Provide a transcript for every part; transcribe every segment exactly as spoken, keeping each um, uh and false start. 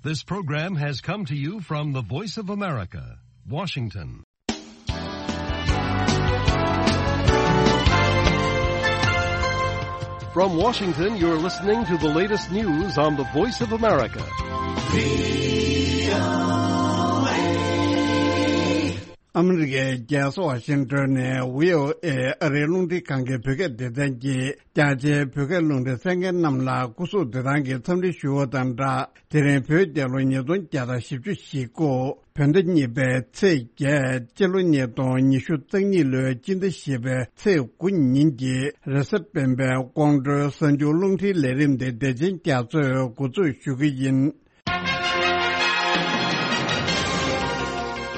This program has come to you from the Voice of America, Washington. From Washington, you're listening to the latest news on the Voice of America. ཨ་མི་རི་ཀའི་རྒྱལ་ས་ཝ་ཤིང་ཏོན་ནས་བྷི་ཨོ་ཨེ་ཨ་རིའི་རླུང་འཕྲིན་ཁང་གི་བོད་སྐད་སྡེ་ཚན་གྱིས་རྒྱ་ཆེའི་བོད་སྐད་རླུང་འཕྲིན་གསན་མཁན་རྣམས་ལ་སྐུ་གཟུགས་བདེ་ཐང་གི་འཚམས་འདྲི་ཞུ་བ་དང་སྦྲགས། དེ་རིང་བོད་རྒྱལ་ལོ་ཉིས་སྟོང་བརྒྱ་དང་བཞི་བཅུ་ཞེ་དགུ་བོད་ཟླ་གཉིས་པའི་ཚེས་བརྒྱད། སྤྱི་ལོ་ཉིས་སྟོང་ཉི་ཤུ་རྩ་གཉིས་ལོའི་སྤྱི་ཟླ་བཞི་པའི་ཚེས་དགུ་ཉིན་གྱི་རེས་གཟའ་སྤེན་པའི་དགོང་དྲོའི་གསར་འགྱུར་རླུང་འཕྲིན་ལས་རིམ་དེ་བདེ་ཆེན་རྒྱ་མཚོས་འགོ་འཛུགས་ཞུ་གི་ཡིན།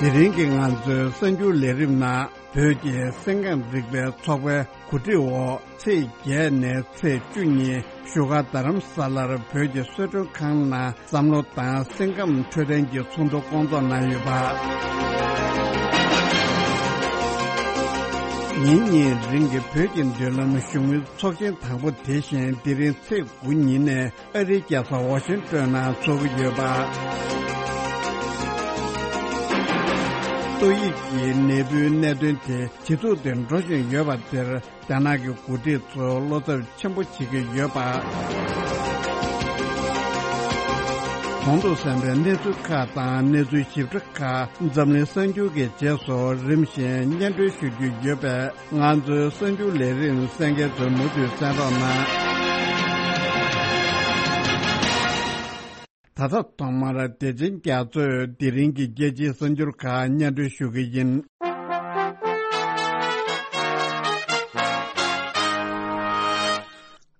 དེ་རིང་གི་ང་ཚོའི་གསར་འགྱུར་ལས་རིམ་ནང་བོད་ཀྱི་སེམས་ཁམས་རིག་པའི་ཚོགས་པའི་གོ་སྒྲིག་འོག་ཚེས་བརྒྱད་ནས་ཚེས་བཅུ་ཉིན་བཞུགས་སྒར་རྡ་རམ་ས་ལར་བོད་ཀྱི་གསོལ་མགྲོན་ཁང་ནང་བསམ་བློ་དང་སེམས་ཁམས་འཕྲོད་བསྟེན་གྱི་ཚོགས་འདུ་སྐོང་ཚོགས་གནང་ཡོད་པ། ཉིན་གཉིས་རིང་གི་བོད་ཀྱི་མདུན་ལམ་བཞུགས་མོལ་ཚོགས་ཆེན་དང་པོ་དེ་བཞིན་དེ་རིང་ཚེས་དགུ་ཉིན་ནས་ཨ་རིའི་རྒྱལ་ས་ཝ་ཤིང་ཏོན་ནང་འཚོགས་ཀྱི་ཡོད་པ། ཏོག་དབྱིབས་ཀྱི་ནད་འབུའི་གནད་དོན་དེ་ཇེ་སྡུག་ཏུ་འགྲོ་བཞིན་ཡོད་པ་དེར་རྒྱ་ནག་གི་འགོ་ཁྲིད་ཚོས་བློ་འཚབ་ཆེན་པོ་བྱེད་ཀྱི་ཡོད་པ། གོང་དུ་གསན་པའི་གནས་ཚུལ་ཁག་དང་གནས་ཚུལ་ཞིབ་ཕྲ་ཁག་འཛམ་གླིང་གསར་འགྱུར་གྱི་རྗེས་སུ་རིམ་བཞིན་སྙན་སྒྲོན་ཞུ་རྒྱུ་ཡོད་པས། ང་ཚོའི་གསར་འགྱུར་ལས་རིམ་གསན་མཁན་ཚོས་མུ་མཐུད་གསན་རོགས་གནང་། ད་ལྟ་ཐོག་མར་བདེ་ཆེན་རྒྱ་མཚོས་དེ་རིང་གི་རྒྱལ་སྤྱིའི་གསར་འགྱུར་ཁག་སྙན་སྒྲོན་ཞུ་གི་ཡིན།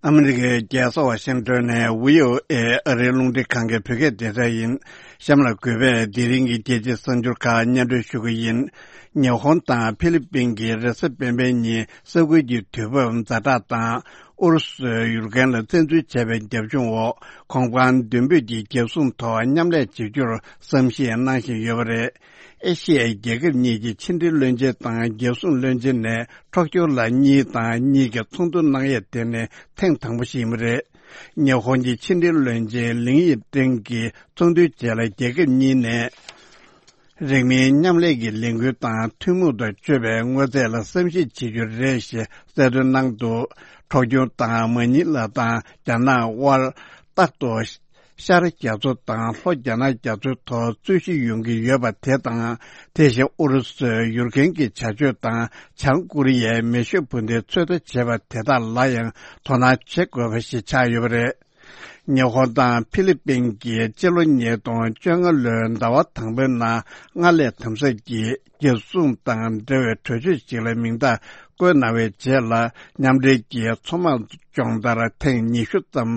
ཨ་མི་རི་ཀའི་རྒྱལ་ས་ཝ་ཤིང་ཏོན་ནས་བྷི་ཨོ་ཨེ་ཨ་རིའི་རླུང་འཕྲིན་ཁང་གི་བོད་སྐད་སྡེ་ཚན་ཡིན། གཤམ་ལ་གུས་པས་དེ་རིང་གི་རྒྱལ་སྤྱིའི་གསར་འགྱུར་ཁག་སྙན་སྒྲོན་ཞུ་གི་ཡིན། ཉི་ཧོང་དང་ཕི་ལི་པིན་གྱིས་རེས་གཟའ་སྤེན་པའི་ཉིན་ས་ཁུལ་གྱི་དུས་བབ་ཛ་དྲག་དང་ཨུ་རུ་སུས་ཡུཀ་རེན་ལ་བཙན་འཛུལ་བྱས་པའི་རྒྱབ་ལྗོངས་འོག་གོང་འཕང་མདུན་སྤོས་ཀྱི་རྒྱལ་སྲུང་ཐོག་མཉམ་ལས་བྱེད་རྒྱུར་བསམ་ཤེས་གནང་བཞིན་ཡོད་པ་རེད། ཨེ་ཤི་ཡའི་རྒྱལ་ཁབ་གཉིས་ཀྱི་ཕྱི་འབྲེལ་བློན་ཆེན་དང་རྒྱལ་སྲུང་བློན་ཆེན་ནས་ཊོ་ཀྱོ་ལ་གཉིས་དང་གཉིས་ཀྱི་ཚོགས་འདུ་གནང་ཡས་དེ་ནི་ཐེངས་དང་པོ་ཞིག་ཡིན་པ་རེད། ཉི་ཧོང་གི་ཕྱི་འབྲེལ་བློན་ཆེན་ལིང་ཡི་ཀྲེང་གིས་ཚོགས་འདུའི་རྗེས་ལ་རྒྱལ་ཁབ་གཉིས་ནས་རིང་མིན་མཉམ་ལས་ཀྱི་ལས་འགུལ་དང་ཐུན་མོང་དུ་སྤྱོད་པའི་དངོས་རྫས་ལ་བསམ་གཞིག་བྱེད་རྒྱུ་རེད་ཞེས་གསལ་སྟོན་གནང་འདུག་ཊོ་ཀྱོ་དང་མ་ནི་ལ་དང་རྒྱ་ནག་དབར་རྟག་ཏུ་ཤར་རྒྱ་མཚོ་དང་ལྷོ་རྒྱ་ནག་རྒྱ་མཚོའི་ཐོག་རྩོད་གཞི་ཡོང་གི་ཡོད་པ་དེ་དང་། དེ་བཞིན་ཨུ་རུ་སུས་ཡུཀ་རེན་གྱི་བྱ་སྤྱོད་དང་བྱང་ཀོ་རི་ཡའི་མེ་ཤུགས་འཕུར་མདེལ་ཚོད་ལྟ་བྱས་པ་དེ་དག་ལ་ཡང་དོ་སྣང་བྱེད་དགོས་པ་ཞིག་ཆགས་ཡོད་པ་རེད། ཉི་ཧོང་དང་ཕི་ལི་པིན་གྱིས་སྤྱི་ལོ་ཉིས་སྟོང་བཅོ་ལྔ་ལོའི་ཟླ་བ་དང་པོའི་ནང་སྔར་ལས་དམ་ཟབ་ཀྱིས་རྒྱལ་སྲུང་དང་འབྲེལ་བའི་གྲོས་ཆོད་ཅིག་ལ་མིང་རྟགས་བཀོད་གནང་བའི་རྗེས་ལ། མཉམ་འབྲེལ་གྱིས་མཚོ་དམག་སྦྱོང་བརྡར་ཐེངས་ཉི་ཤུ་ཙམ་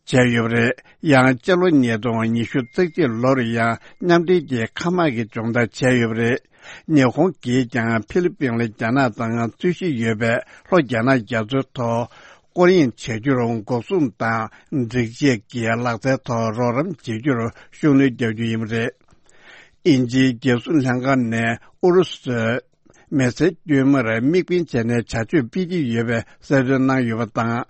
བྱས་ཡོད་པ་རེད། ཡང་སྤྱི་ལོ་ཉིས་སྟོང་ཉི་ཤུ་རྩ་གཅིག་ལོར་ཡང་མཉམ་འབྲེལ་གྱིས་མཁའ་དམག་གི་སྦྱོང་བརྡར་བྱས་ཡོད་པ་རེད། ཉི་ཧོང་གིས་ཀྱང་ཕི་ལི་པིན་ལ་རྒྱ་ནག་དང་རྩོད་གཞི་ཡོད་པའི་ལྷོ་རྒྱ་ནག་རྒྱ་མཚོའི་ཐོག་སྐོར་གཡེང་བྱ་རྒྱུར་འགོག་སྲུང་དང་སྒྲིག་ཆས་ཀྱི་ལག་རྩལ་ཐོག་རོགས་རམ་བྱེད་རྒྱུར་ཤུགས་སྣོན་རྒྱག་རྒྱུ་ཡིན་པ་རེད། དབྱིན་ཇིའི་རྒྱལ་སྲུང་ལྷན་ཁང་ནས་ཨུ་རུ་སུས་མེ་སེར་དཀྱུས་མར་དམིགས་འབེན་བྱས་ནས་བྱ་སྤྱོད་སྤེལ་གྱི་ཡོད་པའི་གསལ་སྟོན་གནང་ཡོད་པ་དང་།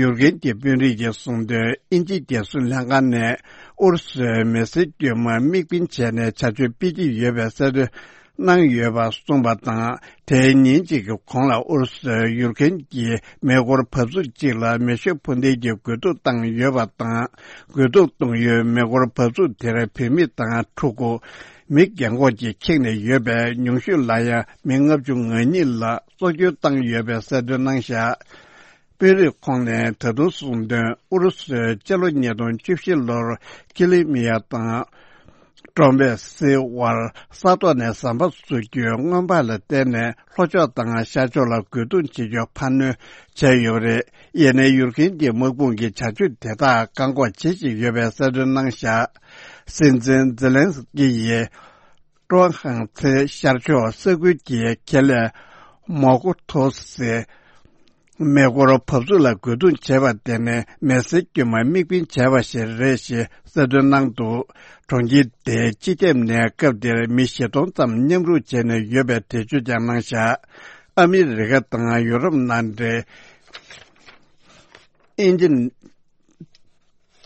ཡུཀ་རེན་གྱི་དཔོན་རིགས་ཀྱིས་གསུངས་དོན། དབྱིན་ཇིའི་རྒྱལ་སྲུང་ལྷན་ཁང་ནས་ཨུ་རུ་སུས་མེ་སེར་དཀྱུས་མར་དམིགས་འབེན་བྱས་ནས་བྱ་སྤྱོད་སྤེལ་གྱི་ཡོད་པའི་གསལ་སྟོན་གནང་ཡོད་པ་གསུངས་པ་དང་། དེའི་ཉིན་གཅིག་གི་གོང་ལ་ཨུ་རུ་སུས་ཡུཀ་རེན་གྱི་མེ་འཁོར་འབབ་ཚུགས་གཅིག་ལ་མེ་ཤུགས་འཕུར་མདེལ་གྱི་རྒོལ་རྡུང་བཏང་ཡོད་པ་དང་། རྒོལ་རྡུང་གཏོང་ཡུལ་མེ་འཁོར་འབབ་ཚུགས་དེར་བུད་མེད་དང་ཕྲུ་གུ། མི་རྒན་གོག་ཅིག་ཁེངས་ནས་ཡོད་པས། ཉུང་ཤོས་ལ་ཡང་མི་ལྔ་བཅུ་ང་གཉིས་ལ་སྲོག་སྐྱོན་བཏང་ཡོད་པའི་གསལ་སྟོན་གནང་བཞག་དཔོན་རིགས་ཁོང་ནས་ད་དུང་གསུངས་དོན། ཨུ་རུ་སུས་སྤྱི་ལོ་ཉིས་སྟོང་བཅུ་བཞི་ལོར་ཀི་ལི་མི་ཡ་དང་ཀྲོམ་པེ་སི་དབར་ས་ཐོག་ནས་ཟམ་པ་བཟོ་རྒྱུའི་སྔོན་དཔག་ལ་བརྟེན་ནས་ལྷོ་ཕྱོགས་དང་ཤར་ཕྱོགས་ལ་རྒོལ་རྡུང་བྱེད་རྒྱུ་འཕར་སྣོན་བྱས་ཡོད་པ་རེད། ཡིན་ནའི་ཡུཀ་རེན་གྱི་དམག་དཔུང་གིས་བྱ་སྤྱོད་དེ་དག་བཀག་འགོག་བྱེད་བཞིན་ཡོད་པའི་གསལ་སྟོན་གནང་བཞག་སྲིད་འཛིན་ཛེ་ལན་སི་ཀི་ཡིས་ཀྲོ་ཧང་ཚའེ་ཤར་ཕྱོགས་ས་ཁུལ་གྱི་ཁེ་ལས་མོ་ཀོ་ཐོ་སི་མེ་འཁོར་འབབ་ཚུགས་ལ་རྒོལ་རྡུང་བྱས་པ་དེ་ནི་མེ་སེར་དཀྱུས་མ་དམིགས་འབེན་བྱས་པ་ཞིག་རེད་ཞེས་གསལ་སྟོན་གནང་འདུག་གྲོང་ཁྱེར་དེའི་སྤྱི་ཁྱབ་ནས་སྐབས་དེར་མི་བཞི་སྟོང་ཙམ་མཉམ་རུབ་བྱས་ནས་ཡོད་པའི་འགྲེལ་བརྗོད་ཀྱང་གནང་བཞག་ཨ་མི་རི་ཀ་དང་ཡུ་རོབ་མནའ་འབྲེལ། དབྱིན་ཇི།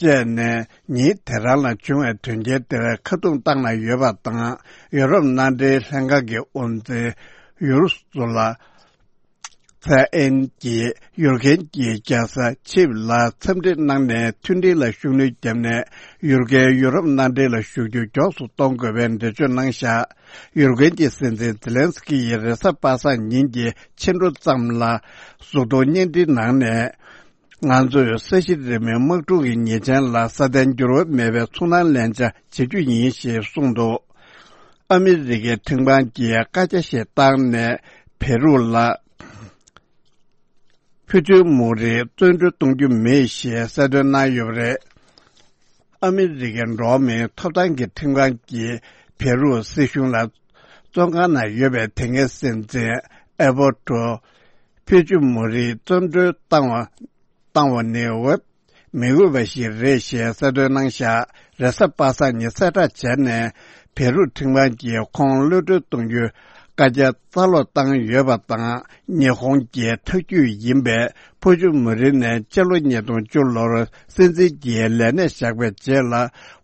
བཅས་ནས་ཉིན་དེ་རང་ལ་བྱུང་བའི་དོན་རྐྱེན་དེར་ཁ་རྡུང་བཏང་གནང་ཡོད་པ་དང་། ཡོ་རོབ་མནའ་འབྲེལ་ལྷན་ཁང་གི་དབུ་འཛིན་ཡུ་རུ་སུ་ལ་ཚེ་ཨེན་གྱིས་ཡུར་ཁན་གྱི་རྒྱལ་ས་ཆིབ་ལ་འཚམས་འདྲི་གནང་ནས། མཐུན་སྒྲིལ་ལ་ཤུགས་སྣོན་བརྒྱབ་ནས། ཡུར་ཁན་ཡུ་རོབ་མནའ་འབྲེལ་ལ་ཞུགས་རྒྱུ་མགྱོགས་སུ་གཏོང་དགོས་པའི་འགྲེལ་བརྗོད་གནང་བཞག་ཡུར་ཁན་གྱི་སྲིད་འཛིན་ཛེ་ལན་སི་ཀི་ཡིས་རེས་གཟའ་པ་སངས་ཉིན་གྱི་ཕྱི་དྲོ་ཙམ་ལ་གཟུགས་མཐོང་བརྙན་འཕྲིན་ནང་ནས། ང་ཚོས་ས་གཞི་རིལ་མའི་དམག་འཁྲུག་གི་ཉེས་ཅན་ལ་སྲ་བརྟན་འགྱུར་བ་མེད་པའི་ཚོར་སྣང་ལེན་བྱ་བྱེད་རྒྱུ་ཡིན་ཞེས་གསུངས་འདུག་ཨ་མི་རི་ཀའི་ཁྲིམས་ཁང་གིས་བཀའ་རྒྱ་ཞིག་བཏང་ནས། བེ་རུ་ལ་ཕུ་ཆུ་མུ་རི་བཙོན་གྲོལ་གཏོང་རྒྱུ་མེད་ཞེས་གསལ་སྟོན་གནང་ཡོད་པ་རེད། ཨ་མི་རི་ཀའི་འགྲོ་བ་མིའི་ཐོབ་ཐང་གི་ཁྲིམས་ཁང་གིས་བེ་རུ་སྲིད་གཞུང་ལ་བཙོན་ཁང་ནང་ཡོད་པའི་དེ་སྔའི་སྲིད་འཛིན་ཨེ་བོ་ཏོ་ཕུ་ཆུ་མུ་རི་བཙོན་གྲོལ་བཏང་བ་བཏང་བ་ནི་འོས་མི་འོས་པ་ཞིག་རེད་ཞེས་གསལ་སྟོན་གནང་བཞག་རེས་གཟའ་པ་སངས་ཉིན་གསལ་བསྒྲགས་བྱས་ནས། བེ་རུ་ཁྲིམས་ཁང་གིས་ཁོང་གློད་གྲོལ་གཏོང་རྒྱུའི་བཀའ་རྒྱ་རྩ་སློག་བཏང་ཡོད་པ་དང་། ཉི་ཧོང་གི་ཐག་གཅོད་ཡིན་པའི་ཕུ་ཆུ་མུ་རི་ནས་སྤྱི་ལོ་ཉིས་སྟོང་བཅུ་ལོར་སྲིད་འཛིན་གྱི་ལས་གནས་བཞག་པའི་རྗེས་ལ།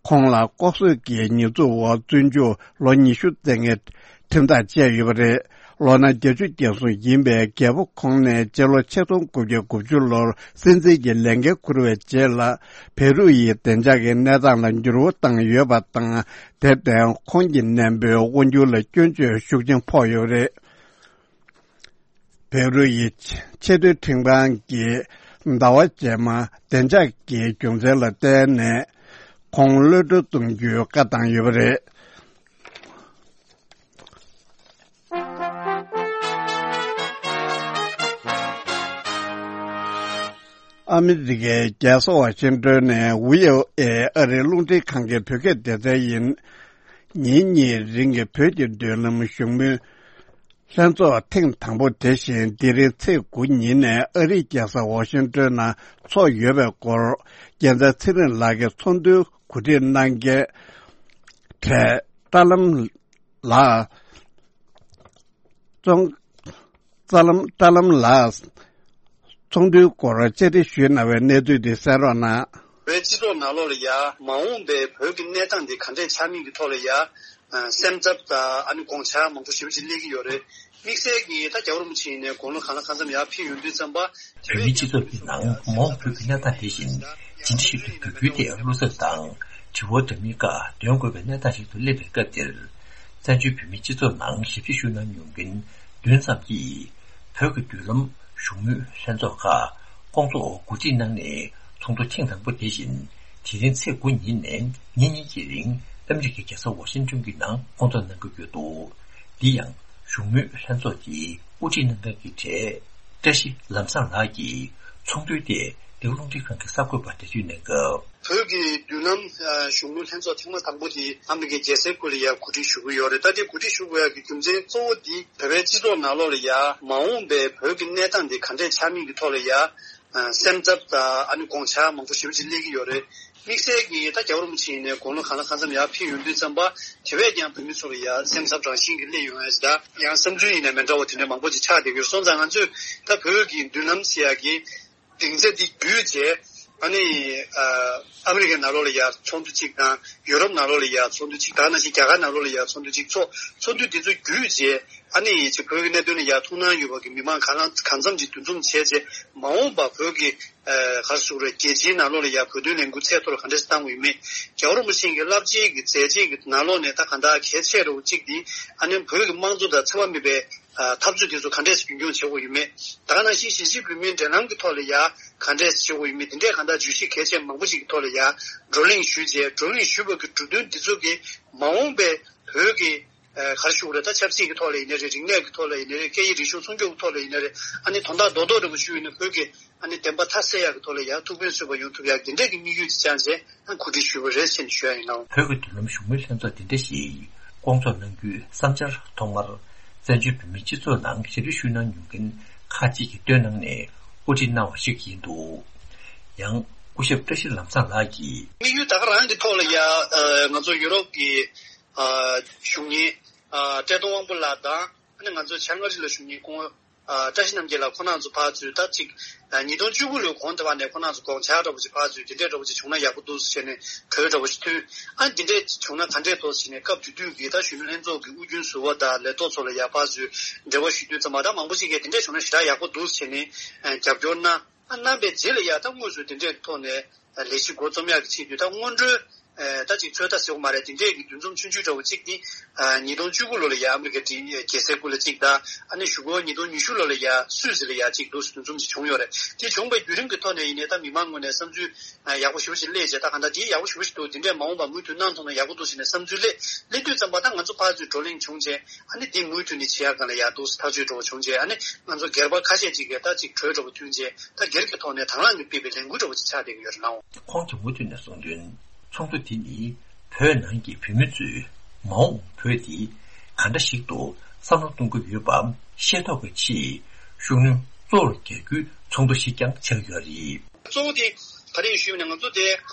ཁོང་ལ་ལྐོག་གསོད་ཀྱི་ཉེས་འཛུགས་འོག་བཙོན་འཇུག་ལོ་ཉི་ཤུ་བསྩལ་མཁན་ཁྲིམས་ཐག་བཅད་ཡོད་པ་རེད། ལོ་ན་བརྒྱད་ཅུ་གྱ་གསུམ་ཡིན་པའི་རྒྱལ་པོ་ཁོང་ནས་སྤྱི་ལོ་ཆིག་སྟོང་དགུ་བརྒྱ་དགུ་བཅུ་ལོར་སྲིད་འཛིན་གྱི་ལས་འགན་འཁུར་བའི་རྗེས་ལ། བེ་རུ་ཡི་བདེ་འཇགས་ཀྱི་གནས་སྟངས་ལ་འགྱུར་བ་བཏང་ཡོད་པ་དང་། དེར་བརྟེན་ཁོང་གི་གནས་མོལ་དབང་སྒྱུར་ལ་སྐྱོན་བརྗོད་ཤུགས་ཆེན་ཕོག་ཡོད་པ་རེད། བེ་རུ་ཡི་ཆེས་མཐོའི་ཁྲིམས་ཁང་གིས་ཟླ་བ་རྗེས་མ་བདེ་འཇགས་ཀྱི་རྒྱུ་མཚན་ལ་བརྟེན་ནས་ཁོང་གློད་གྲོལ་གཏོང་རྒྱུའི་བཀའ་བཏང་ཡོད་པ་རེད། ཨ་མི་རི་ཀའི་རྒྱལ་ས་ཝ་ཤིང་ཏོན་ནས་ཝི་ཨོ་ཨེ་ཨ་རིའི་རླུང་འཕྲིན་ཁང་གི་བོད་སྐད་སྡེ་ཚན་ཡིན། ཉིན་གཉིས་རིང་གི་བོད་ཀྱི་མདུན་ལམ་བཞུགས་མོལ་ལྷན་ཚོགས་ཐེངས་དང་པོ་དེ་བཞིན་འདི་རིང་ཚེས་དགུ་ཉིན་ནས་ཨ་རིའི་རྒྱལ་ས་ཝ་ཤིང་ཏོན་ནང་འཚོགས་ཡོད་པའི་སྐོར། རྒྱལ་མཚན་ཚེ་རིང་ལགས་ཀྱིས་ཚོགས་འདུའི་གོ་སྒྲིག་གནང་མཁན་གྲས་ཏྲ་ལམ་ལགས། ཙོང་། ཙ་ལམ་ཏྲ་ལམ་ལགས། ཚོགས་འདུའི་སྐོར་བཅར་འདྲི་ཞུས་གནང་བའི་གནས་ཚུལ་འདི་གསན་རོགས་གནང་། བོད་སྤྱི་ཚོགས་ནང་ལོགས་ལ་ཡ་མ་འོངས་པའི་བོད་ཀྱི་གནས་སྟངས་འདི་ག་འདྲས་ཆགས་མིན་གྱི་ཐོག་ལ་ཡ། ཨ། སེམས་འཚབ་དང་ཨ་ནི་དགོངས་འཆར་མང་པོ་ཞེ་པོ་ཅིག་སླེབས་ཀྱི་ཡོད་རེད། དམིགས་བསལ་གྱིས་ད་རྒྱལ་བ་རིན་པོ་ཆེ་ཡིན་ནའི་དགུང་ལོ་གང་ལ་གང་འཚམ་ཡར་ཕེབས་ཡོང་དུས་ཙམ་པ། བོད་མིའི་སྤྱི་ཚོགས་ཀྱི་ནང་མ་འོངས་བོད་ཀྱི་གནས་སྟངས་དེ་བཞིན་ཇི་འདྲ་ཞིག་ཏུ་འགྱུར་རྒྱུའི་ཐད་བློ་འཚབ་དང་དྲི་བ་འདྲ་མིན་ཁག་འདོན་དགོས་པའི་གནས་སྟངས་ཤིག་ཏུ་སླེབས་པའི་སྐབས་འདིར། བཙན་བྱོལ་བོད་མིའི་སྤྱི་ཚོགས་ནང་ཞབས་ཕྱི་ཞུ་གནང་མྱོང་མཁན་བདུན་ཙམ་གྱིས། བོད་ཀྱི་མདུན་ལམ་བཞུགས་མོལ་ལྷན་ཚོགས་ཁག་སྐོང་ཚོགས་འོག་གོ་སྒྲིག་གནང་ནས། ཚོགས་འདུ་ཐེངས་དང་པོ་དེ་བཞིན་དེ་རིང་ཚེས་དགུ་ཉིན་ནས་ཉིན་གཉིས་ཀྱི་རིང་ཨ་མི་རི་ཀའི་རྒྱལ་ས་ཝ་ཤིང་ཏོན་གྱི་ནང་སྐོང་ཚོགས་གནང་གི་ཡོད་འདུག་འདི་ཡང་བཞུགས་མོལ་ལྷན་ཚོགས་ཀྱི་དབུ་ཁྲིད་གནང་མཁན་གྱི་གྲས་བཀྲ་ཤིས་ལམ་བཟང་ལགས་ཀྱིས་ཚོགས་འདུའི་ཐད་འདི་ག་རླུང་འཕྲིན་ཁང་གི་གསར་འགོད་པར་འགྲེལ་བརྗོད་གནང་སྐབས། བོད་ཀྱི་མདུན་ལམ་ཨ་བཞུགས་མོལ་ལྷན་ཚོགས་ཐེངས་མ་དང་པོ་དེ་ཨ་མི་རི་ཀའི་རྒྱལ་སའི་ཁུལ་ལ་ཡར་གོ་སྒྲིག་ཞུ་གི་ཡོད་རེད། ད་དེ་གོ་སྒྲིག་ཞུ་དགོས་ཡག་གི་རྒྱུ་མཚན་གཙོ་བོ་དེ་བོད་པའི་སྤྱི་ཚོགས་ནང་ལོགས་ལ་ཡ་མ་འོངས་པའི་བོད་ཀྱི་གནས་སྟངས་དེ་ག་འདྲས་ཆགས་མིན་གྱི་ཐོག་ལ་ཡ་ཨ་སེམས་འཚབ་དང་ཨ་ནི་དགོངས་འཆར་མང་པོ་ཞེ་པོ་ཅིག་སླེབས་ཀྱི་ཡོད་རེད། དམིགས་བསལ་གྱིས་ད་རྒྱལ་བ་རིན་པོ་ཆེ་ཡིན་ནའི་དགུང་ལོ་གང་ལ་གང་འཚམ་ཡར་ཕེབས་ཡོང་དུས་ཙམ་པ་དེ་བས་ཀྱང་བོད་མི་ཚོ་ལ་ཡ་སེམས་འཚབ་རང་བཞིན་གྱིས་སླེབས་ཡོང་ཡ་ཞིག་དང་། ཡང་བསམ་ཚུལ་ཡིན་ནའི་མི་འདྲ་བ་དེ་འདྲ་མང་པོ་ཅིག་ཆགས་བསྡད་ཀྱི་ཡོད། སོང་ཙང་ང་ཚོས་ད་བོད་ཀྱི་མདུན་ལམ་ཟེར་ཡག་གི་སྡིངས་ཆ་འདི་བརྒྱུད་བྱས། ཨ་ནི་ཨ་ཨ་མི་རི་ཀའི་ནང་ལོགས་ལ་ཡ་ཚོགས་འདུ་གཅིག་དང་། ཡུ་རོབ་ནང་ལོགས་ལ་ཡ་ཚོགས་འདུ་གཅིག་དང་། ནང་བཞིན་རྒྱ་གར་ནང་ལོགས་ལ་ཡ་ཚོགས་འདུ་གཅིག་ཚོགས། ཚོགས་འདུ་འདི་ཚོ་བརྒྱུད་བྱས། ཨ་ནི་ཅིག་བོད་ཀྱི་གནད་དོན་ལ་ཡ་ཐུགས་སྣང་ཡོད་པ་གི་མི་མང་གང་ལ་གང་འཚམ་ཅིག་འདུ་འཛོམས་བྱས་བྱས། མ་འོངས་པ་བོད་ཀྱི་ཨ་ག་རེ་ཟེར་དགོས་རེད། རྒྱལ་སྤྱིའི་ནང་ལོགས་ལ་ཡ་བོད་དོན་ལས་འགུལ་ཚད་མཐོར་ག་འདྲས་བཏང་དགོས་ཡོད་མེད། རྒྱལ་བ་རིན་པོ་ཆེ་གི་བསླབ་བྱའི་གི་མཛད་རྗེས་ཀྱི་ནང་ལོགས་ནས་ད་གང་ལྟར་གལ་ཆེ་རུ་གཅིག་འདི་ཨ་ནི་བོད་ཀྱི་དམངས་གཙོ་དང་འཚེ་བ་མེད་པའི་ཨ་འཐབ་རྩོད་དེ་ཚོ་ག་འདྲས་རྒྱུན་འཁྱོངས་བྱེད་དགོས་ཡོད་མེད། ད་ག་ནང་བཞིན་གཞིས་བྱེས་བོད་མིའི་འབྲེལ་ལམ་གྱི་ཐོག་ལ་ཡ་ག་འདྲས་བྱེད་དགོས་ཡོད་མེད། དེ་འདྲས་གང་ལྟར་བརྗོད་གཞི་གལ་ཆེ་མང་པོ་ཞིག་གི་ཐོག་ལ་ཡ་བགྲོ་གླེང་ཞུས་བྱས། བགྲོ་གླེང་ཞུས་པ་གི་གྲོས་མཐུན་དེ་ཚོ་གིས་མ་འོངས་པའི་བོད་ཀྱི་ཨ་ག་རེ་ཞུ་དགོས་རེད། ད་ཆབ་སྲིད་ཀྱི་ཐོག་ལ་ཡིན་ནའི་རེད། རིག་གནས་ཀྱི་ཐོག་ལ་ཡིན་ནའི་རེད། སྐད་ཡིག་རིག་གཞུང་སྲུང་སྐྱོབ་ཀྱི་ཐོག་ལ་ཡིན་ནའི་རེད། ཨ་ནི་དོན་དག་རྡོག་རྡོག་འདྲ་པོ་ཞུས་ཡོད་ན་བོད་ཀྱི་ཨ་ནི་བདེན་པ་མཐའ་གསལ་ཡག་གི་ཐོག་ལ་ཡ་ཐུགས་ཕན་གསོས་པ་ཡོང་ཐུབ་ཡག་དེ་འདྲས་ཀྱི་དམིགས་ཡུལ་གྱི་བཅངས་བྱས་ཨ་གོ་སྒྲིག་ཞུས་པ་རེད་ཟེར་ནས་ཞུ་ཡ་ཡིན་ནོ། བོད་ཀྱི་མདུན་ལམ་བཞུགས་མོལ་ལྷན་ཚོགས་དེ་འདྲ་ཞིག་སྐོང་ཚོགས་གནང་རྒྱུའི་བསམ་འཆར་ཐོག་མར་བཙན་བྱོལ་བོད་མིའི་སྤྱི་ཚོགས་ནང་ཞབས་ཕྱི་ཞུ་གནང་མྱོང་མཁན་ཁག་ཅིག་གིས་བཏོན་གནང་ནས་དབུ་ཁྲིད་གནང་བ་ཞིག་ཡིན་འདུག་ཡང་སྐུ་ཞབས་བཀྲ་ཤིས་ལམ་བཟང་ལགས་ཀྱིས། དམིགས་ཡུལ་ད་ག་རང་གི་ཐོག་ལ་ཡ་ཨ་ང་ཚོ་ཡུ་རོབ་ཀྱི་ཨ་གཞུང་ཉིད་ཨ་བཀྲས་མཐོང་དབང་པོ་ལགས་དང་། ཨ་ནི་ང་ཚོ་བྱང་ཨ་རི་ལ་བཞུགས་མཁན་སྐུ་ངོ་ ཨ། བཀྲ་ཤིས་རྣམ་རྒྱལ་ལགས་ཁོང་རྣམ་ཚོ་ཕར་ཚུར་ད་ཅིག་ཨ། ཉིས་སྟོང་བཅུ་དགུ་ལོའི་གོང་དེ་བ་ནས་ཁོང་རྣམ་ཚོ་དགོངས་འཆར་འདྲ་པོ་ཅིག་ཕར་ཚུར་དེ་འདྲས་འདྲ་པོ་ཅིག་བྱུང་ན་ཡག་པོ་འདུག་ཟེར་ནས་གྲོས་འདྲ་པོ་ཅིག་མཐུན། ཨ། འདི་འདྲས་བྱུང་ན་ག་འདྲས་འདུག་ཟེར་ནས་སྐབས་དེ་དུས་ཀྱི་ད་གཞོན་ནུ་ལྷན་ཚོགས་ཀྱི་དབུས་རྒྱུན་ཟུར་པ་དང་ལས་ཐོག་ཚོ་ལ་ཡ་ཕར་ཚུར་འབྲེལ་བ་ཞུ་དུས་ཙམ་པ་ད་མང་པོ་ཅིག་གིས་དེ་འདྲས་བྱུང་ན་ཞེ་དྲག་ཡག་པོ་འདུག་ཟེར་ནས་ཨ། རྒྱབ་སྐྱོར་གནང་། ཨ། གནང་བའི་རྗེས་ལ་ཡ་ད་དངོས་སུ་དེ་འདྲས་ཐོག་ནས་ལས་གཞི་འགོ་རྩོམ་ཡག་གི་ཆེད་དུ་ད་སྔོན་འགྲོའི་ཨ། ད་ཅིག་ཚོད་ལྟ་ཟེར་བ་མ་རེད། དེ་འདྲས་ཀྱི་འདུ་འཛོམས་ཆུང་ཆུང་འདྲ་བོ་གཅིག་དེ་ཨ། ཉིས་སྟོང་བཅུ་དགུ་ལོ་ལ་ཡ་ཨ་མི་རི་ཀའི་རྒྱལ་སའི་ཁུལ་ལ་གཅིག་དང་། ཨ་ནི་གཞུག་གུ་ཉིས་སྟོང་ཉི་ཤུ་ལོ་ལ་ཡ་སུད་སི་ལ་ཡ་གཅིག་འདུག་སེ་འདུ་འཛོམས་ཅིག་བྱུང་ཡོད་རེད། དེ་བྱུང་བའི་བརྒྱུད་རིམ་གྱི་ཐོག་ནས་ཡིན་ནའི་ད་མི་མང་ངོས་ནས་བསམ་ཚུལ་ཨ། ཡག་པོ་ཞེ་པོ་ཅིག་སླེབས་བྱས། ད་གང་ལྟར་དེ་ཡག་པོ་ཞེ་པོ་ཞིག་འདུག་དེ་འདྲས་མ་འོངས་པ་མུ་མཐུད་གནང་ཐུབ་ན་ཡག་པོ་འདུག་ཟེར་ནས་བསམ་ཚུལ་སླེབས། སླེབས་དུས་ཙམ་པ་ད་ང་ཚོ་ཕར་ཚུར་བགྲོ་གླེང་བྱུང་རྗེས་ཨ་ནི་དེ་མུ་མཐུད་ནས་བྱེད་ཡག་སྒང་ལ་ཡག་འདུག་སེ་ཐག་གཅོད་འདྲ་བོ་བྱུང་རྗེས་ཨ་ནི་ང་ཚོ་སྒེར་པ་ཁ་ཤས་ཅིག་གིས་ད་ཅིག་གྲོས་འདྲ་བོ་མཐུན་རྗེས་ད་སྒེར་གྱི་ཐོག་ནས་དང་བླངས་ཀྱིས་སྤེལ་བའི་ལས་འགུལ་འདྲ་བོ་ཅིག་ཆགས་བསྡད་ཀྱི་ཡོད་རེད་ལགས། ཁོང་གིས་མུ་མཐུད་ནས་གསུངས་དོན། ཚོགས་འདུ་འདི་ནི་བོད་ནང་གི་བོད་མི་ཚོས་མ་འོངས་བོད་འདི་ག་འདྲ་ཞིག་ཏུ་བསམ་བློ་གཏོང་གི་ཡོད་པ་ཤེས་རྟོགས་ཀྱི་ཆེད་ཤུགས་སྣོན་གཙོ་བོར་རྒྱག་རྒྱུའི་ཚོགས་འདུ་ཞིག་ཀྱང་ཆགས་ཡོད་རེད། གཙོ་བོ་དེ་ག་རེ་ཡིན་ཞུས་ན་ང་ཚོ་དེ་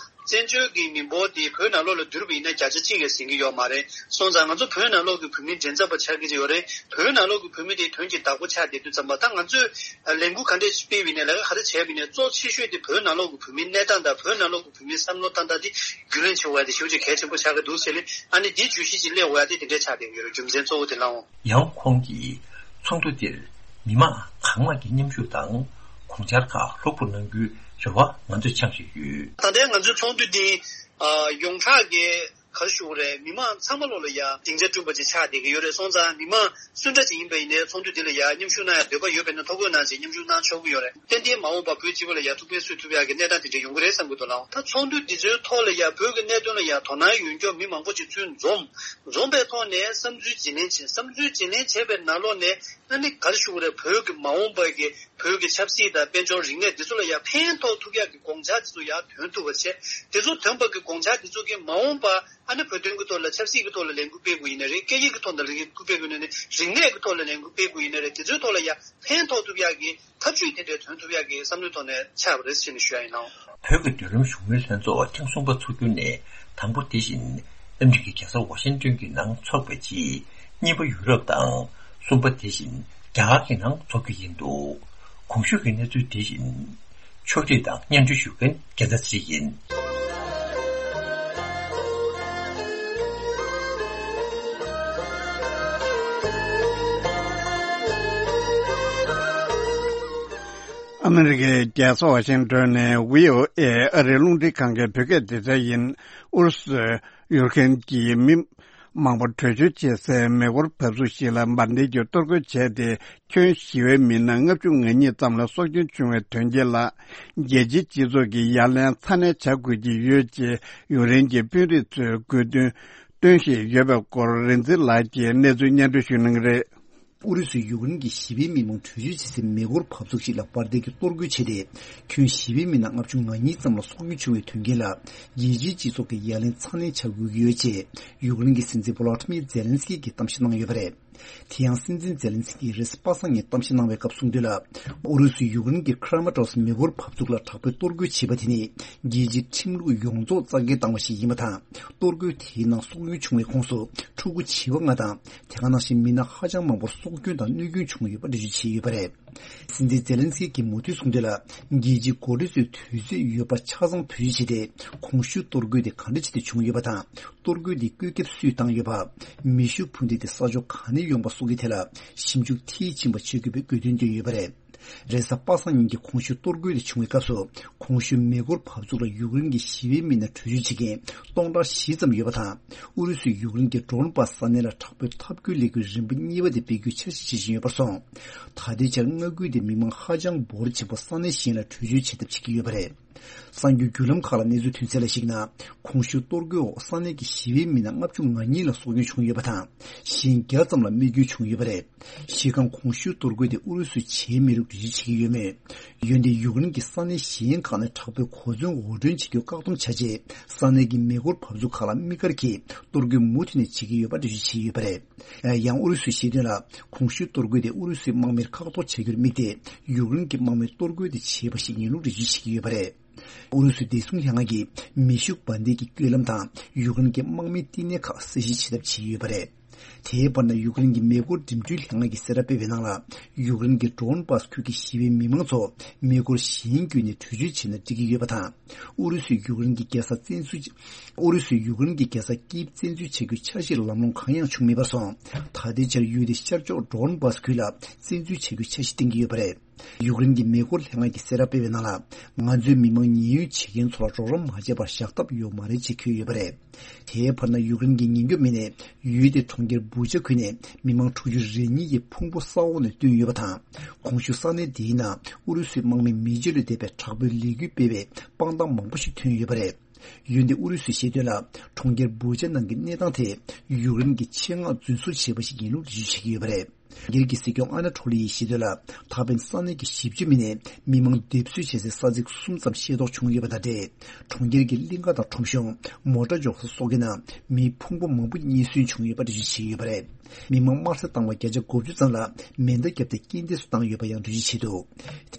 བཙན་བྱོལ་གྱི་མི་འབོར་དེ་བོད་ནང་ལོགས་ལ་བསྡུར་བ་ཡིན་ན་བརྒྱ་ཆ་གཅིག་ལས་ཟིན་གྱི་ཡོད་མ་རེད། སོང་ཙང་ང་ཚོ་བོད་ནང་ལོགས་ཀྱི་བོད་མི་འདྲེན་ཚབ་པ་ཆགས་ཀྱི་ཡོད་རེད། བོད་ནང་ལོགས་ཀྱི་བོད་མི་དེ་དོན་གྱི་བདག་པོ་ཆགས་བསྡད་དུས་ཙམ་པ་ད་ང་ཚོས་ལས་འགུལ་ག་འདྲས་སྤེལ་བ་ཡིན་ནའི་ལས་ཀ་ག་རེ་བྱས་པ་ཡིན་ནའི་གཙོ་ཆེ་ཤོས་དེ་བོད་ནང་ལོགས་ཀྱི་བོད་མིའི་གནས་སྟངས་དང་བོད་ནང་ལོགས་ཀྱི་བོད་མིའི་བསམ་བློ་བཏང་སྟངས་དེ་རྒྱུས་ལོན་བྱེད་དགོས་ཡ་དེ་ཞེ་པོ་ཅིག་གལ་ཆེན་པོ་ཆགས་ཀྱི་འདུག་ཟེར་ནས་ཨ་ནི་དེ་བརྗོད་གཞི་ཅིག་སླེབས་དགོས་ཡ་དེ་དེ་འདྲས་ཆགས་བསྡད་ཀྱི་ཡོད་རེད། རྒྱུ་མཚན་གཙོ་བོ་དེ་ལའང་། ཡང་ཁོང་གིས་ཚོགས་འདུ་འདིར་མི་མང་གང་མང་གིས་མཉམ་ཞུགས་དང་གོང་འཆར་ཁག་ལྷུག་པོ་གནང་རྒྱུའི་རེ་བ་ང་ཚོས་འཆང་བཞིན་ཡོད། ད་ལྟའི་ང་ཚོའི་ཚོགས་འདུ་འདི་ཨ། ཡོངས་གྲགས་ཀྱི་ག་རེ་ཞུ་དགོས་རེད། མི་མང་ཚང་མ་ལོག་ལ་ཡ་སྡིངས་ཆ་བསྐྲུན་པ་ཅིག་ཆགས་བསྡད་ཀྱི་ཡོད་རེད། སོང་ཙང་མི་མང་སུ་འདྲ་ཅིག་ཡིན་པ་ཡིན་ནའི་ཚོགས་འདུ་འདི་ལ་ཡ་མཉམ་ཞུགས་གནང་ཡ་འདོད་པ་ཡོད་པ་ཡིན་ན་ཐོ་འགོད་གནང་བྱས་མཉམ་ཞུགས་གནང་ཆོག་གི་ཡོད་རེད། ཏན་ཏན་མ་འོངས་པར་བོད་སྤྱི་པ་ལ་ཡ་ཐུགས་ཕན་གསོས་ཐུབ་ཡ་གི་གནས་སྟངས་དེ་འདྲ་ཡོང་གི་རེད་བསམ་གྱི་འདུག་ལགས། ད་ཚོགས་འདུ་འདི་ཚོའི་ཐོག་ལ་ཡ་བོད་ཀྱི་གནད་དོན་ལ་ཡ་དོ་སྣང་ཡོད་མཁན་མི་མང་པོ་ཅིག་ཚུར་འཛོམས། འཛོམས་པའི་ཐོག་ནས་བསམ་ཚུལ་བརྗེ་ལེན་བྱས། བསམ་ཚུལ་བརྗེ་ལེན་བྱས་པའི་ནང་ལོགས་ནས་ཨ་ནི་ག་རེ་ཞུ་དགོས་རེད། བོད་ཀྱི་མ་འོངས་པ་གི་བོད་ཀྱི་ཆབ་སྲིད་དང་དཔལ་འབྱོར་རིག་གནས་འདི་ཚོ་ལ་ཡང་ཕན་ཐོགས་ཐུབ་ཡག་གི་དགོངས་འཆར་འདི་ཚོ་ཡར་ཐོན་ཐུབ་པ་བྱས། འདི་ཚོ་ཐོན་པ་གི་དགོངས་འཆར་འདི་ཚོ་གིས་མ་འོངས་པ་ཨ་ནི་བོད་དོན་གྱི་ཐོག་ལ་ཆབ་སྲིད་ཀྱི་ཐོག་ལ་ལས་འགུལ་སྤེལ་དགོས་ཡིན་ན་རེད། སྐད་ཡིག་གི་ཐོག་ལ་ལས་འགུལ་སྤེལ་དགོས་ཡིན་ན་རེད། རིག་གནས་ཀྱི་ཐོག་ལ་ལས་འགུལ་སྤེལ་དགོས་ཡིན་ན་རེད། འདི་ཚོའི་ཐོག་ལ་ཡང་ཕན་ཐོགས་ཐུབ་ཡག་གི་ཐབས་ཇུས་དེ་འདྲ་ཐོན་ཐུབ་ཡག་གི་བསམ་བློའི་ཐོག་ནས་ཆགས་པ་རེད་ཟེར་ནས་ཞུ་ཡ་ཡིན་ལགས། བོད་ཀྱི་མདུན་ལམ་བཞུགས་མོལ་ལྷན་ཚོགས་ཐེངས་གསུམ་པ་འཚོགས་རྒྱུ་ནས་དང་པོ་དེ་བཞིན་ཨ་མི་རི་ཀའི་རྒྱལ་ས་ཝ་ཤིང་ཏོན་གྱི་ནང་འཚོགས་པའི་རྗེས་གཉིས་པ་ཡུ་རོབ་དང་གསུམ་པ་དེ་བཞིན་རྒྱ་གར་གྱི་ནང་འཚོགས་རྒྱུ་ཡིན་འདུག། གོང་ཞུས་ཀྱི་གནས་ཚུལ་དེ་བཞིན་ཕྱོགས་སྒྲིག་དང་སྙན་སྒྲོན་ཞུ་མཁན་རྒྱལ་མཚན་ཚེ་རིང་ཡིན། ཨ་མི་རི་ཀའི་རྒྱལ་ས་ཝ་ཤིང་ཏོན་ནས་བྷི་ཨོ་ཨེ་ཨ་རིའི་རླུང་འཕྲིན་ཁང་གི་བོད་སྐད་སྡེ་ཚན་ཡིན། ཨུ་རུ་སུ་ཡུཀ་རེན་གྱི་མི་མང་པོ་བྲོས་བྱོལ་བྱེད་སའི་མེ་འཁོར་བབས་ཚུགས་ཤིག་ལ་འབར་མདེལ་གྱིས་གཏོར་རྒོལ་བྱས་ཏེ། ཁྱོན་ཞི་བའི་མི་སྣ་ལྔ་བཅུ་ང་གཉིས་ཙམ་ལ་སྲོག་སྐྱོན་བྱུང་བའི་དོན་རྐྱེན་ལ། རྒྱལ་སྤྱིའི་སྤྱི་ཚོགས་ཀྱིས་ཡ་ལན་ཚ་ནན་བྱ་དགོས་ཀྱི་ཡོད་ཅེས་ཡུཀ་རེན་གྱི་དཔོན་རིགས་ཚོས་དགོས་འདུན་བཏོན་བཞིན་ཡོད་པའི་སྐོར་རིག་འཛིན་ལགས་ཀྱིས་གནས་ཚུལ་སྙན་སྒྲོན་ཞུ་གནང་གི་རེད། ཨུ་རུ་སུས་ཡུཀ་རེན་གྱི་ཞི་བའི་མི་མང་བྲོས་བྱོལ་བྱེད་སའི་མེ་འཁོར་བབས་ཚུགས་ཤིག་ལ་འབར་མདེལ་གྱིས་གཏོར་རྒོལ་བྱས་ཏེ། ཁྱོན་ཞི་བའི་མི་སྣ་ལྔ་བཅུ་ང་གཉིས་ཙམ་ལ་སྲོག་སྐྱོན་བྱུང་བའི་དོན་རྐྱེན་ལ། རྒྱལ་སྤྱིའི་སྤྱི་ཚོགས་ཀྱིས་ཡ་ལན་ཚ་ནན་བྱ་དགོས་ཀྱི་ཡོད་ཅེས་ཡུཀ་རེན་གྱི་སྲིད་འཛིན་བྷོ་ལོ་ཏི་མིར་ཛེ་ལན་སི་ཀི་གིས་གཏམ་བཤད་གནང་ཡོད་པ་རེད། དེ་ཡང་སྲིད་འཛིན་ཛེ་ལན་སི་ཀིས་རེས་གཟའ་པ་སངས་ཉིན་གཏམ་བཤད་གནང་བའི་སྐབས་གསུངས་དོན་ལ། ཨུ་རུ་སུས་ཡུཀ་རེན་གྱི་ཁྲ་མ་ཏོ་སི་མེ་འཁོར་བབས་ཚུགས་ལ་དྲག་པོའི་གཏོར་རྒོལ་བྱས་པ་དེ་ནི་རྒྱལ་སྤྱིའི་ཁྲིམས་ལུགས་ཡོངས་རྫོགས་རྩ་འགེངས་བཏང་བ་ཞིག་ཡིན་པ་དང་། གཏོར་རྒོལ་དེའི་ནང་སྲོག་སྐྱོན་བྱུང་བའི་ཁོངས་སུ་ཕྲུ་གུ་བྱིས་པ་ལྔ་དང་། དེ་ག་ནང་བཞིན་མི་སྣ་ཧ་ཅང་མང་པོར་སྲོག་སྐྱོན་དང་གནོད་སྐྱོན་བྱུང་ཡོད་པ་འགྲེལ་བརྗོད་བྱས་ཡོད་པ་རེད། སྲིད་འཛིན་ཛེ་ལན་སི་ཀིས་མུ་མཐུད་གསུངས་དོན་ལ། རྒྱལ་སྤྱིའི་འགོ་ཁྲིད་ཚོས་དུས་ཚོད་ཡོད་པ་ཆ་ཚང་བེད་སྤྱོད་བྱས་ཏེ། གོང་ཞུས་གཏོར་རྒོལ་དེ་ག་འདྲ་བྱས་ཏེ་བྱུང་ཡོད་པ་དང་། གཏོར་རྒོལ་དེ་བཀོད་ཁྱབ་སུས་བཏང་ཡོད་པ། མེ་ཤུགས་འཕུར་མདེལ་དེ་ས་ཕྱོགས་ག་ནས་ཡོང་པ་སོགས་ཀྱི་ཐད་ལ་ཞིབ་འཇུག་མཐིལ་ཕྱིན་པ་བྱེད་དགོས་པའི་དགོས་འདུན་བཏོན་ཡོད་པ་རེད། རེས་གཟའ་པ་སངས་ཉིན་གྱི་གོང་ཞུས་གཏོར་རྒོལ་དེ་བྱུང་བའི་སྐབས་སུ། གོང་ཞུས་མེ་འཁོར་བབས་ཚུགས་ལ་ཡུཀ་རེན་གྱི་ཞི་བའི་མི་སྣ་བྲོས་བྱོལ་བྱེད་མཁན་སྟོང་ཕྲག་བཞི་ཙམ་ཡོད་པ་དང་། ཨུ་རུ་སུས་ཡུཀ་རེན་གྱི་ཌོན་པཱས་ས་གནས་ལ་དྲག་པོའི་འཐབ་རྒོལ་ལས་འགུལ་རིམ་པ་གཉིས་པ་དེ་སྤེལ་རྒྱུའི་འཆར་གཞི་བྱེད་བཞིན་ཡོད་པར་སོང་། ད་ལྟའི་ཆར་མངའ་ཁུལ་དེའི་མི་མང་ཧ་ཅང་འབོར་ཆེན་པོ་ས་གནས་གཞན་ལ་བྲོས་བྱོལ་བྱེད་ཐབས་བྱེད་ཀྱི་ཡོད་པ་རེད། གསར་འགྱུར་བརྒྱུད་ལམ་ཁག་ལ་གནས་ཚུལ་ཐོན་གསལ་ལ་གཞིགས་ན། གོང་ཞུས་གཏོར་རྒོལ་འོག་ས་གནས་ཀྱི་ཞི་བའི་མི་སྣ་ལྔ་བཅུ་ང་གཉིས་ལ་སྲོག་སྐྱོན་བྱུང་ཡོད་པ་དང་། གཞན་བརྒྱ་ཙམ་ལ་རྨས་སྐྱོན་བྱུང་ཡོད་པ་རེད། གཞི་རྐང་གོང་ཞུས་གཏོར་རྒོལ་དེ་ཨུ་རུ་སུས་བྱས་མེད་ལུགས་འགྲེལ་བརྗོད་བྱེད་ཀྱི་ཡོད་མོད། འོན་ཏེ་ཡུཀ་རེན་གྱི་ས་གནས་གཞན་ཁག་ནས་དྲག་པོའི་གོ་མཚོན་དབོར་འདྲེན་བྱེད་རྒྱུ་བཀག་སྡོམ་བྱ་ཆེད། ས་གནས་ཀྱི་མེ་འཁོར་བབས་ཚུགས་ཁག་ལ་དམིགས་བཀར་གྱིས་གཏོར་རྒོལ་མུ་མཐུད་ནས་བྱེད་ཀྱི་ཡོད་པ་འགྲེལ་བརྗོད་བྱས་ཡོད་པ་རེད། ཡང་ཨུ་རུ་སུས་བཤད་དོན་ལ། གོང་ཞུས་གཏོར་རྒོལ་དེ་ཨུ་རུ་སུའི་དམག་མིར་བཀག་འགོག་བྱ་རྒྱུར་དམིགས་ཏེ། ཡུཀ་རེན་གྱི་དམག་མིས་གཏོར་རྒོལ་དེ་བྱས་པ་ཞིག་ཡིན་ལུགས་འགྲེལ་བརྗོད་བྱེད་ཀྱི་ཡོད་པ་རེད། ཨུ་རུ་སུའི་བདེ་སྲུང་ལྷན་ཁང་གིས་མེ་ཤུགས་འབར་མདེལ་གྱི་བཀོད་ལམ་དང་ཡུཀ་རེན་གྱི་དམག་མིའི་བསྟི་གནས་ཁག་གསལ་བཤད་བྱེད་ཐབས་བྱས་ཡོད་པ་རེད། དེའི་བར་ན་ཡུཀ་རེན་གྱི་མེ་འཁོར་འགྲིམ་འགྲུལ་ལྷན་ཁང་གིས་གསལ་བསྒྲགས་སྤེལ་བའི་ནང་ལ། ཡུཀ་རེན་གྱི་ཌོན་བྷ་སི་ཁུལ་གྱི་ཞི་བའི་མི་མང་ཚོ་མེ་འཁོར་གཞན་བརྒྱུད་ནས་བྲོས་བྱོལ་བྱས་ན་འགྲིག་གི་ཡོད་པ་དང་། ཨུ་རུ་སུས་ཡུཀ་རེན་གྱི་རྒྱལ་ས་བཙན་འཛུལ། ཨུ་རུ་སུས་ཡུཀ་རེན་གྱི་རྒྱལ་ས་ཀིབ་བཙན་འཛུལ་བྱ་རྒྱུའི་འཆར་གཞིར་ལམ་ལྷོང་གང་ཡང་བྱུང་མེད་པར་སོང་། ད་ལྟའི་ཆར་ཡུལ་དེའི་ཤར་ཕྱོགས་ཌོན་བྷ་སི་ཁུལ་ལ་བཙན་འཛུལ་བྱ་རྒྱུའི་འཆར་གཞི་བཏིང་གི་ཡོད་པ་རེད། ཡུཀ་རེན་གྱི་མེ་འཁོར་ལྷན་ཁང་གིས་གསལ་བསྒྲགས་སྤེལ་བའི་ནང་ལ། ང་ཚོའི་མི་མང་ཉེན་གཡོལ་བྱེད་མཁན་ཚོ་ལ་རོགས་རམ་མ་བྱས་པར་བཞག་ཐབས་ཡོད་མ་རེད་ཅེས་འཁོད་ཡོད་པ་རེད། དེའི་བར་ན་ཡུཀ་རེན་གྱི་ཉེན་སྐྱོབ་མི་སྣས་ཡུལ་དེའི་གྲོང་ཁྱེར་བུ་ཆ་ཁུལ་ནས་མི་མང་དྲུག་ཅུ་རེ་གཉིས་ཀྱི་ཕུང་པོ་ས་འོག་ནས་བཏོན་ཡོད་པ་དང་། གོང་ཞུས་ས་གནས་འདིའི་ནང་ཨུ་རུ་སུའི་དམག་མིས་མེ་ལྕེ་ལས་འདས་པའི་དྲག་པོའི་ལས་འགུལ་སྤེལ་བའི་དཔང་རྟགས་མང་པོ་ཞིག་ཐོན་ཡོད་པ་རེད། འོན་ཏེ་ཨུ་རུ་སུས་བཤད་དོན་ལ། གྲོང་ཁྱེར་བུ་ཆ་ནང་གི་གནས་སྟངས་དེ་ཡུཀ་རེན་གྱི་ཆེད་མངགས་རྫུན་བཟོ་བྱས་པ་ཞིག་ཡིན་ལུགས་འགྲེལ་བརྗོད་བྱེད་ཀྱི་ཡོད་པ་རེད། སྒེར་གྱི་སྲིད་སྐྱོང་ཨ་ན་ཐོ་ལི་ཡིས་བཤད་དོན་ལ། ད་ཕན་ས་གནས་ཀྱི་ཞིབ་དཔྱོད་མི་སྣས་མི་མང་སྡེབ་གསོད་བྱེད་སའི་ས་ཚིགས་གསུམ་ཙམ་ཤེས་རྟོགས་བྱུང་ཡོད་པ་དང་འབྲེལ། གྲོང་ཁྱེར་གྱི་གླིང་ཁ་དང་ཁྲོམ་གཞུང་། མོ་ཊ་འཇོག་ས་སོགས་ཀྱི་ནང་མིའི་ཕུང་པོ་མང་པོ་རྙེད་སོན་བྱུང་ཡོད་པ་འགྲེལ་བརྗོད་བྱས་ཡོད་པ་རེད། མི་མང་དམར་གསོད་བཏང་བ་བརྒྱ་ཆ་དགུ་བཅུ་ཙམ་ལ་མེ་མདའ་བརྒྱབ་སྟེ་རྐྱེན་འདས་སུ་བཏང་ཡོད་པ་ཡང་འགྲེལ་བརྗོད་བྱས་འདུག་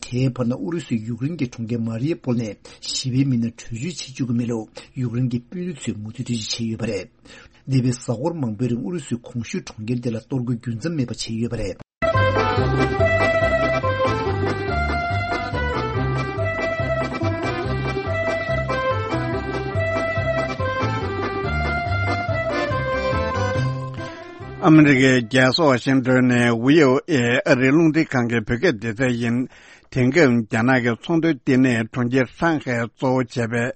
དེའི་བར་ན་ཨུ་རུ་སུས་ཡུཀ་རེན་གྱི་གྲོང་ཁྱེར་མ་རི་ཡ་པོལ་ནས་ཞི་བའི་མི་སྣ་བྲོས་བྱོལ་བྱེད་བཅུག་གི་མེད་ལུགས་ཡུཀ་རེན་གྱི་དཔོན་རིགས་ཚོས་མུ་མཐུད་འགྲེལ་བརྗོད་བྱས་ཡོད་པ་རེད། འདས་པའི་གཟའ་འཁོར་མང་པོའི་རིང་ཨུ་རུ་སུས་གོང་ཞུས་གྲོང་ཁྱེར་དེ་ལ་གཏོར་རྒོལ་རྒྱུན་འཛོམས་མེད་པ་བྱས་ཡོད་པ་རེད། ཨ་མི་རི་ཀའི་རྒྱལ་ས་ཝ་ཤིང་ཏོན་ནས་བྷི་ཨོ་ཨེ་ཨ་རིའི་རླུང་འཕྲིན་ཁང་གི་བོད་སྐད་སྡེ་ཚན་ཡིན། དེང་སྐབས་རྒྱ་ནག་གི་ཚོང་དོན་ལྟེ་གནས་གྲོང་ཁྱེར་ཧྲང་ཧའེ་གཙོ་བོ་བྱས་པའི་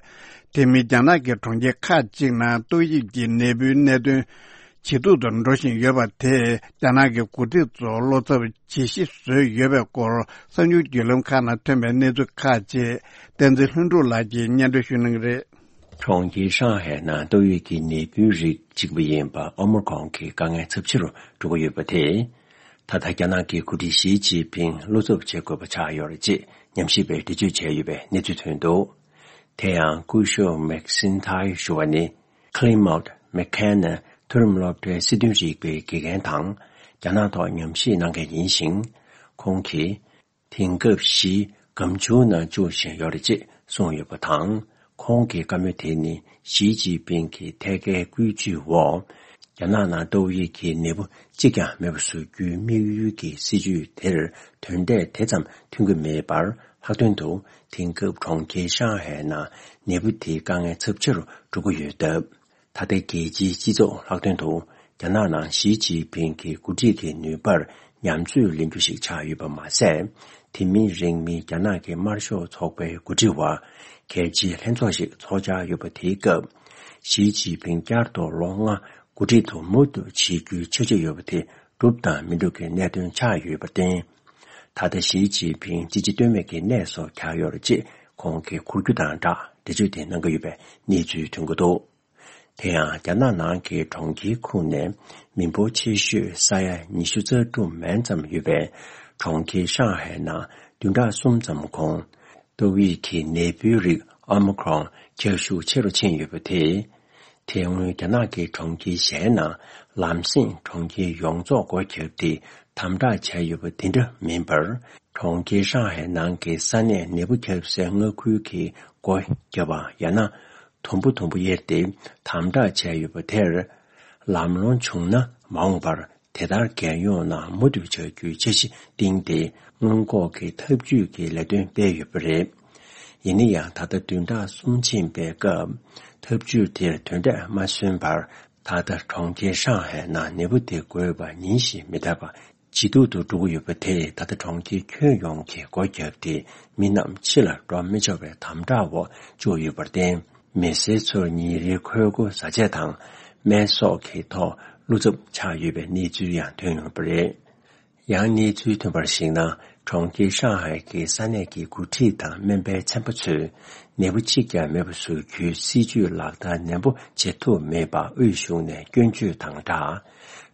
དེ་མིན་རྒྱ་ནག་གི་གྲོང་ཁྱེར་ཁག་ཅིག་ནང་ཏོག་དབྱིབས་ཀྱི་ནད་འབུའི་གནད་དོན་ཇེ་སྡུག་ཏུ་འགྲོ་བཞིན་ཡོད་པ་དེས་རྒྱ་ནག་གི་འགོ་ཁྲིད་ཚོར་བློ་འཚབ་ཇེ་ཆེ་བཟོས་ཡོད་པའི་སྐོར་གསར་འགྱུར་བརྒྱུད་ལམ་ཁག་ནང་ཐོན་པའི་གནས་ཚུལ་ཁག་ཅིག་བསྟན་འཛིན་ལྷུན་གྲུབ་ལགས་ཀྱིས་སྙན་སྒྲོན་ཞུ་གནང་གི་རེད། གྲོང་ཁྱེར་ཧྲང་ཧའེ་ནང་ཏོག་དབྱིབས་ཀྱི་ནད་འབུའི་རིགས་གཅིག་པ་ཡིན་པ་ཨོ་མི་ཀྲོན་གྱི་དཀའ་ངལ་ཚབས་ཆེ་རུ་འགྲོ་གི་ཡོད་པ་དེས། ད་ལྟ་རྒྱ་ནག་གི་འགོ་ཁྲིད་ཞི་ཅིན་ཕིང་བློ་འཚབ་བྱེད་དགོས་པ་ཆགས་ཡོད་རེད་ཅེས་ཉམས་ཞིབ་པས་འགྲེལ་བརྗོད་བྱས་ཡོད་པའི་གནས་ཚུལ་ཐོན་འདུག་དེ་ཡང་སྐུ་ཞབས་མེག་སིན་ཐའི་ཞུ་བ་ནི། Clement McKenna མཐོ་རིམ་སློབ་གྲྭའི་སྲིད་དོན་རིག་པའི་དགེ་རྒན་དང་། རྒྱ་ནག་ཐོག་ཉམས་ཞིབ་གནང་མཁན་ཡིན་ཞིང་། ཁོང་གིས། དེང་སྐབས་ཞི་སྒམ་ཆུང་ནང་བཅུག་བཞིན་ཡོད་རེད་ཅེས་གསུངས་ཡོད་པ་དང་། ཁོང་གི་བཀའ་མོལ་དེ་ནི་ཞི་ཅིན་ཕིང་གི་ཐད་ཀའི་བཀོད་ཇུས་འོག་རྒྱ་ནག་ནང་ཏོག་དབྱིབས་ཀྱི་ནད་འབུ་གཅིག་ཀྱང་མེད་པ་བཟོ་རྒྱུའི་དམིགས་ཡུལ་གྱི་སྲིད་ཇུས་དེར་དོན་འབྲས་དེ་ཙམ་མཐུན་གྱི་མེད་པར། ལྷག་དོན་དུ་དེང་སྐབས་གྲོང་ཁྱེར་ཧྲང་ཧའེ་ནང་ནད་འབུ་དེའི་དཀའ་ངལ་ཚབས་ཆེ་རུ་འགྲོ་གི་ཡོད་སྟབས། ད་ལྟའི་རྒྱལ་སྤྱིའི་སྤྱི་ཚོགས་ལྷག་དོན་དུ་རྒྱ་ནག་ནང་ཞི་ཅིན་ཕིང་གི་འགོ་ཁྲིད་ཀྱི་ནུས་པར་ཉམས་ཚོད་ལེན་རྒྱུ་ཞིག་ཆགས་ཡོད་པ་མ་ཟད། དེ་མིན་རིང་མིན་རྒྱ་ནག་གི་དམར་ཤོག་ཚོགས་པའི་འགོ་ཁྲིད་བར་གལ་ཆེའི་ལྷན་ཚོགས་ཤིག་ཚོགས་འཆར་ཡོད་པ་དེའི་སྐབས། ཞི་ཅིན་ཕིང་བསྐྱར་དུ་ལོ་ལྔ་འགོ་ཁྲིད་དུ་མུ་མཐུད་བྱེད་རྒྱུའི་འཆར་གཞི་ཡོད་པ་དེ་འགྲུབ་དང་མི་འགྲུབ་ཀྱི་གནད་དོན་ཆགས་ཡོད་པར་བརྟེན། ད་ལྟ་ཞི་ཅིན་ཕིང་ཅི་བྱེད་གཏོལ་མེད་ཀྱི་གནས་སུ་གྱར་ཡོད་རེད་ཅེས་ཁོང་གིས་འཁོར་རྒྱུག་དང་སྦྲགས་འགྲེལ་བརྗོད་དེ་གནང་གི་ཡོད་པའི་གནས་ཚུལ་ཐོན་གྱི་འདུག་དེ་ཡང་རྒྱ་ནག་ནང་གི་གྲོང་ཁྱེར་ཁོངས་ནས་མི་འབོར་ཆེ་ཤོས་ས་ཡ་ཉི་ཤུ་རྩ་དྲུག་མན་ཙམ་ཡོད་པའི་གྲོང་ཁྱེར་ཧྲང་ཧའེ་ནང་བདུན་ཕྲག་གསུམ་ཙམ་གོང་ཏོག་དབྱིབས་ཀྱི་ནད་འབུའི་རིགས་ཨོ་མི་ཁྲོན་ཁྱབ་ཤུགས་ཆེ་རུ་ཕྱིན་ཡོད་པ་དེས། དེ་སྔོན་རྒྱ་ནག་གི་གྲོང་ཁྱེར་གཞན་ནང་ལམ་སེང་གྲོང་ཁྱེར་ཡོངས་རྫོགས་སྒོ་བརྒྱབ་སྟེ་དམ་དྲག་བྱས་ཡོད་པ་དེ་འདྲ་མིན་པར། གྲོང་ཁྱེར་ཧྲང་ཧའེ་ནང་གི་ས་གནས་ནད་འབུ་ཁྱབ་སའི་མངའ་ཁུལ་གྱི་སྒོ་བརྒྱབ་པ་ཡང་ན་དུམ་བུ་དུམ་བུ་དབྱེར་ཏེ་དམ་དྲག་བྱས་ཡོད་པ་དེར། ལམ་ལྷོང་བྱུང་ན་མ་འོངས་པར་དེ་ལྟར་རྒྱལ་ཡོངས་ནང་མུ་མཐུད་བྱ་རྒྱུའི་འཆར་གཞི་བཏིང་སྟེ། སྔོན་འགོག་གི་ཐབས་ཇུས་ཀྱི་ལས་དོན་སྤེལ་ཡོད་པ་རེད། ཡིན་ན་ཡང་ད་ལྟ་བདུན་ཕྲག་གསུམ་ཕྱིན་པའི་སྐབས་ཐབས་ཇུས་དེར་དོན་འབྲས་མ་སོན་པར། ད་ལྟ་གྲོང་ཁྱེར་ཧྲང་ཧའེ་ནང་ནད་འབུ་དེ་འགོས་པ་ཉིན་བཞིན་མི་ཐར་བ་ཇེ་སྡུག་ཏུ་འགྲོ་གི་ཡོད་པ་དེས། ད་ལྟ་གྲོང་ཁྱེར་ཁྱོན་ཡོངས་ཀྱིས་སྒོ་བརྒྱབ་སྟེ་མི་རྣམས་ཕྱི་ལ་འགྲོ་མི་ཆོག་པའི་དམ་དྲག་འོག་བཅུག་ཡོད་པར་བརྟེན། མི་སེར་ཚོར་ཉིན་རེའི་འཁོས་སྒོ་ཟ་ཆས་དང་སྨན་གསོག་གི་ཐོག་བློ་འཚབ་ཆགས་ཡོད་པའི་གནས་ཚུལ་ཡང་ཐོན་ཡོད་པ་རེད། ཡང་གནས་ཚུལ་ཐོན་པར་གཞིགས་ན། གྲོང་ཁྱེར་ཧྲང་ཧའེ་གི་ས་གནས་ཀྱི་འགོ་ཁྲིད་དང་སྨན་པའི་ཚན་པ་ཚོས་ནད་འབུ་གཅིག་ཀྱང་མེད་པ་བཟོ་རྒྱུའི་སྲིད་ཇུས་ལག་བསྟར་ནན་པོ་བྱེད་ཐུབ་མེད་པ་དབུས་གཞུང་ནས་སྐྱོན་བརྗོད་དང་སྦྲགས།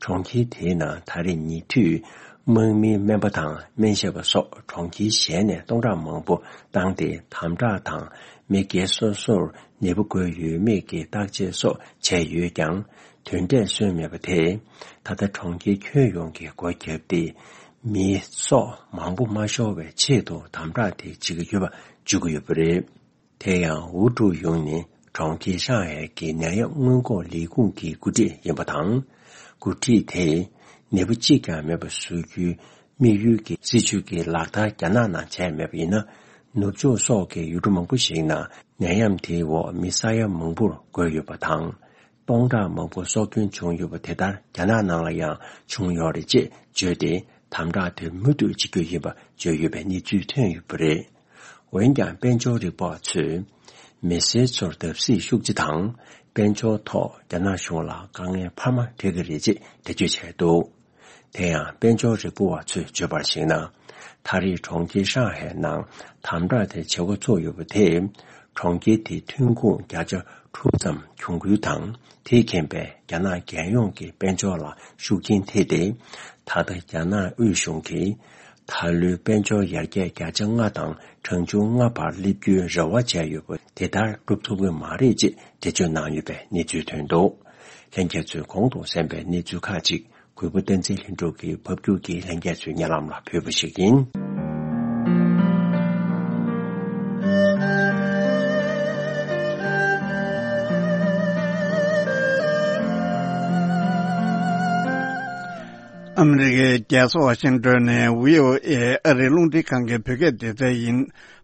གྲོང་ཁྱེར་དེའི་ནང་ད་རེས་ཉེ་དུས་དམག་མིའི་སྨན་པ་དང་སྨན་ཞབས་པ་སོགས་གྲོང་ཁྱེར་གཞན་ནས་སྟོང་ཕྲག་མང་པོ་བཏང་སྟེ་དམ་དྲག་དང་མི་སྒེར་སོ་སོར་ནད་འབུ་འགོས་ཡོད་མེད་ཀྱི་བརྟག་དཔྱད་སོགས་བྱས་ཡོད་ཀྱང་། དོན་འབྲས་སོན་མེད་པ་དེས། ད་ལྟ་གྲོང་ཁྱེར་ཁྱོན་ཡོངས་ཀྱི་སྒོ་བརྒྱབ་སྟེ། མི་སྲོག་མང་པོ་མ་ཤོར་བའི་ཆེད་དུ་དམ་དྲག་དེ་བྱེད་ཀྱི་ཡོད་པ་བརྗོད་ཀྱི་ཡོད་པ་རེད། དེ་ཡང་ཝུ་ཀྲུའུ་ཡུང་ནི་ གྲོང་ཁྱེར་ཧྲང་ཧའེ་གི་ནད་ཡམས་སྔོན་འགོག་ལས་ཁུངས་ཀྱི་འགོ་ཁྲིད་ཡིན་པ་དང་། འགོ་ཁྲིད་དེས་ནད་འབུ་གཅིག་ཀྱང་མེད་པ་བཟོ་རྒྱུའི་དམིགས་ཡུལ་གྱི་སྲིད་བྱུས་ཀྱི་ལག་བསྟར་རྒྱ་ནག་ནང་བྱས་མེད་པ་ཡིན་ན། ནུབ་ཕྱོགས་སོགས་ཀྱི་ཡུལ་གྲུ་མང་པོ་ཞིག་ནང་ནད་ཡམས་དེའི་འོག་མི་ས་ཡ་མང་པོར་འགོས་ཡོད་པ་དང་། སྟོང་ཕྲག་མང་པོ་སྲོག་སྐྱོན་བྱུང་ཡོད་པ་དེ་ལྟར་རྒྱ་ནག་ནང་ལ་ཡང་བྱུང་ཡོད་རེད་ཅེས་བརྗོད་དེ། དམ་དྲག་དེ་མུ་མཐུད་བྱེད་རྒྱུ་ཡིན་པ་བརྗོད་ཡོད་པའི་གནས་ཚུལ་ཐོན་ཡོད་པ་རེད། འོན་ཀྱང་། དཔལ་འབྱོར་རིག་པ་བ་ཚོས། མི་སེར་ཚོར་བརྡབ་གསིག་ཤུགས་ཆེ་དང་། དཔལ་འབྱོར་ཐོག་རྒྱ་ནག་གཞུང་ལ་དཀའ་ངལ་འཕར་མ་འཕྲད་ཀྱི་རེད་ཅེས་འགྲེལ་བརྗོད་བྱས་འདུག་དེ་ཡང་། དཔལ་འབྱོར་རིག་པ་བ་ཚོས་བརྗོད་པར་གཞིགས་ན། ད་རེས་གྲོང་ཁྱེར་ཧྲང་ཧའེ་ནང་དམ་དྲག་དེ་བྱེད་འགོ་ཚུགས་ཡོད་པ་དེས། གྲོང་ཁྱེར་དེའི་ཐོན་ཁུངས་བརྒྱ་ཆ་དྲུག་ཙམ་གྱོང་གུན་དང་། དེས་ཁེངས་པའི་རྒྱ་ནག་རྒྱལ་ཡོངས་ཀྱི་དཔལ་འབྱོར་ལ་ཤུགས་རྐྱེན་ཐེབས་ཏེ། ད་ལྟ་རྒྱ་ནག་དབུས་གཞུང་གིས་ད་ལོའི་དཔལ་འབྱོར་ཡར་རྒྱས་བརྒྱ་ཆ་ལྔ་དང་གྲངས་ཆུང་ལྔ་བར་སླེབས་རྒྱུའི་རེ་བ་བྱས་ཡོད་པ་དེ་ལྟར་འགྲུབ་ཐུབ་ཀྱི་མ་རེད་ཅེས་འགྲེལ་བརྗོད་གནང་ཡོད་པའི་གནས་ཚུལ་ཐོན་འདུག་ལྷན་རྒྱས་ཚོས་གོང་དུ་གསན་པའི་གནས་ཚུལ་ཁག་ཅིག་གུས་པ་བསྟན་འཛིན་ལྷུན་གྲུབ་ཀྱིས་ཕབ་སྒྱུར་གྱིས་ལྷན་རྒྱས་ཚོའི་སྙན་ལམ་ལ་ཕུལ་བ་ཞིག་ཡིན། ཨ་མི་རི་ཀའི་རྒྱལ་ས་ཝ་ཤིང་ཏོན་ནས་བྷི་ཨོ་ཨེ་ཨ་རིའི་རླུང་འཕྲིན་ཁང་གི་བོད་སྐད་སྡེ་ཚན་ཡིན།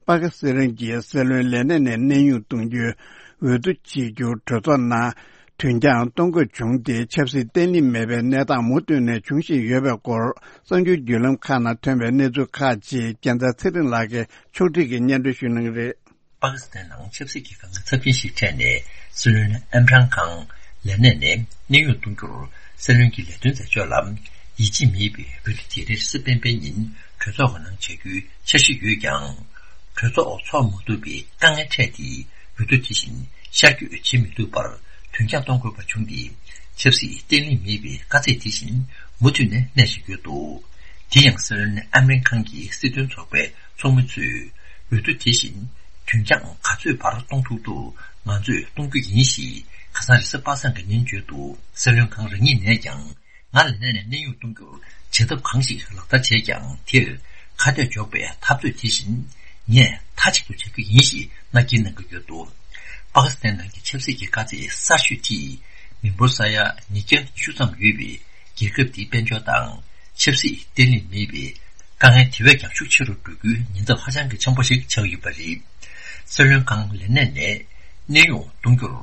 པ་ཀི་སི་ཐན་གྱིས་སྲིད་བློན་ལས་གནས་ནས་གནས་དབྱུང་གཏོང་རྒྱུའི་འོས་བསྡུ་བྱེད་རྒྱུ་གྲོས་ཚོགས་ནང་དུས་འགྱངས་གཏོང་དགོས་བྱུང་སྟེ། ཆབ་སྲིད་བརྟན་ལྷིང་མེད་པའི་གནས་སྟངས་མུ་མཐུད་ནས་འབྱུང་བཞིན་ཡོད་པའི་སྐོར། གསར་འགྱུར་བརྒྱུད་ལམ་ཁག་ནང་ཐོན་པའི་གནས་ཚུལ་ཁག་ཅིག་རྒྱལ་མཚན་ཚེ་རིང་ལགས་ཀྱིས་ཕྱོགས་སྒྲིག་གིས་སྙན་སྒྲོན་ཞུ་གནང་གི་རེད། པ་ཀི་སི་ཐན་ནང་ཆབ་སྲིད་ཀྱི་དཀའ་ངལ་ཚབས་ཆེན་ཞིག་འཕྲད་ནས། སྲིད་བློན་ཨིམ་རཱན་ཁཱན་ལས་གནས་ནས་གནས་དབྱུང་གཏོང་རྒྱུར་སྲིད་བློན་གྱི་ལས་དོན་མཛད་ཕྱོགས་ལ་ཡིད་ཆེས་མེད་པའི་འོས་བསྡུ་དེ་རེས་གཟའ་སྤེན་པའི་ཉིན་གྲོས་ཚོགས་ཀྱི་ནང་བྱ་རྒྱུའི་འཆར་གཞི་ཡོད་ཀྱང་། གྲོས་ཚོགས་འཚོགས་མ་ཐུབ་པའི་དཀའ་ངལ་འཕྲད་དེ། འོས་བསྡུ་དེ་བཞིན་ཤར་བསྐྱོད་བྱེད་མི་ཐུབ་པར་དུས་འགྱངས་གཏོང་དགོས་པ་བྱུང་སྟེ། ཆབ་སྲིད་བརྟན་ལྷིང་མེད་པའི་དཀའ་ཚེགས་དེ་བཞིན་མུ་མཐུད་ནས་གནས་བཞིན་ཡོད་འདུག་དེ་ཡང་། སྲིད་བློན་ཨ་མི་རི་ཁང་གི་སྲིད་དོན་ཚོགས་པའི་ཚོགས་མི་ཚོས། འོས་བསྡུ་དེ་བཞིན་དུས་འགྱངས་ག་ཚོད་བར་གཏོང་ཐུབ་ཐུབ་ང་ཚོས་གཏོང་རྒྱུ་ཡིན་ཞེས་ཁ་སང་རེས་གཟའ་པ་སངས་ཀྱི་ཉིན་བརྗོད་འདུག་སྲིད་བློན་ཁང་རང་ཉིད་ནས་ཀྱང་། ང་ལ་གནས་ནས་གནས་དབྱུང་གཏོང་རྒྱུར་བྱེད་ཐབས་གང་ཞིག་ལག་བསྟར་བྱས་ཀྱང་། དེར་ཁ་གཏད་གཅོག་པའི་འཐབ་རྩོད་དེ་བཞིན་ངས་མཐའ་གཅིག་ཏུ་བྱ་རྒྱུ་ཡིན་ཞེས་མནའ་སྐྱེལ་གནང་གི་ཡོད་འདུག་པ་ཀི་སི་ཐན་ནང་གི་ཆབ་སྲིད་ཀྱི་དཀའ་ཚེགས་གསར་ཤོས་དེས། མི་འབོར་ས་ཡ་ཉིས་བརྒྱ་ཉི་ཤུ་ཙམ་ཡོད་པའི་རྒྱལ་ཁབ་དེའི་དཔལ་འབྱོར་དང་ཆབ་སྲིད་བརྟན་ལྷིང་མེད་པའི་དཀའ་ངལ་དེ་བས་ཀྱང་ཤུགས་ཆེ་རུ་འགྲོ་རྒྱུའི་ཉེན་ཚབས་ཧ་ཅང་གི་ཆེན་པོ་ཞིག་ཆགས་ཡོད་པ་རེད། སྲིད་བློན་ཁང་ལས་གནས་ནས་གནས་དབྱུང་གཏོང་རྒྱུར།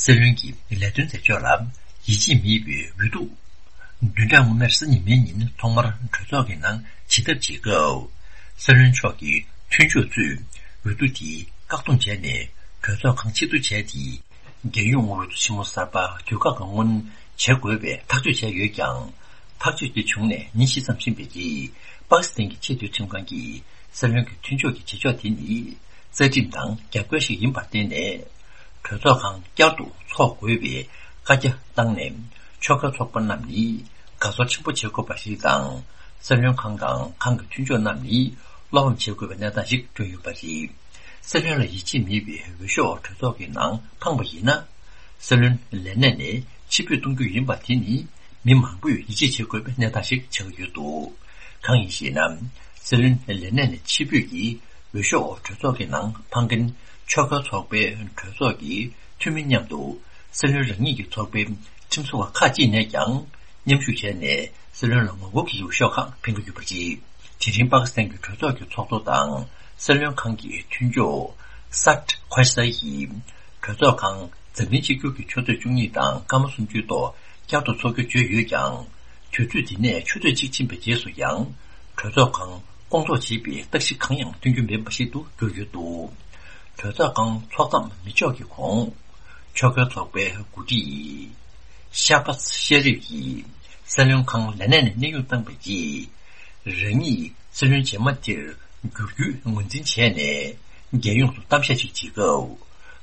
སྲིད་བློན་གྱི་ལས་དོན་མཛད་ཕྱོགས་ལ་ཡིད་ཆེས་མེད་པའི་འོས་བསྡུ་བདུན་ཕྲག་སྔོན་མའི་རེས་གཟའ་ཉི་མའི་ཉིན་ཐོག་མར་གྲོས་ཚོགས་ཀྱི་ནང་བྱེད་ཐབས་བྱེད་སྐབས། སྲིད་བློན་མཆོག་གི་མཐུན་ཕྱོགས་ཚོས་འོས་བསྡུ་དེ་བཀག་སྡོམ་བྱས་ནས། གྲོས་ཚོགས་ཁང་ཕྱིར་བསྡུ་བྱས་ཏེ། རྒྱལ་ཡོངས་འོས་བསྡུ་ཆེན་མོ་གསར་པ་དུས་བཀག་གི་སྔོན་བྱེད་དགོས་པའི་ཐག་གཅོད་བྱས་ཡོད་ཀྱང་། ཐག་གཅོད་དེ་བྱུང་ནས་ཉིན་བཞི་ཙམ་ཕྱིན་པའི་རྗེས། པ་ཀི་སི་ཐན་གྱི་ཆེས་མཐོའི་ཁྲིམས་ཁང་གིས་སྲིད་བློན་གྱི་མཐུན་ཕྱོགས་ཀྱི་བྱེད་ཕྱོགས་དེ་ནི་རྩ་ཁྲིམས་དང་རྒྱབ་འགལ་ཞིག་ཡིན་པར་བརྟེན་ནས། གྲོས་ཚོགས་ཁང་བསྐྱར་དུ་འཚོགས་དགོས་པའི་བཀའ་རྒྱ་བཏང་ནས། ཆོལ་ཁ་ཚོགས་པ་རྣམས་ནི་དགའ་ཚོར་ཆེན་པོ་བྱེད་དགོས་པ་ཞིག་དང་། སྲིད་བློན་ཁང་དང་ཁང་གི་མཐུན་ཕྱོགས་རྣམས་ནི་བློ་ཕམ་བྱེད་དགོས་པའི་གནས་སྟངས་ཤིག་བསྐྲུན་ཡོད་པ་རེད། སྲིད་བློན་ལ་ཡིད་ཆེས་མེད་པའི་འོས་ཤོག་གྲོས་ཚོགས་ཀྱི་ནང་འཕངས་པ་ཡིན་ན། སྲིད་བློན་ལས་གནས་ནས་ཕྱིར་འབུད་གཏོང་རྒྱུ་ཡིན་པ་དེ་ནི་མི་མང་པོས་ཡིད་ཆེས་བྱེད་དགོས་པའི་གནས་སྟངས་ཤིག་ཆགས་ཀྱི་ཡོད་འདུག་གང་ཡིན་ཞེ་ན། སྲིད་བློན་ལས་གནས་ནས་ཕྱིར་འབུད་ཀྱིས་འོས་ཤོག་གྲོས་ཚོགས་ཀྱི་ནང་འཕང་མཁན་ཆོལ་ཁ་ཚོགས་པའི་གྲོས་ཚོགས་ཀྱི་འཐུས་མི་མཉམ་དུ། སྲིད་བློན་རང་ཉིད་ཀྱི་ཚོགས་པའི་ཁྲིམས་བཟོ་བ་ཁག་ཅིག་ནས་ཀྱང་མཉམ་ཞུགས་བྱས་ནས། སྲིད་བློན་ལ་ངོ་རྒོལ་གྱི་འོས་ཤོག་ཁག་འཕེན་གྱི་ཡོད་པ་རེད། དེ་རིང་པ་ཀི་སི་ཐན་གྱི་གྲོས་ཚོགས་ཀྱི་ཚོགས་གཙོ་དང་སྲིད་བློན་ཁང་གི་མཐུན་ཕྱོགས་སཱད་ཁོ་ཤ་ཡིས། གྲོས་ཚོགས་ཁང་འཛམ་གླིང་གཅིག་གྱུར་གྱི་ཆུ་ཚོད་བཅུ་གཉིས་དང་སྐར་མ་སུམ་ཅུའི་ཐོག་བསྐྱར་དུ་འཚོགས་རྒྱུ་བརྗོད་ཡོད་ཀྱང་། དུས་ཚོད་དེ་ནས་ཆུ་ཚོད་གཅིག་ཕྱིན་པའི་རྗེས་སུ་ཡང་། གྲོས་ཚོགས་ཁང་སྐོང་ཚོགས་བྱེད་པའི་རྟགས་གཞི་གང་ཡང་སྟོན་རྒྱུ་མེད་པ་ཞིག་ཏུ་གྱུར་ཡོད་འདུག་གྲོས་ཚོགས་ཁང་འཚོགས་མཚམས་མི་ཆོག་གི་གོང་། ཆོལ་ཁའི་ཚོགས་པའི་འགོ་ཁྲིད་ཤ་བྷ་ཤེ་རིབ་ཀྱིས་སྲིད་བློན་ཁང་ལས་གནས་ནས་གནས་དབྱུང་བཏང་པའི་རྗེས། རང་ཉིད་སྲིད་བློན་རྗེས་མ་དེར་འགྱུར་རྒྱུའི་ངོས་འཛིན་བྱས་ནས། རྒྱལ་ཡོངས་སུ་གཏམ་བཤད་ཅིག་བྱེད་སྐབས།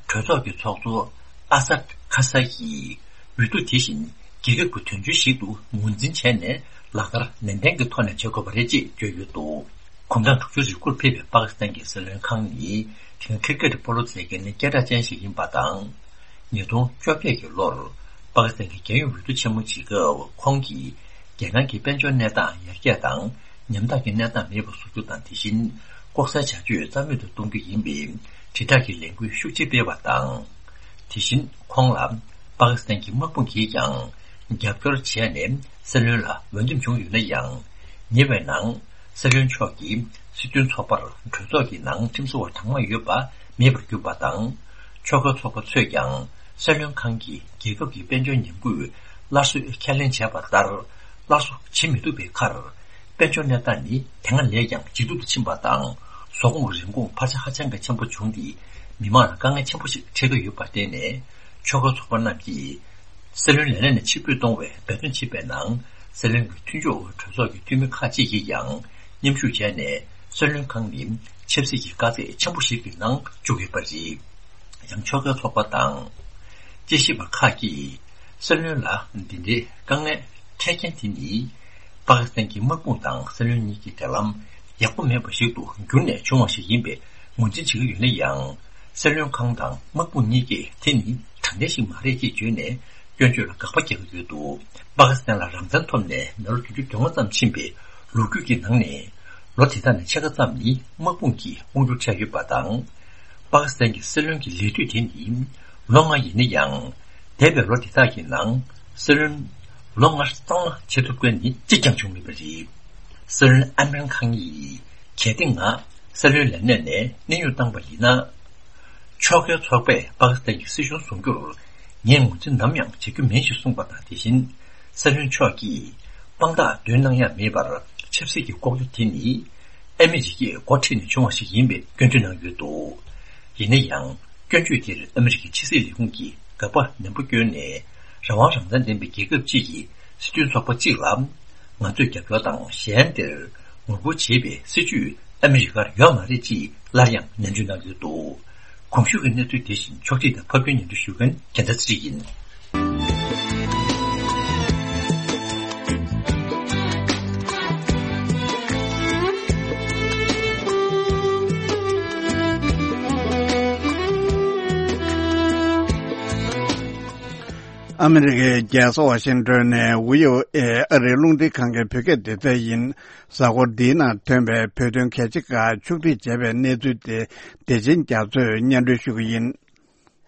གྲོས་ཚོགས་ཀྱི་ཚོགས་གཙོ་ཨ་སད་ཁ་ས་ཡིས། འོས་བསྡུ་དེ་བཞིན་རྒྱལ་ཁབ་ཀྱི་དོན་ཆེན་ཞིག་ཏུ་ངོས་འཛིན་བྱས་ནས། ལག་བསྟར་ནན་ཏན་གྱི་ཐོག་ནས་བྱེད་དགོས་པ་རེད་ཅེས་བརྗོད་ཡོད་འདུག་གོམ་བགྲང་དྲུག་ཅུ་རེ་དགུར་ཕེབས་པའི་པ་ཀི་སི་ཐན་གྱི་སྲིད་བློན་ཁང་ནི། དེ་སྔ་ཁིར་ཀེ་ཏི་སྤོ་ལོ་རྩེད་མཁན་སྐད་གྲགས་ཅན་ཞིག་ཡིན་པ་དང་། ཉིས་སྟོང་བཅོ་བརྒྱད་ཀྱི་ལོར། པ་ཀི་སི་ཐན་གྱི་རྒྱལ་ཡོངས་འོས་བསྡུ་ཆེན་མོ་བྱེད་སྐབས། ཁོང་གིས། རྒྱལ་ནང་གི་དཔལ་འབྱོར་གནས་སྟངས་ཡར་རྒྱས་དང་། ཉམ་ཐག་གི་གནས་སྟངས་མེད་པ་བཟོ་རྒྱུ་དང་། དེ་བཞིན། ལྐོག་ཟའི་བྱ་སྤྱོད་རྩ་མེད་དུ་གཏོང་རྒྱུ་ཡིན་པའི། དྲིལ་བསྒྲགས་ཀྱི་ལས་འགུལ་ཤུགས་ཆེ་སྤེལ་བ་དང་། དེ་བཞིན་ཁོང་ལ་པ་ཀི་སི་ཐན་གྱི་དམག་དཔུང་གིས་ཀྱང་རྒྱབ་སྐྱོར་བྱས་ནས་སྲིད་བློན་ལ་འོས་འདེམས་བྱུང་ཡོད་ན་ཡང་། ཉེ་བའི་ནང་སྲིད་བློན་མཆོག་གིས་སྲིད་དོན་ཚོགས་པར་གྲོས་ཚོགས་ཀྱི་ནང་ཁྲིམས་བཟོ་བ་གྲངས་མང་ཡོད་པ་མེད་པར་གྱུར་པ་དང་། ཕྱོགས་འགལ་ཚོགས་པ་ཚོས་ཀྱང་སྲིད་བློན་ཁང་གིས་རྒྱལ་ཁབ་ཀྱི་དཔལ་འབྱོར་ཉམས་རྒུད་སླར་གསོའི་ཁས་ལེན་བྱས་པ་ལྟར་སླར་གསོ་བྱེད་མི་ཐུབ་པའི་ཁར། དཔལ་འབྱོར་གནས་སྟངས་ནི་དེ་སྔ་ལས་ཀྱང་ཇེ་སྡུག་ཏུ་ཕྱིན་པ་དང་། ཟོག་གོང་གི་རིན་གོང་འཕར་ཆ་ཧ་ཅང་གི་ཆེན་པོ་བྱུང་སྟེ། མི་མང་ལ་དཀའ་ངལ་ཆེན་པོ་ཞིག་འཕྲད་ཀྱི་ཡོད་པར་བརྟེན་ནས། ཕྱོགས་འགལ་ཚོགས་པ་རྣམས་ཀྱིས་སྲིད་བློན་ལས་གནས་ནས་ཕྱིར་འབུད་གཏོང་བའི་འབད་བརྩོན་བྱེད་པའི་ནང་། སྲིད་བློན་གྱི་མཐུན་ཕྱོགས་གྲོས་ཚོགས་ཀྱི་འཐུས་མི་ཁག་ཅིག་གིས་ཀྱང་མཉམ་ཞུགས་བྱས་ནས། སྲིད་བློན་ཁང་ནི་ཆབ་སྲིད་ཀྱི་དཀའ་ཚེགས་ཆེན་པོ་ཞིག་གི་ནང་བཅུག་ཡོད་པ་རེད། ཡང་ཕྱོགས་འགལ་ཚོགས་པ་དང་། དཔྱད་ཞིབ་པ་ཁག་གིས་སྲིད་བློན་ལ་འདི་འདྲའི་དཀའ་ངལ་འཕྲད་རྐྱེན་དེ་ནི། པ་ཀི་སི་ཐན་གྱི་དམག་དཔུང་དང་སྲིད་བློན་གཉིས་ཀྱི་འབྲེལ་ལམ་ཡག་པོ་མེད་པ་ཞིག་ཏུ་གྱུར་ནས་བྱུང་བ་ཞིག་ཡིན་པའི་ངོས་འཛིན་བྱེད་ཀྱི་ཡོད་ན་ཡང་། སྲིད་བློན་ཁང་དང་དམག་དཔུང་གཉིས་ཀས་དེ་ནི་དྲང་བདེན་ཞིག་མ་རེད་ཅེས་བརྗོད་ནས་སྐྱོན་བརྗོད་ལ་དགག་པ་རྒྱག་གི་ཡོད་འདུག་པ་ཀི་སི་ཐན་ལ་རང་བཙན་ཐོབ་ནས་མི་ལོ་བདུན་ཅུ་དོན་ལྔ་ཙམ་ཕྱིན་པའི་ལོ་རྒྱུས་ཀྱི་ནང་ནས། ལོ་དེ་དག་ནས་ཕྱེད་ཀ་ཙམ་ནི་དམག་དཔུང་གིས་དབང་སྒྱུར་བྱས་ཡོད་པ་དང་། པ་ཀི་སི་ཐན་གྱི་སྲིད་བློན་གྱི་ལས་དུས་དེ་ནི་ལོ་ལྔ་ཡིན་ན་ཡང་། འདས་པའི་ལོ་དེ་དག་གི་ནང་སྲིད་བློན་ལོ་ལྔ་གཙང་མ་བྱེད་ཐུབ་མཁན་ནི་གཅིག་ཀྱང་བྱུང་མེད་པ་རེད། སྲིད་བློན་ཨ་མིན་ཁང་ཡིས་གལ་ཏེ་ང་སྲིད་བློན་ལས་གནས་ནས་གནས་དབྱུང་བཏང་པ་ཡིན་ན། ཕྱོགས་འགལ་ཚོགས་པས་པ་ཀི་སི་ཐན་གྱི་སྲིད་གཞུང་བཟུང་རྒྱུར་ངས་ངོས་འཛིན་ནམ་ཡང་བྱེད་རྒྱུ་མིན་ཞེས་གསུངས་པ་དང་། དེ་བཞིན་སྲིད་བློན་མཆོག་གིས་དཔང་རྟགས་འདོན་གནང་ཡ་མེད་པར་ཆབ་སྲིད་ཀྱི་ལྐོག་གྱུར་དེ་ནི་ཨ་མི་རི་ཀས་འགོ་ཁྲིད་ནས་བྱུང་བ་ཞིག་ཡིན་པའི་སྐྱོན་བརྗོད་གནང་ཡོད་འདུག་ཡིན་ན་ཡང་། སྐྱོན་བརྗོད་དེར་ཨ་མི་རི་ཀའི་ཕྱི་སྲིད་ལས་ཁུངས་ཀྱིས་དགག་པ་ནན་པོ་བསྐྱོན་ནས། རང་དབང་རང་བཙན་ལྡན་པའི་རྒྱལ་ཁབ་ཅིག་གི་སྲིད་དོན་ཚོགས་པ་གཅིག་ལ། ང་ཚོས་རྒྱབ་སྐྱོར་དང་གཞན་དེར་ངོ་རྒོལ་བྱེད་པའི་སྲིད་ཇུས་ཨ་མི་རི་ཀར་ཡོད་མ་རེད་ཅེས་སླར་ཡང་ནན་བརྗོད་གནང་ཡོད་འདུག་གོང་ཞུས་ཀྱི་གནས་ཚུལ་དེ་བཞིན་ཕྱོགས་སྒྲིག་དང་ཕབ་སྒྱུར་སྙན་སྒྲོན་ཞུ་མཁན་རྒྱལ་མཚན་ཚེ་རིང་ཡིན། ཨ་མི་རི་ཀའི་རྒྱལ་ས་ཝ་ཤིང་ཏོན་ནས་བྷི་ཨོ་ཨེ་ཨ་རིའི་རླུང་འཕྲིན་ཁང་གི་བོད་སྐད་སྡེ་ཚན་ཡིན། གཟའ་འཁོར་འདིའི་ནང་ཐོན་པའི་བོད་དོན་གལ་ཆེ་ཁག་ཕྱོགས་སྒྲིག་བྱས་པའི་གནས་ཚུལ་དེ་བདེ་ཆེན་རྒྱ་མཚོས་སྙན་སྒྲོན་ཞུ་གི་ཡིན།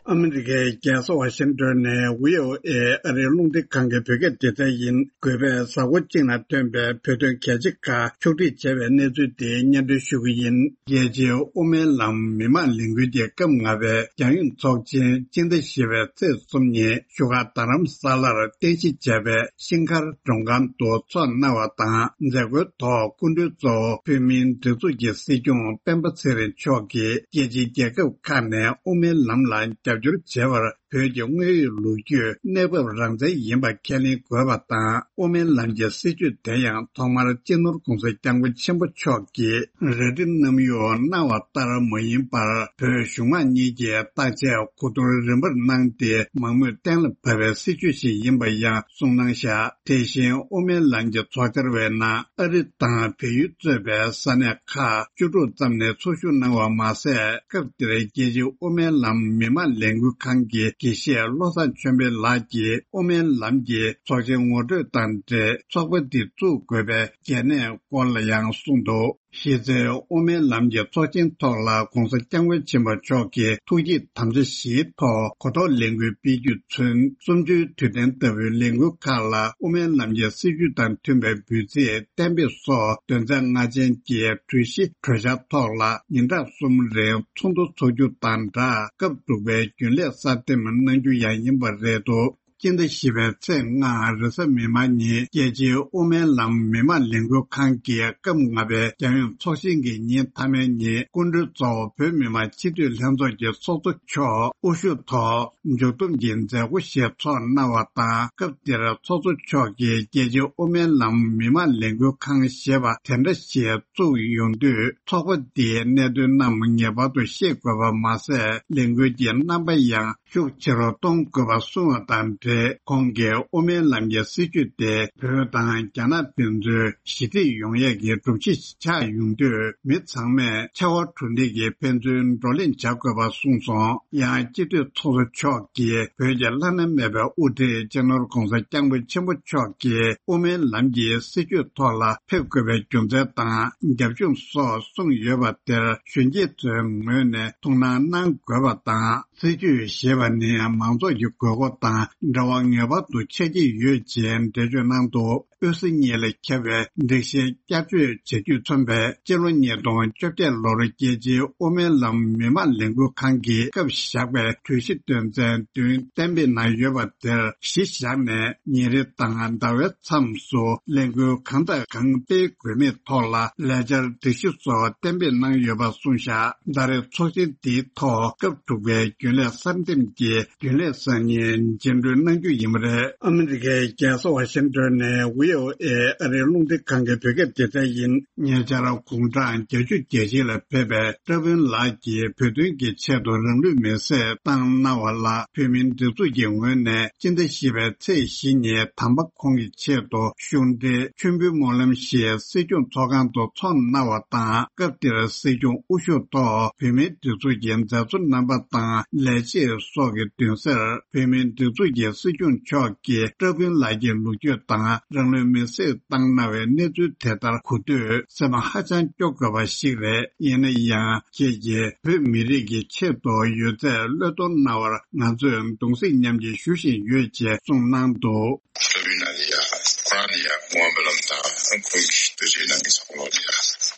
ཨ་མི་རི་ཀའི་རྒྱལ་ས་ཝ་ཤིང་ཏོན་ནས་བྷི་ཨོ་ཨེ་ཨ་རིའི་རླུང་འཕྲིན་ཁང་གི་བོད་སྐད་སྡེ་ཚན་ཡིན། འགོ་པས་གཟའ་འཁོར་གཅིག་ནང་ཐོན་པའི་བོད་དོན་གལ་ཆེ་ཁག་ཕྱོགས་སྒྲིག་བྱས་པའི་གནས་ཚུལ་དེ་སྙན་སྒྲོན་ཞུ་གི་ཡིན། རྒྱལ་སྤྱིའི་དབུ་མའི་ལམ་མི་མང་ལས་འགུལ་གྱི་སྐབས་ལྔ་པའི་རྒྱང་ཡོལ་ཚོགས་ཆེན་སྤྱི་ཟླ་བཞི་པའི་ཚེས་གསུམ་ཉིན་བཞུགས་སྒར་རྡ་རམ་ས་ལར་རྟེན་གཞི་བྱས་པའི་ཤིང་མཁར་མགྲོན་ཁང་དུ་འཚོགས་གནང་བ་དང་། མཛད་སྒོའི་ཐོག་སྐུ་མགྲོན་གཙོ་བོ་བོད་མིའི་སྒྲིག་འཛུགས་ཀྱི་སྲིད་སྐྱོང་སྤེན་པ་ཚེ་རིང་མཆོག་གིས་རྒྱལ་སྤྱིའི་རྒྱལ་ཁབ་ཁག་ནས་དབུ་མའི་ལམ་ལ་རྒྱབ་སྐྱོར་བྱས་པར། བོད་ཀྱི་དངོས་ཡོད་ལོ་རྒྱུས་གནས་བབ་རང་བཙན་ཡིན་པ་ཁས་ལེན་དགོས་པ་དང་། དབུ་མའི་ལམ་གྱི་སྲིད་བྱུས་དེ་ཡང་ཐོག་མར་སྤྱི་ནོར་༸གོང་ས་༸སྐྱབས་མགོན་ཆེན་པོ་མཆོག་གིས་རལ་གྲི་གནམ་གཡོག་གནང་བ་ལྟར་མ་ཡིན་པར། བོད་གཞུང་མང་གཉིས་ཀྱིས་བརྟག་དཔྱད་གོ་བསྡུར་རིམ་པར་གནང་སྟེ། མང་མོས་གཏན་ལ་ཕབ་པའི་སྲིད་བྱུས་ཤིག་ཡིན་པ་ཡང་གསུངས་གནང་བཞག་དེ་བཞིན་དབུ་མའི་ལམ་གྱི་ཚོགས་བཅར་བའི་ནང་ཨ་རི་དང་བལ་ཡུལ་གཙོས་པའི་ས་གནས་ཁག་བཅུ་དྲུག་ཙམ་ནས་ཚོགས་ཞུགས་གནང་བ་མ་ཟད། སྐབས་དེར་རྒྱལ་སྤྱིའི་དབུ་མའི་ལམ་མི་མང་ལས་འགུལ་ཁང་གི་དགེ་བཤེས་བློ་བཟང་ཆོས་འཕེལ་ལགས་ཀྱིས་དབུ་མའི་ལམ་གྱི་ཚོགས་ཆེན་ངོ་སྤྲོད་དང་འབྲེལ། ཚོགས་པ་འདི་བཙུགས་དགོས་པའི་གལ་གནད་སྐོར་ལ་ཡང་གསུངས་འདུག་གཞི་རྩའི་དབུ་མའི་ལམ་གྱི་ཚོགས་ཆེན་ཐོག་ལ་༸གོང་ས་༸སྐྱབས་མགོན་ཆེན་པོ་མཆོག་གིས་ཐུགས་བསྐྱེད་དམ་བཅའ་བཞིའི་ཐོག་གོ་རྟོགས་ལས་འགུལ་སྤེལ་རྒྱུས་མཚོན། གསུམ་བཅུའི་དུས་དྲན་ལྟ་བུའི་ལས་འགུལ་ཁག་ལ་དབུ་མའི་ལམ་གྱི་སྲིད་བྱུས་དང་མཐུན་པའི་འབོད་ཚིག་གཏན་འབེབས་སོགས་དོན་ཚན་ལྔ་ཅན་གྱི་གྲོས་གཞི་གྲོས་འཆར་ཐོག་ལ་ཉིན་གྲངས་གསུམ་རིང་ཚོགས་འདུ་འཚོགས་རྒྱུ་དང་སྦྲགས། སྐབས་དྲུག་པའི་རྒྱུན་ལས་གསར་འདེམས་གནང་རྒྱུ་ཡང་ཡིན་པ་རེད་འདུག་སྤྱི་ཟླ་བཞི་པའི་ཚེས་ལྔ་རེས་གཟའ་མིག་དམར་ཉིན། རྒྱལ་སྤྱིའི་དབུ་མའི་ལམ་མི་མང་ལས་འགུལ་ཁང་གི་སྐབས་ལྔ་པའི་རྒྱང་ཡོལ་ཚོགས་ཆེན་གྱི་ཉིན་མཐའ་མའི་ཉིན། སྐུ་མགྲོན་གཙོ་བོ་བོད་མི་མང་སྤྱི་འཐུས་ལྷན་ཚོགས་ཀྱི་ཚོགས་གཙོ་མཆོག་དབུ་བཞུགས་ཐོག་མཇུག་བསྡོམས་ཀྱི་མཛད་སྒོ་ཞིག་ཚོགས་གནང་བ་དང་། སྐབས་དེར་ཚོགས་གཙོ་མཆོག་གིས་རྒྱལ་སྤྱིའི་དབུ་མའི་ལམ་མི་མང་ལས་འགུལ་ཁང་ཞེས་པ་དེ་འདྲ་ཞིག་བཙུགས་ཡོང་དུས། ཚོགས་པ་འདིའི་གནད་དོན་རྣམས་ངེས་པར་དུ་ཤེས་དགོས་པ་མ་ཟད། ལས་འགུལ་གྱི་རྣམ་པ་ཡང་ཤུགས་ཆེ་རུ་གཏོང་དགོས་པ་གསུངས་བ་དང་འབྲེལ། ཁོང་གིས་དབུ་མའི་ལམ་གྱི་སྲིད་བྱུས་དེ་བོད་དང་རྒྱ་ནག་ཕན་ཚུན་ཞི་བདེ་ཡོང་ཡས་ཀྱི་སྒྲུབ་བྱེད་ཆགས་ཡོང་དུས། མི་ཚང་མས་ཕྱར་བ་གྲུ་འདེགས་ཀྱིས་ཕན་ཚུན་བགྲོ་གླེང་བྱ་དགོས་པ་གསུངས་སོང་། ཡང་སྤྱི་འཐུས་ཚོགས་གཙོ་མཆོག་གིས་བོད་ཀྱི་བླ་ན་མེད་པའི་དབུ་ཁྲིད་སྤྱི་ནོར་༸གོང་ས་༸སྐྱབས་མགོན་ཆེན་པོ་མཆོག་གིས་དབུ་མའི་ལམ་གྱི་སྲིད་བྱུས་ཐོག་ལ་ཕེབས་དགོས་པའི་རྒྱུ་མཚན་དང་རྒྱབ་ལྗོངས་སོགས་གསུངས་ཡོད་པ་དེར་གཞོན་སྐྱེས་ཚོའི་ངོས་ནས་ཐུགས་སྣང་གནང་དགོས་པ་དང་། སྲིད་བྱུས་ཞེས་ པ་ནི་མང་ཚོགས་ཀྱི་དགོས་མཁོ་དང་འབྲེལ་བ་ངེས་པར་དུ་ཆགས་ཀྱི་ཡོད་ཅེས་འགྲེལ་བརྗོད་གནང་འདུག། དབུས་ས་གཉིས་ལ་ཁྱབ་པའི་སྒྲིག་གཞི་བསྐྱར་བཅོས་བྱ་རྒྱུས་མཚོན་པའི་སྤྱི་ལོ་ཉིས་སྟོང་བཅོ་བརྒྱད་ལོར་རྒྱལ་སྤྱིའི་དབུ་མའི་ལམ་མི་མང་ལས་འགུལ་ཁང་གིས་སྐབས་བཞག་པའི་གྲོས་གཞི་དོན་ཚན་བདུན་གཏན་འབེབས་གནང་ཡོད་པ་དེར་གཞི་བཞག་ནས། ཉིན་རེ་དང་ཟླ་བའི་མཚམས་སུ་ལས་འགུལ་གང་དང་གང་སྤེལ་དགོས་མིན་ཐོག་ལ་ལས་འཆར་སྒྲིག་གཞི་སོགས་གཏན་འབེབས་གནང་ཡོད་པ་གསུངས་བཞག། ཟླ་རེའི་ཚོགས་ཆེན་འདིའི་ཐོག་སྐབས་དྲུག་པའི་རྒྱུན་ལས་གསར་འདེམས་ཀྱི་རྒྱུན་ལས་སང་ཉིན་རྗེས་འགྲོལ་གནང་རྒྱུ་ཡིན་པ་རེད། ཨ་མི་རི་ཀའི་རྒྱལ་ས་ཝ་ཤིང་ཏོན་ནས་ཝི་ཨོ་ཨེ་ཨ་རིའི་རླུང་འཕྲིན་ཁང་གི་བོད་སྐད་སྡེ་ཚན་ཡིན། ཉེ་ཆར་དགུང་གྲངས་བརྒྱད་ཅུ་གྱ་གཅིག་ལ་ཕེབས་པའི་བཀྲ་དཔོན་ལགས་ཀྱིས་བོད་དོན་གྱི་ཆེད་དུ་རང་ལུས་མེར་སྲེག་བཏང་གནང་བ་ལ། བོད་མིའི་སྒྲིག་འཛུགས་ཀྱི་ངོས་ནས་སྤྱི་ཟླ་བཞི་པའི་ཚེས་བཞི་ཉིན་དམ་པ་ཁོང་གི་ཆེད་དུ་གཞུང་འབྲེལ་མཆོད་འབུལ་སྨོན་ལམ་ཞིག་སྲིད་སྐྱོང་ཚོགས་ཁང་དུ་འཚོགས་གནང་བ་དང་། སྐབས་དེར་སྲིད་སྐྱོང་དབུ་བཞུགས་ཐོག་བོད་མིའི་སྒྲིག་འཛུགས་ཀྱི་མཛད་གཙོ་རྣམ་པ་དང་ལས་བྱེད་སོགས་ཀྱི་མདུན་སར་བོད་མིའི་སྒྲིག་འཛུགས་ཀྱི་སྲིད་སྐྱོང་མཆོག་གིས་བཀྲ་དཔོན་ལགས་ཀྱི་ལོ་རྒྱུས་དང་རང་ལུས་མེར་སྲེག་བཏང་གནང་བའི་གནས་ཚུལ་དེ་ལྟར་གོ་དུས་སེམས་ཧ་ཅང་སྐྱོ་དགོས་པ་ཞིག་རེད། ཡིན་ན་ཡང་ཁྱེད་ཀྱིས་བོད་མི་རིགས་ཀྱི་ཆེད་དུ་ཡོད་ཚད་བློས་གཏོང་གནང་བར་ང་ཚོས་གདུང་སེམས་མཉམ་སྐྱེད་ཞུ་བཞིན་ཡོད་ཅེས་གསུངས་གནང་འདུག། ལྟ་བུའི་ནང་ལ་ཡ། ཁོ་རང་ལ་ཡ་སྐུ་ངོ་སྨོན་ལམ་དང་ཁོང་གི་དུས་ཚོད་ནང་གི་ཚང་མ་ལ་ཡ་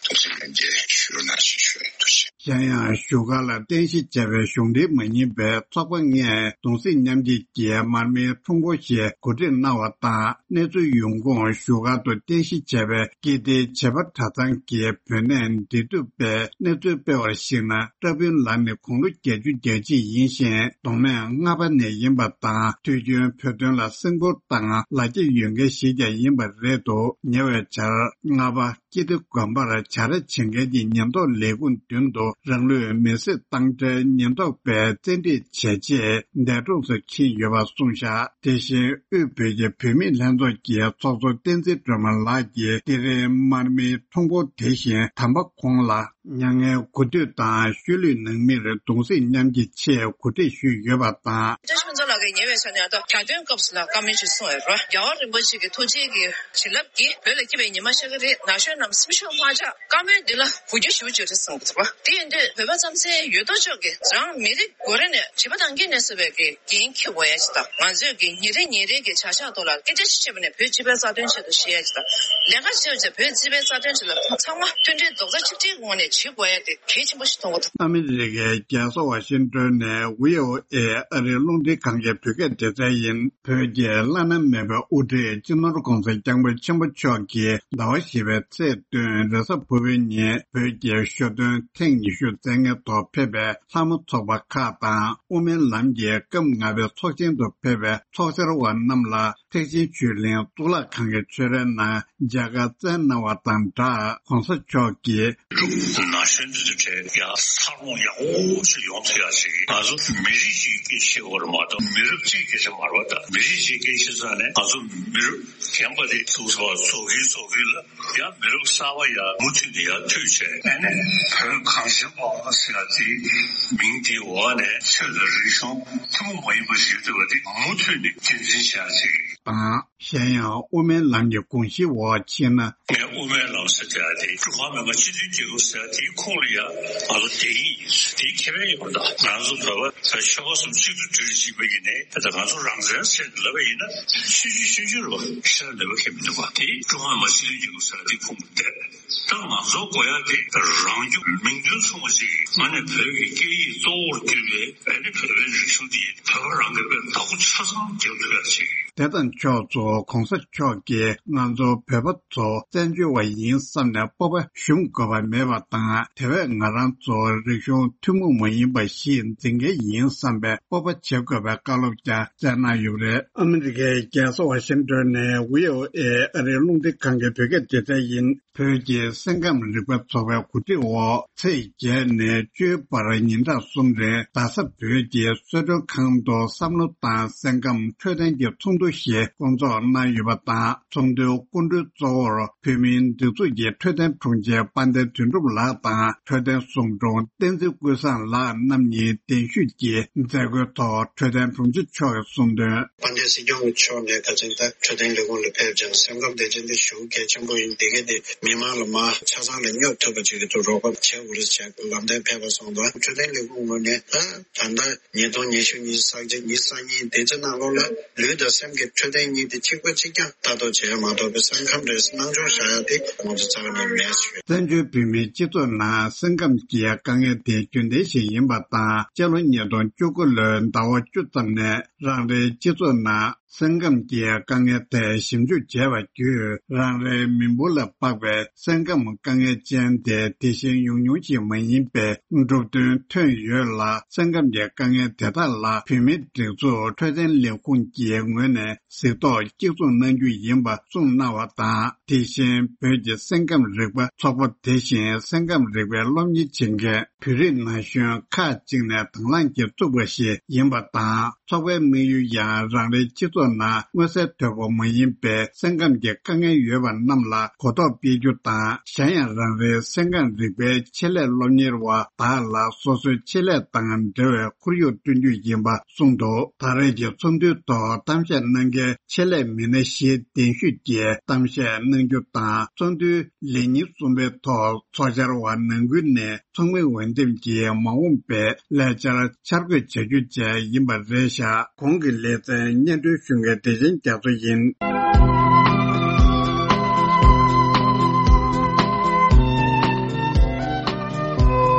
གདུང་སེམས་མཉམ་སྐྱེད་ཞུ་རོགས་གནང་ཞེས་ཞུ་ཡ་འདུག་ཅེས། གཞན་ཡང་བཞུགས་སྒར་ལ་རྟེན་གཞི་བྱས་པའི་གཞུང་འབྲེལ་མ་ཡིན་པའི་ཚོགས་པ་ལྔས་གདུང་སེམས་མཉམ་སྐྱེད་ཀྱི་མར་མེའི་ཁྲོམ་སྐོར་ཞིག་གོ་སྒྲིག་གནང་བ་དང་། གནས་ཚུལ་ཡོང་ཁུངས་བཞུགས་སྒར་དུ་རྟེན་གཞི་བྱས་པའི་ཀིརྟིའི་བྱེས་པ་གྲྭ་ཚང་གི་བོད་གནས་འདི་དུ་པའི་གནས་ཚུལ་སྤེལ་བར་གཞིགས་ན། བཀྲ་དཔོན་ལགས་ནི་དགུང་ལོ་བརྒྱད་ཅུ་གྱ་གཅིག་ཡིན་ཞིང་། མདོ་སྨད་རྔ་པ་ནས་ཡིན་པ་དང་། དུས་རྒྱུན་བོད་དོན་ལ་སེམས་ཁུར་དང་ལ་རྒྱ་ཡོད་མཁན་ཞིག་ཀྱང་ཡིན་པ་རེད་འདུག། ཉེ་བའི་ཆར་རྔ་པ་ཀིརྟི་དགོན་པར་བྱ་ར་བྱེད་མཁན་གྱི་ཉེན་རྟོག་ལས་ཁུངས་མདུན་དུ་རང་ལུས་མེར་སྲེག་བཏང་འཕྲལ་ཉེན་རྟོག་པས་བཙན་ཁྲིད་བྱས་རྗེས་འདས་གྲོངས་སུ་ཕྱིན་ཡོད་པ་གསུངས་བཞག། དེ་བཞིན་དབུས་བོད་ཀྱི་བུད་མེད་ལྷན་ཚོགས་ཀྱི་ཚོགས་གཙོ་བསྟན་འཛིན་སྒྲོལ་མ་ལགས་ཀྱིས་དེ་རིང་མར་མེའི་ཁྲོམ་སྐོར་དེ་བཞིན་དམ་པ་ཁོང་ལ་མྱ་ངན་གུས་འདུད་དང་ཤུལ་ལུས་ནང་མིར་གདུང་སེམས་མཉམ་སྐྱེད་ཆེད་གོ་སྒྲིག་ཞུས་ཡོད་པ་དང་། བཀྲ་ཤིས་ཕུན་ཚོགས་ལགས་ཀྱིས་ཉེ་བའི་ཆར་ནས་ད་གྲྭ་སྟོན་སྐབས་སུ་ལ་བཀའ་མོལ་ཞིག་གསུངས་ཡོད་རེད། རྒྱལ་བ་རིན་པོ་ཆེ་གི་ཐུགས་རྗེ་གི་བྱིན་རླབས་ཀྱིས་བོད་ལ་སྐྱིད་པའི་ཉི་མ་ཤར་གྱི་རེད། ན་གཞོན་རྣམས་སེམས་ཤུགས་མ་ཆག། བཀའ་མོལ་འདི་ལ་གུས་བརྩི་ཞུ་རྒྱུ་རེད་གསུངས་འདུག་པ། དེ་ཡིན་དུས་བོད་པ་རྩམ་ཟན་ཡོད་དོ་ཅོག་གིས་རང་མི་རིགས་མགོ་རིལ་ནས་བྱིས་པ་དང་སྐྱེས་ནས་གསོ་བའི་གི་འགན་འཁྱེར་དགོས་ཡ་ཅིག་དང་། ང་ཚོས་གི་ཉིན་རེ་ཉིན་རེ་གི་བྱ་གཞག་ཐོག་ལ་སྐད་ཆ་ཞིག་བཤད་པ་ནས་བོད་སྤྱི་པའི་རྩ་དོན་ཆེད་དུ་བཤད་ཡ་ཅིག་དང་། ལས་ཀ་བྱེད་བྱེད་བོད་སྤྱི་པའི་རྩ་དོན་ཆེད་ལ་ཚང་མ་མཐུན་སྒྲིལ་རྡོག་རྩ་གཅིག་སྒྲིལ་གྱི་ངང་ནས་བྱེད་དགོས་ཡ་དེ་གལ་ཆེན་པོ་ཞིག་མཐོང་གི་འདུག། ཨ་མི་རི་ཀའི་རྒྱལ་ས་ཝ་ཤིང་ཏོན་ནས་ཝི་ཨོ་ཨེ་ཨ་རིའི་རླུང་འཕྲིན་ཁང་གི་བོད་སྐད་སྡེ་ཚན་ཡིན། བོད་ཀྱི་བླ་ན་མེད་པའི་དབུ་ཁྲིད་སྤྱི་ནོར་༧གོང་ས་༧སྐྱབས་མགོན་ཆེན་པོ་མཆོག་གིས་ཟླ་བ་བཞི་པའི་ཚེས་བདུན་རེས་གཟའ་ཕུར་བུའི་ཉིན་བོད་ཀྱི་ཞོ་སྟོན་ཐེངས་ཉི་ཤུ་རྩེད་མཁན་ཐོག་ཕེབས་པའི་ལྷ་མོ་ཚོགས་པ་ཁག་དང་དབུ་མའི་ལམ་གྱི་སྐབས་ལྔ་པའི་ཚོགས་ཆེན་དུ་ཕེབས་པའི་ཚོགས་བཅར་བ་རྣམས་ལ་ཐེག་ཆེན་ཆོས་གླིང་གཙུག་ལག་ཁང་གི་ཆོས་རའི་ནང་མཇལ་ཁ་བསྩལ་གནང་བ་དང་སྦྲགས། ༧གོང་ས་མཆོག་གིས། ན་གཞོན་འདི་ཚོ་གྲས་ཡང་འཚར་ལོངས་ཡག་པོ་ཞིག་ཡོང་ཐུབ་ཡག་ཞིག་ང་ཚོ་མི་རིགས་ཤིག་སྐད་ཆ་བཤད་དགོས་རེད་མ་གཏོགས་མི་རབས་གཅིག་སྐད་ཆ་མ་རེད་པ། ད་མི་རིགས་ཤིག་སྐད་ཆ་ས་ནས་ང་ཚོ་མི་རབས་རྒན་པ་དེ་ཚོགས་པ་ཚོགས་ཀྱི་ཚོགས་ཀྱི་ལ་ཡང་མི་རབས་གསར་པ་ཡང་མུ་མཐུད་ནས་ཡར་མཐུད་བྱས། ཨ་ནི་བོད་གངས་ཅན་པ་ཟེར་ཡ་དེ་མིང་དེའི་འོག་ནས་ཆོས་དང་རིག་གཞུང་ཐུན་མོང་མ་ཡིན་པ་ཞིག་ཡོད་པ་དེ་མུ་མཐུད་ནས་རྒྱུན་འཛིན་བྱ་ཡ་ཅིག་དང་། གཞན་ཡང་དབུ་མའི་ལམ་གྱི་དགོངས་གཞིའི་འོག་ཕྱིན་ན། ངས་དབུ་མའི་ལམ་ཟེར་བྱ་དེ་ཀྲུང་ཧྭ་མི་དམངས་སྤྱི་མཐུན་རྒྱལ་ཁབ་ཟེར་དེའི་ཁོངས་ལ་ཡང་ང་ཚོ་བསྡད་ཀྱི་ཡིན། དེའི་ཁེ་ཕན་ཡོད་པ་དང་ང་ཚོ་བོད་པ་ཆོལ་ཁ་གསུམ་གཅིག་ཏུ་སྒྲིལ་བྱེད་པ་ཡིན་ནའི་ད་ང་ཚོ་རང་བཙན་ཟེར་ལབ་པ་ཡིན་ན་ཆོས་བརྒྱུད་ཆོས་བརྒྱུད་རེད་པ། ཤེས་ན་ལབ་པ་ཁེ་མི་འདུག་པ། དེ་ཀྲུང་ཧྭ་མི་དམངས་སྤྱི་མཐུན་རྒྱལ་ཁབ་ཟེར་དེའི་ཁོངས་ལ་བསྡད། ད་ང་ཚོ་དགོས་ཡ་དེ་རང་རྒྱུད་མིང་དོན་མཚུངས་པ་ཅིག་ང་ནས་བོད་ཀྱི་སྐད་ཡིག་གཙོ་བོར་གྱུར་པའི་ཨ་ནི་བོད་པའི་རིག་གཞུང་དེ་བོད་པ་རང་གི་དཔེ་བདག་པོ་ཆ་ཚང་རྒྱག་ཐུབ་ཡ་ཅིག། དེ་དང་ཕྱོགས་སུ་༧གོང་ས་མཆོག་གིས་ང་ཚོ་བོད་པ་ཚོ་བཙན་བྱོལ་བ་ཡིན་བསམ་ནས་སྤོབས་པ་ཞུམ་དགོས་པ་མེད་པ་དང་། དེ་བས་ང་རང་ཚོ་རིག་གཞུང་ཐུན་མོང་མ་ཡིན་པ་ཞིག་འཛིན་མཁན་ཡིན་བསམ་པའི་སྤོབས་པ་བྱེད་དགོས་པའི་བཀའ་སློབ་ཀྱང་སྩལ་གནང་ཡོད་པ་རེད། ཨ་མི་རི་ཀའི་རྒྱལ་ས་ཝ་ཤིང་ཏོན་ནས་ཝི་ཨོ་ཨེ་ཨ་རིའི་རླུང་འཕྲིན་ཁང་གི་བོད་སྐད་སྡེ་ཚན་ཡིན། བོད་ཀྱི་སེམས་ཁམས་རིག་པ་ཚོགས་པའི་གོ་སྒྲིག་འོག་ཚེས་བརྒྱད་ནས་བཅུའི་བར་ཉིན་གྲངས་གསུམ་རིང་རྡ་ས་བོད་ཀྱི་གསོལ་མགྲོན་ཁང་དུ་བསམ་བློ་དང་སེམས་ཁམས་འཕྲོད་བསྟེན་གྱི་ཚོགས་འདུ་ཞིག་སྐོང་ཚོགས་གནང་ཡོད་པ་དང་། ཚོགས་འདུའི་སྐུ་མགྲོན་གཙོ་བོར་བོད་མིའི་སྒྲིག་འཛུགས་ཀྱི་འཕྲོད་བསྟེན་དྲུང་ཆེ་དཔལ་ལྡན་དོན་གྲུབ་ལགས་དང་། འཕྲོད་བསྟེན་ཟུང་དྲུང་བསྟན་འཛིན་ཀུན་བཟང་ལགས་རྣམ་གཉིས་གདན་ཞུས་ཀྱིས་མཛད་སྒོའི་ཐོག་འཕྲོད་བསྟེན་དྲུང་ཆེ་མཆོག་གིས་གསུངས་དོན། དཔལ་ལྡན་སྲིད་སྐྱོང་མཆོག་ནས་ཁ་སང་ད་འཕྲོད་བསྟེན་ལས་ཁུངས་ལ་ཕེབས་ཀྱང་སེམས་ཁམས་བདེ་ཆེན་དེ་ཞེ་པོ་གལ་ཆེན་པོ་ཡིན། དེ་ག་དེ་ མི་མང་ལ་མར་ཆ་ཚང་ལ་སྙོབ་ཐུབ་པ་ཅིག་གི་ཐོག་རོགས་པ་བྱེད་དགོས་རེད་ཟེར་ལམ་སྟོན་ཕེབས་པ་སོང་ཙང་འཕྲོད་བསྟེན་ལས་ཁུངས་ངོས་ནས་ད་ད་ལྟ་ཉིས་སྟོང་ཉི་ཤུ་ཉི་ཤུ་རྩ་གཅིག་ཉི་ཤུ་རྩ་གཉིས་དེ་ཚོའི་ནང་ལོགས་ལ་ལུས་དང་སེམས་ཀྱི་འཕྲོད་བསྟེན་གཉིས་དེ་གཅིག་པ་གཅིག་རྐྱང་ལྟ་རྟོག་བྱེད་ཡ་མ་གཏོགས་པའི་སེམས་ཁམས་རེད་སྣང་ཆུང་བཞག་ཡ་དེ་ང་ཚོ་རྩ་བ་ནས་མེད་ཟེར། བཙན་བྱོལ་བོད་མིའི་སྤྱི་ཚོགས་ནང་སེམས་ཁམས་ཀྱི་དཀའ་ངལ་དེ་རྒྱུན་ལྡན་ཞིག་ཡིན་པ་དང་། སྤྱི་ལོ་ཉིས་སྟོང་བཅུ་དགུ་ལོའི་ཟླ་བ་བཅུ་ཙམ་ནས་རང་རེའི་སྤྱི་ཚོགས་ནང་སེམས་ཁམས་ཀྱི་དཀའ་ངལ་ཐད་ཞིབ་འཇུག་བྱས་པ་བརྒྱུད། རང་རེའི་མི་འབོར་ལ་དཔག་པའི་སེམས་ཁམས་དཀའ་ངལ་ཅན་དེ་དེ་བཞིན་ཉུང་ཉུང་ཞིག་མ་ཡིན་པའི་འགྲོ་དོན་ཐོན་ཡོད་ལ། སེམས་ཁམས་ཀྱི་དཀའ་ངལ་དེ་དག་ལ་བོད་མིའི་སྒྲིག་འཛུགས་འཕྲོད་བསྟེན་ལས་ཁུངས་ཀྱི་ངོས་ནས་གཟིགས་རྟོག་གཅིག་མཚུངས་གནང་རྒྱུ་ཡིན་པ་གསུངས་གནང་བ་དང་། དེ་བཞིན་བོད་ཀྱི་སེམས་ཁམས་རིག་པ་ཚོགས་པ་དེ་བཞིན་སེམས་ཁམས་རིག་པའི་སློབ་གཉེར་བྱེད་མཁན་བོད་རིགས་ན་གཞོན་ཁག་ཅིག་ནས་དང་བླངས་ཀྱིས་བཙུགས་པ་ཞིག་ཡིན་པ་དང་། ཚོགས་པའི་དམིགས་ཡུལ་ཡང་རང་རེའི་སྤྱི་ཚོགས་ནང་མངོན་གསལ་དོད་པོ་མ་ཡིན་པའི་སེམས་ཁམས་ཀྱི་དཀའ་ངལ་ཡོད་པ་རྣམས་ལ་གོ་རྟོགས་སྤེལ་རྒྱུ་དང་། གཞན་ཡང་རང་རེའི་སེམས་ཁམས་རིག་པའི་ཆེད་ལས་སློབ་གཉེར་བ་དག་ལ་སོ་སོའི་ཆེད་ལས་དང་འབྲེལ་བའི་ཁོར་ཡུག་བསྐྲུན་རྒྱུ་ཡིན་པ་གསུངས་འདུག་ད་རེས་ཀྱི་ཚོགས་འདུའི་ཐོག་གཏམ་བཤད་གནང་མཁན་ཆེད་ལས་མི་སྣ་བཞིའི་གདན་ཞུས་ཀྱིས་གཏམ་བཤད་གནང་རྒྱུ་དང་། ཚོགས་འདུའི་ལས་ཉིན་གསུམ་པའི་ཐོག་ཚོགས་བཅར་བ་ནང་ཁུལ་ནས་ཚོགས་མི་འོས་འདེམས་ཀྱིས་མ་འོངས་པའི་ལས་འཆར་འཆར་འགོད་བྱ་རྒྱུ་བཅས་ཡིན་པ་རེད་བཞག་གོང་གི་ལེ་ཚན་སྙན་སྒྲོན་ཞུ་མཁན་བདེ་ཆེན་རྒྱ་མཚོ་ཡིན།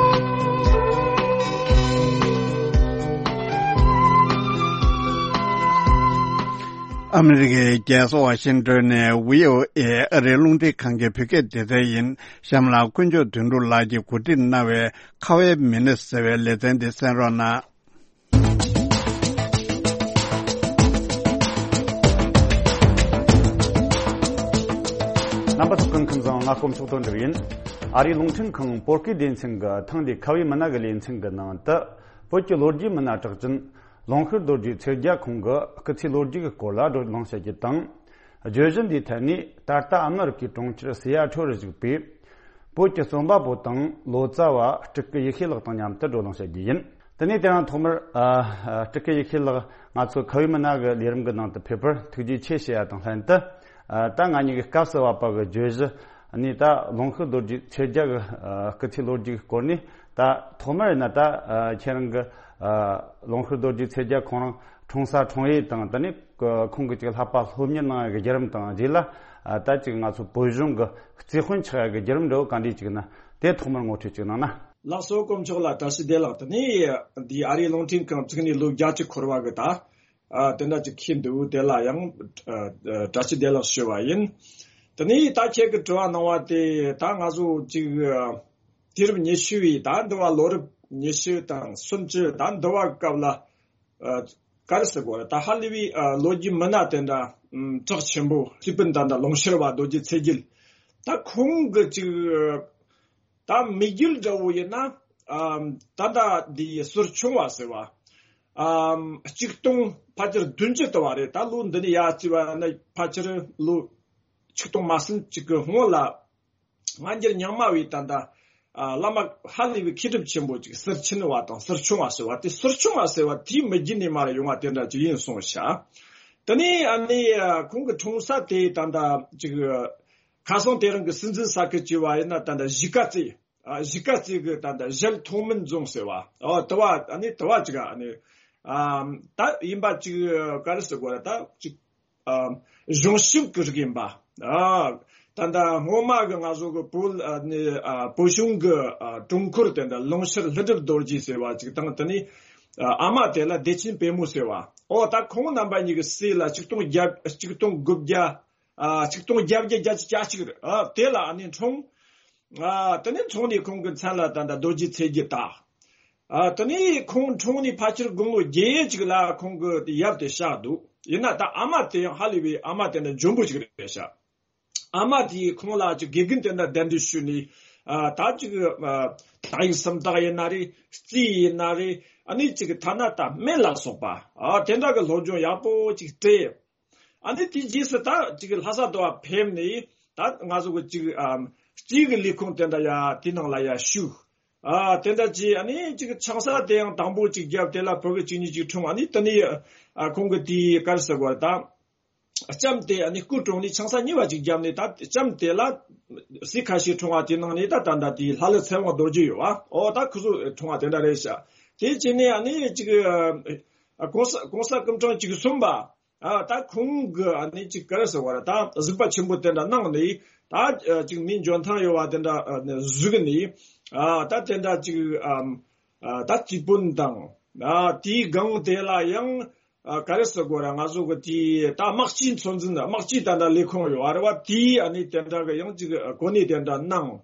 ཨ་མི་རི་ཀའི་རྒྱལ་ས་ཝ་ཤིང་ཏོན་ནས་བྷི་ཨོ་ཨེ་ཨ་རིའི་རླུང་འཕྲིན་ཁང་གི་བོད་སྐད་སྡེ་ཚན་ཡིན། གཤམ་ལ་དཀོན་མཆོག་དོན་གྲུབ་ལགས་ཀྱིས་གོ་སྒྲིག་གནང་བའི་ཁ་བའི་མི་སྣ་ཟེར་བའི་ལེ་ཚན་འདི་གསན་རོགས་གནང་། རྣམ་པ་ཚོ་སྐུ་ཁམས་བཟང་། ང་དཀོན་མཆོག་དོན་གྲུབ་ཡིན། ཨ་རིའི་རླུང་འཕྲིན་ཁང་བོད་སྐད་སྡེ་ཚན་གྱི་ཐེངས་འདིའི་ཁ་བའི་མི་སྣ་གི་ལེ་ཚན་གྱི་ནང་དུ། བོད་ཀྱི་ལོ་རྒྱུས་མི་སྣ་གྲགས་ཅན་ལུང་ཤུར་རྡོ་རྗེ་ཚེ་རྒྱལ་ཁོང་གི་སྐུ་ཚེའི་ལོ་རྒྱུས་ཀྱི་སྐོར་ལ་བགྲོ་གླེང་བྱ་རྒྱུ་དང་། བརྗོད་གཞི་འདིའི་ཐད་ནས་ད་ལྟ་ཨ་མི་རི་ཀའི་གྲོང་ཁྱེར་སི་ཡ་ཊལ་རུ་བཞུགས་པའི་བོད་ཀྱི་རྩོམ་པ་པོ་དང་ལོ་ཙཱ་བ་སྤྲུལ་སྐུ་ཡེ་ཤེས་ལགས་དང་མཉམ་དུ་བགྲོ་གླེང་བྱ་རྒྱུ་ཡིན། དེ་ནས་དེ་རིང་ཐོག་མར་ཨ་ཨ་སྤྲུལ་སྐུ་ཡེ་ཤེས་ལགས་ང་ཚོའི་ཁ་བའི་མི་སྣ་གི་ལས་རིམ་གྱི་ནང་དུ་ཕེབས་པར་ཐུགས་རྗེ་ཆེ་ཞུ་ཡ་དང་ལྷན་དུ། ཨ་ད་ང་གཉིས་ཀྱི་སྐབས་སུ་བབས་པ་གི་བརྗོད་གཞི་ནི་ད་ལུང་ཤུར་རྡོ་རྗེ་ཚེ་རྒྱལ་གྱི་ཨ་སྐུ་ཚེའི་ལོ་རྒྱུས་ཀྱི་སྐོར་ནས། ད་ཐོག་མར་ཡིན་ན་ད་ཨ་ཁྱེད་རང་གི་ཨ་ལུང་ཤུར་རྡོ་རྗེ་ཚེ་རྒྱལ་ཁོང་རང་འཁྲུངས་ས་འཁྲུངས་ཡུལ་དང་། དེ་ནས་ཁོང་གི་ཅིག་བསླབ་པ་སློབ་གཉེར་གནང་ཡ་གི་བརྒྱུད་རིམ་དང་། རྗེས་ལ་ཨ་ད་ཅིག་ང་ཚོ་བོད་གཞུང་གི་རྩིས་དཔོན་ཆགས་ཡ་གི་བརྒྱུད་རིམ་འདྲ་བོ་ག་འདྲས་ཅིག་ན་དེ་ཐོག་མར་ངོ་སྤྲོད་ཅིག་གནང་ན། ལགས་སོ། དཀོན་མཆོག་ལ་བཀྲ་ཤིས་བདེ་ལེགས། དེ་ནས་འདི་ཨ་རིའི་རླུང་འཕྲིན་ཁང་བཙུགས་ནས་ལོ་བརྒྱད་ཅུ་འཁོར་བ་གི་ད་ཨ་དེ་འདྲ་ཅིག་འཁེལ་འདུག་དེ་ལ་ཡང་ཨ་ཨ་བཀྲ་ཤིས་བདེ་ལེགས་ཞུ་བ་ཡིན། དེ་ནས་ད་ཁྱེད་ཀྱི་དྲི་བ་གནང་བ་དེ་ད་ང་ཚོ་ཅིག་ཨ་དུས་རབས་ཉི་ཤུ་བའི་ད་འདི་བ་ལོ་རབས་ཉི་ཤུ་དང་སུམ་ཅུ་ད་འདི་བ་སྐབས་ལ་ཨ་ག་རེ་ཟེར་དགོས་རེད། ད་ཧ་ལས་པའི་ཨ་ལོ་རྒྱུས་མི་སྣ་དེ་འདྲ་ཨམ་གྲགས་ཆེན་པོ་རྩིས་དཔོན་ད་ད་ལུང་ཤུར་བ་རྡོ་རྗེ་ཚེ་རྒྱལ། ད་ཁོང་གི་ཅིག་ད་མི་རྒྱུད་འདྲ་བོ་ཡིན་ན་ཨམ་ད་ད་འདི་ཟུར་ཆུང་བ་ཟེར་བ། ཨམ་གཅིག་སྟོང་ཕལ་ཆེར་བདུན་ཅུ་དུ་བ་རེད། ད་ལོ་འདི་ནས་ཡར་བརྩིས་པ་ན་ཕལ་ཆེར་ལོ་ཆིག་སྟོང་མ་ཟིན་ཅིག་གི་སྔོན་ལ། སྔ་འགྱུར་རྙིང་མ་བའི་ད་ལྟ་ཨ་བླ་མ་ཧ་ལས་པའི་མཁས་གྲུབ་ཆེན་པོ་ཅིག་ཟུར་ཆེན་བ་དང་ཟུར་ཆུང་བ་ཟེར་བ་དེ། ཟུར་ཆུང་བ་ཟེར་བ་དེའི་མི་རྒྱུད་ནས་མར་ཡོང་བ་དེ་འདྲ་ཅིག་ཡིན་གསུངས་ཤག་དེ་ནས་ཨ་ནི་ཨ་ཁོང་གི་འཁྲུངས་ས་དེ་ད་ལྟ་ཅིག་ཁ་སང་དེ་རིང་གི་སྲིད་འཛིན་ས་ཁུལ་བྱས་པ་ཡིན་ན་ད་ལྟ་གཞིས་ཀ་རྩེ། ཨ་གཞིས་ཀ་རྩེ་གི་ད་ལྟ་གཞལ་ཐོག་མིན་རྫོང་ཟེར་བ། ཨོ་དུ་བ་ཨ་ནི་དུ་བ་ཅིག་ཨ་ནི་ཨ་ད་ཡིན་པ་ཅིག་ག་རེ་ཟེར་དགོས་རེད། ད་ཅིག་ཨ་གཞུང་ཞབས་ཀྱི་རིགས་ཡིན་པ། ཨ་ད་ལྟ་སྔོན་མ་གི་ང་ཚོ་གི་བོད་ཨ་ནི་ཨ་བོད་གཞུང་གི་ཨ་དྲུང་འཁོར་དེ་འདྲ་ལུང་ཤུར་ལྷུན་གྲུབ་རྡོ་རྗེ་ཟེར་བ་ཅིག་དང་། དེ་ནི་ཨ་ཨ་མ་དེ་ལ་བདེ་ཆེན་དཔལ་མོ་ཟེར་བ། ཨོ་ད་ཁོང་རྣམ་པ་གཉིས་ཀྱི་སྲས་ལ་ཆིག་སྟོང་བརྒྱ་ཆིག་སྟོང་དགུ་བརྒྱ་ཨ་ཆིག་སྟོང་བརྒྱད་བརྒྱ་བརྒྱད་ཅུ་གྱ་གཅིག་རེད། ཨ་དེ་ལ་ཨ་ནི་འཁྲུངས། ཨ་དེ་ནས་འཁྲུངས་ནས་ཁོང་གི་མཚན་ལ་ད་ལྟ་རྡོ་རྗེ་ཚེ་རྒྱལ་བཏགས། ཨ་དེ་ནས་ཁོང་འཁྲུངས་ནས་ཕལ་ཆེར་དགུང་ལོ་བརྒྱད་ཅིག་ལ་ཁོང་གི་ཡབ་དེ་གཤགས་འདུག་ཡིན་ན་ད་ཨ་མ་དེ་ཡང་ཧ་ལས་པའི་ཨ་མ་དེ་འདྲ་འཇོན་པོ་ཞིག་རེད་ཤག་ཨ་མ་དེས་ཁོང་ལ་ཅིག་དགེ་རྒན་དེ་འདྲ་གདན་འདྲེན་ཞུས་ནས། ཨ་ད་ཅིག་ཨ་དག་ཡིག་སུམ་རྟགས་ཡིན་ན་རེད། རྩིས་ཡིན་ན་རེད། ཨ་ནི་ཅིག་ཐ་ན་ད་སྨན་ལ་སོགས་པ་ཨ་དེ་འདྲ་གི་སློབ་སྦྱོང་ཡག་པོ་ཅིག་སྤྲད། ཨ་ནི་དེའི་རྗེས་སུ་ད་ཅིག་ལྷ་ས་དུ་བ་ཕེབས་ནས་ད་ང་ཚོ་གི་ཅིག་ཨམ་རྩིས་ཀྱི་ལས་ཁུངས་དེ་འདྲ་ཡ་དེ་ནང་ལ་ཡ་ཞུགས། ཨ་དེ་འདྲ་བྱས། ཨ་ནི་ཅིག་ཆང་ས་དེ་ཡང་དང་པོ་ཅིག་བརྒྱབ། དེ་ལ་བུ་གི་གཅིག་གཉིས་ཅིག་འཁྲུངས། ཨ་ནི་དེ་ནས་ཨ་ཁོང་གི་དེའི་ག་རེ་ཟེར་དགོས་རེད། ད་ ལྕམ་དེ་ཨ་ནི་སྐུ་གྲོངས་ནས་ཆང་ས་གཉིས་པ་ཅིག་བརྒྱབ་ནས། ད་ལྕམ་དེ་ལ་སྲས་ཁ་ཤས་འཁྲུངས་པ་དེ་ནང་ནས་ད་ད་ད་དེ་ལྷ་ལི་ཚེ་དབང་རྡོ་རྗེ་ཡོད་པ། ཨོ་ད་ཁོ་ཚོ་འཁྲུངས་པ་དེ་འདྲ་རེད་ཤག་དེ་བྱས་ནས་ཨ་ནི་ཅིག་ཨ་གོང་ས་གོང་ས་སྐུ་ཕྲེང་བཅུ་གསུམ་པ། ཨ་ད་ཁོང་གི་ཨ་ནི་ཅིག་ག་རེ་ཟེར་བ་རེད། ད་གཟིགས་པ་ཆེན་པོ་དེ་འདྲ་གནང་ནས། ད་ཅིག་མིའི་འཇོན་ཐང་ཡོད་པ་དེ་འདྲ་གཟིགས་ནས། ཨ་ད་དེ་འདྲ་ཅིག་ཨ་ད་རྩིས་དཔོན་དང་། ཨ་དེའི་སྒང་དེ་ལ་ཡང་ཨ་ག་རེ་ཟེར་དགོས་རེད། ང་ཚོ་གི་དེ་ད་དམག་སྤྱིའི་ཚོད་འཛིན། དམག་སྤྱིའི་ད་ལྟ་ལས་ཁུངས་ཡོད་རེད་བ། དེའི་ཨ་ནི་དེ་འདྲ་གི་ཡང་ཅིག་གོ་གནས་དེ་འདྲ་གནང་།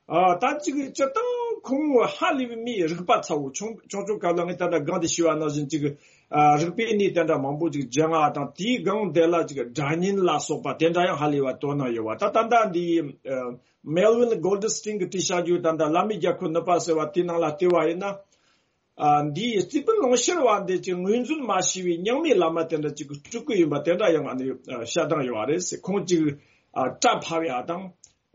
ཨ་ད་ཅིག་སྤྱིར་བཏང་ཁོང་ཧ་ལས་པའི་མིའི་རིག་པ་ཚ་བོ། ཆུང་ཆུང་ཆུང་སྐབས་ལ་ངས་ད་ལྟ་སྒང་དེ་ཞུས་པ་ནང་བཞིན་ཅིག་ཨ་རིག་པའི་གནས་དེ་འདྲ་མང་པོ་ཅིག་སྦྱངས་པ་དང་། དེའི་སྒང་དེ་ལ་ཅིག་སྒྲ་སྙན་ལ་སོགས་པ་དེ་འདྲ་ཡང་ཧ་ལས་པ་དོ་སྣང་ཡོད་པ། ད་ད་ལྟ་འདི་ཨ་Melvin Goldstein གི་བྲིས་བཞག་རྒྱུ་ད་ལྟ་བླ་མའི་རྒྱལ་ཁབ་ནུབ་པ་ཟེར་བ་དེའི་ནང་ལ་བལྟས་པ་ཡིན་ན། ཨ་འདིའི་རྩིས་དཔོན་ལུང་ཤུར་བ་འདི་ཅིག་ངོས་འཛིན་མ་བྱས་པའི་རྙིང་མའི་བླ་མ་དེ་འདྲ་ཅིག་སྤྲུལ་སྐུ་ཡིན་པ་དེ་འདྲ་ཡང་ཨ་ནི་བཤད་སྟངས་ཡོད་པ་རེད་ཟེར། ཁོང་ཅིག་ཨ་སྐྲ་ཕབ་ཡ་དང་།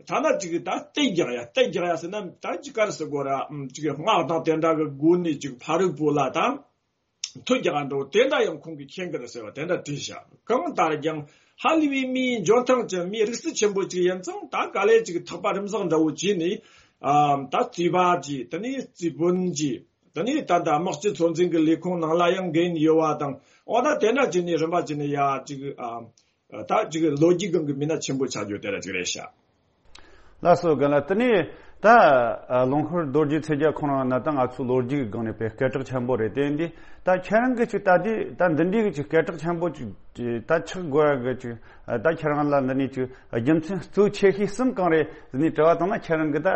ཐ་ན་ཅིག་ད་རྟ་རྒྱག་ཡ། རྟ་རྒྱག་ཡ་ཟེར་ན་ད་ཅིག་ག་རེ་ཟེར་དགོས་ར། ཨམ་ཅིག་སྔགས་དང་དེ་འདྲ་གི་སྒོ་ནས་ཅིག་ཕ་རོལ་པོ་ལ་ད་མཐུ་རྒྱག་འགྲོ་དེ་འདྲ་ཡང་ཁོང་གིས་མཁྱེན་གི་རེད་ཟེར་བ་དེ་འདྲ་བྲིས་བཞག་གང་ལྟར་ཀྱང་ཧ་ལས་པའི་མིའི་འཇོན་ཐང་ཅན། མིའི་རིག་རྩལ་ཆེན་པོ་ཅིག་ཡིན་ཙང་། ད་ག་ལེ་ཅིག་ཐག་པ་རིམ་བཟང་འདྲ་བོ་བྱས་ནས། ཨམ་ད་རྩིས་པ་ཅིག་དེ་ནས་རྩིས་དཔོན་ཅིག་དེ་ནས་ད་ལྟ་དམག་སྤྱི་ཚོད་འཛིན་གྱི་ལས་ཁུངས་ནང་ལ་ཡང་འགན་ཡོད་པ་དང་། འོ་ན་དེ་འདྲ་བྱས་ནས་རིམ་པ་བྱས་ནས་ཡ་ཅིག་ཨ་ད་ཅིག་ལོ་རྒྱུས་སྒང་གི་མི་སྣ་ཆེན་པོ་ཆགས་རྒྱུ་དེ་འདྲ་ཅིག་རེད་ཤག་ལགས་སོ། རྒན་ལགས། དེ་ནས་ད་ལུང་ཤུར་རྡོ་རྗེ་ཚེ་རྒྱལ་ཁོང་རང་ན་ད་ང་ཚོའི་ལོ་རྒྱུས་ཀྱི་སྒང་ནས་དཔེ་སྐད་གྲགས་ཆེན་པོ་རེད། དེ་འདི་ད་ཁྱེད་རང་གིས་ཅིག་ད་དེ་ད་འདི་འདྲའི་གི་ཅིག་སྐད་གྲགས་ཆེན་པོ་ཅིག་ད་ཆགས་དགོས་ཡ་གི་ཅིག་ད་ཁྱེད་རང་ལ་འདི་ནས་ཅིག་རྒྱུ་མཚན་གཙོ་ཆེ་ཤོས་གསུམ་གང་རེད་ཟེར་ནས་དྲི་བ་བཏང་ན། ཁྱེད་རང་གིས་ད་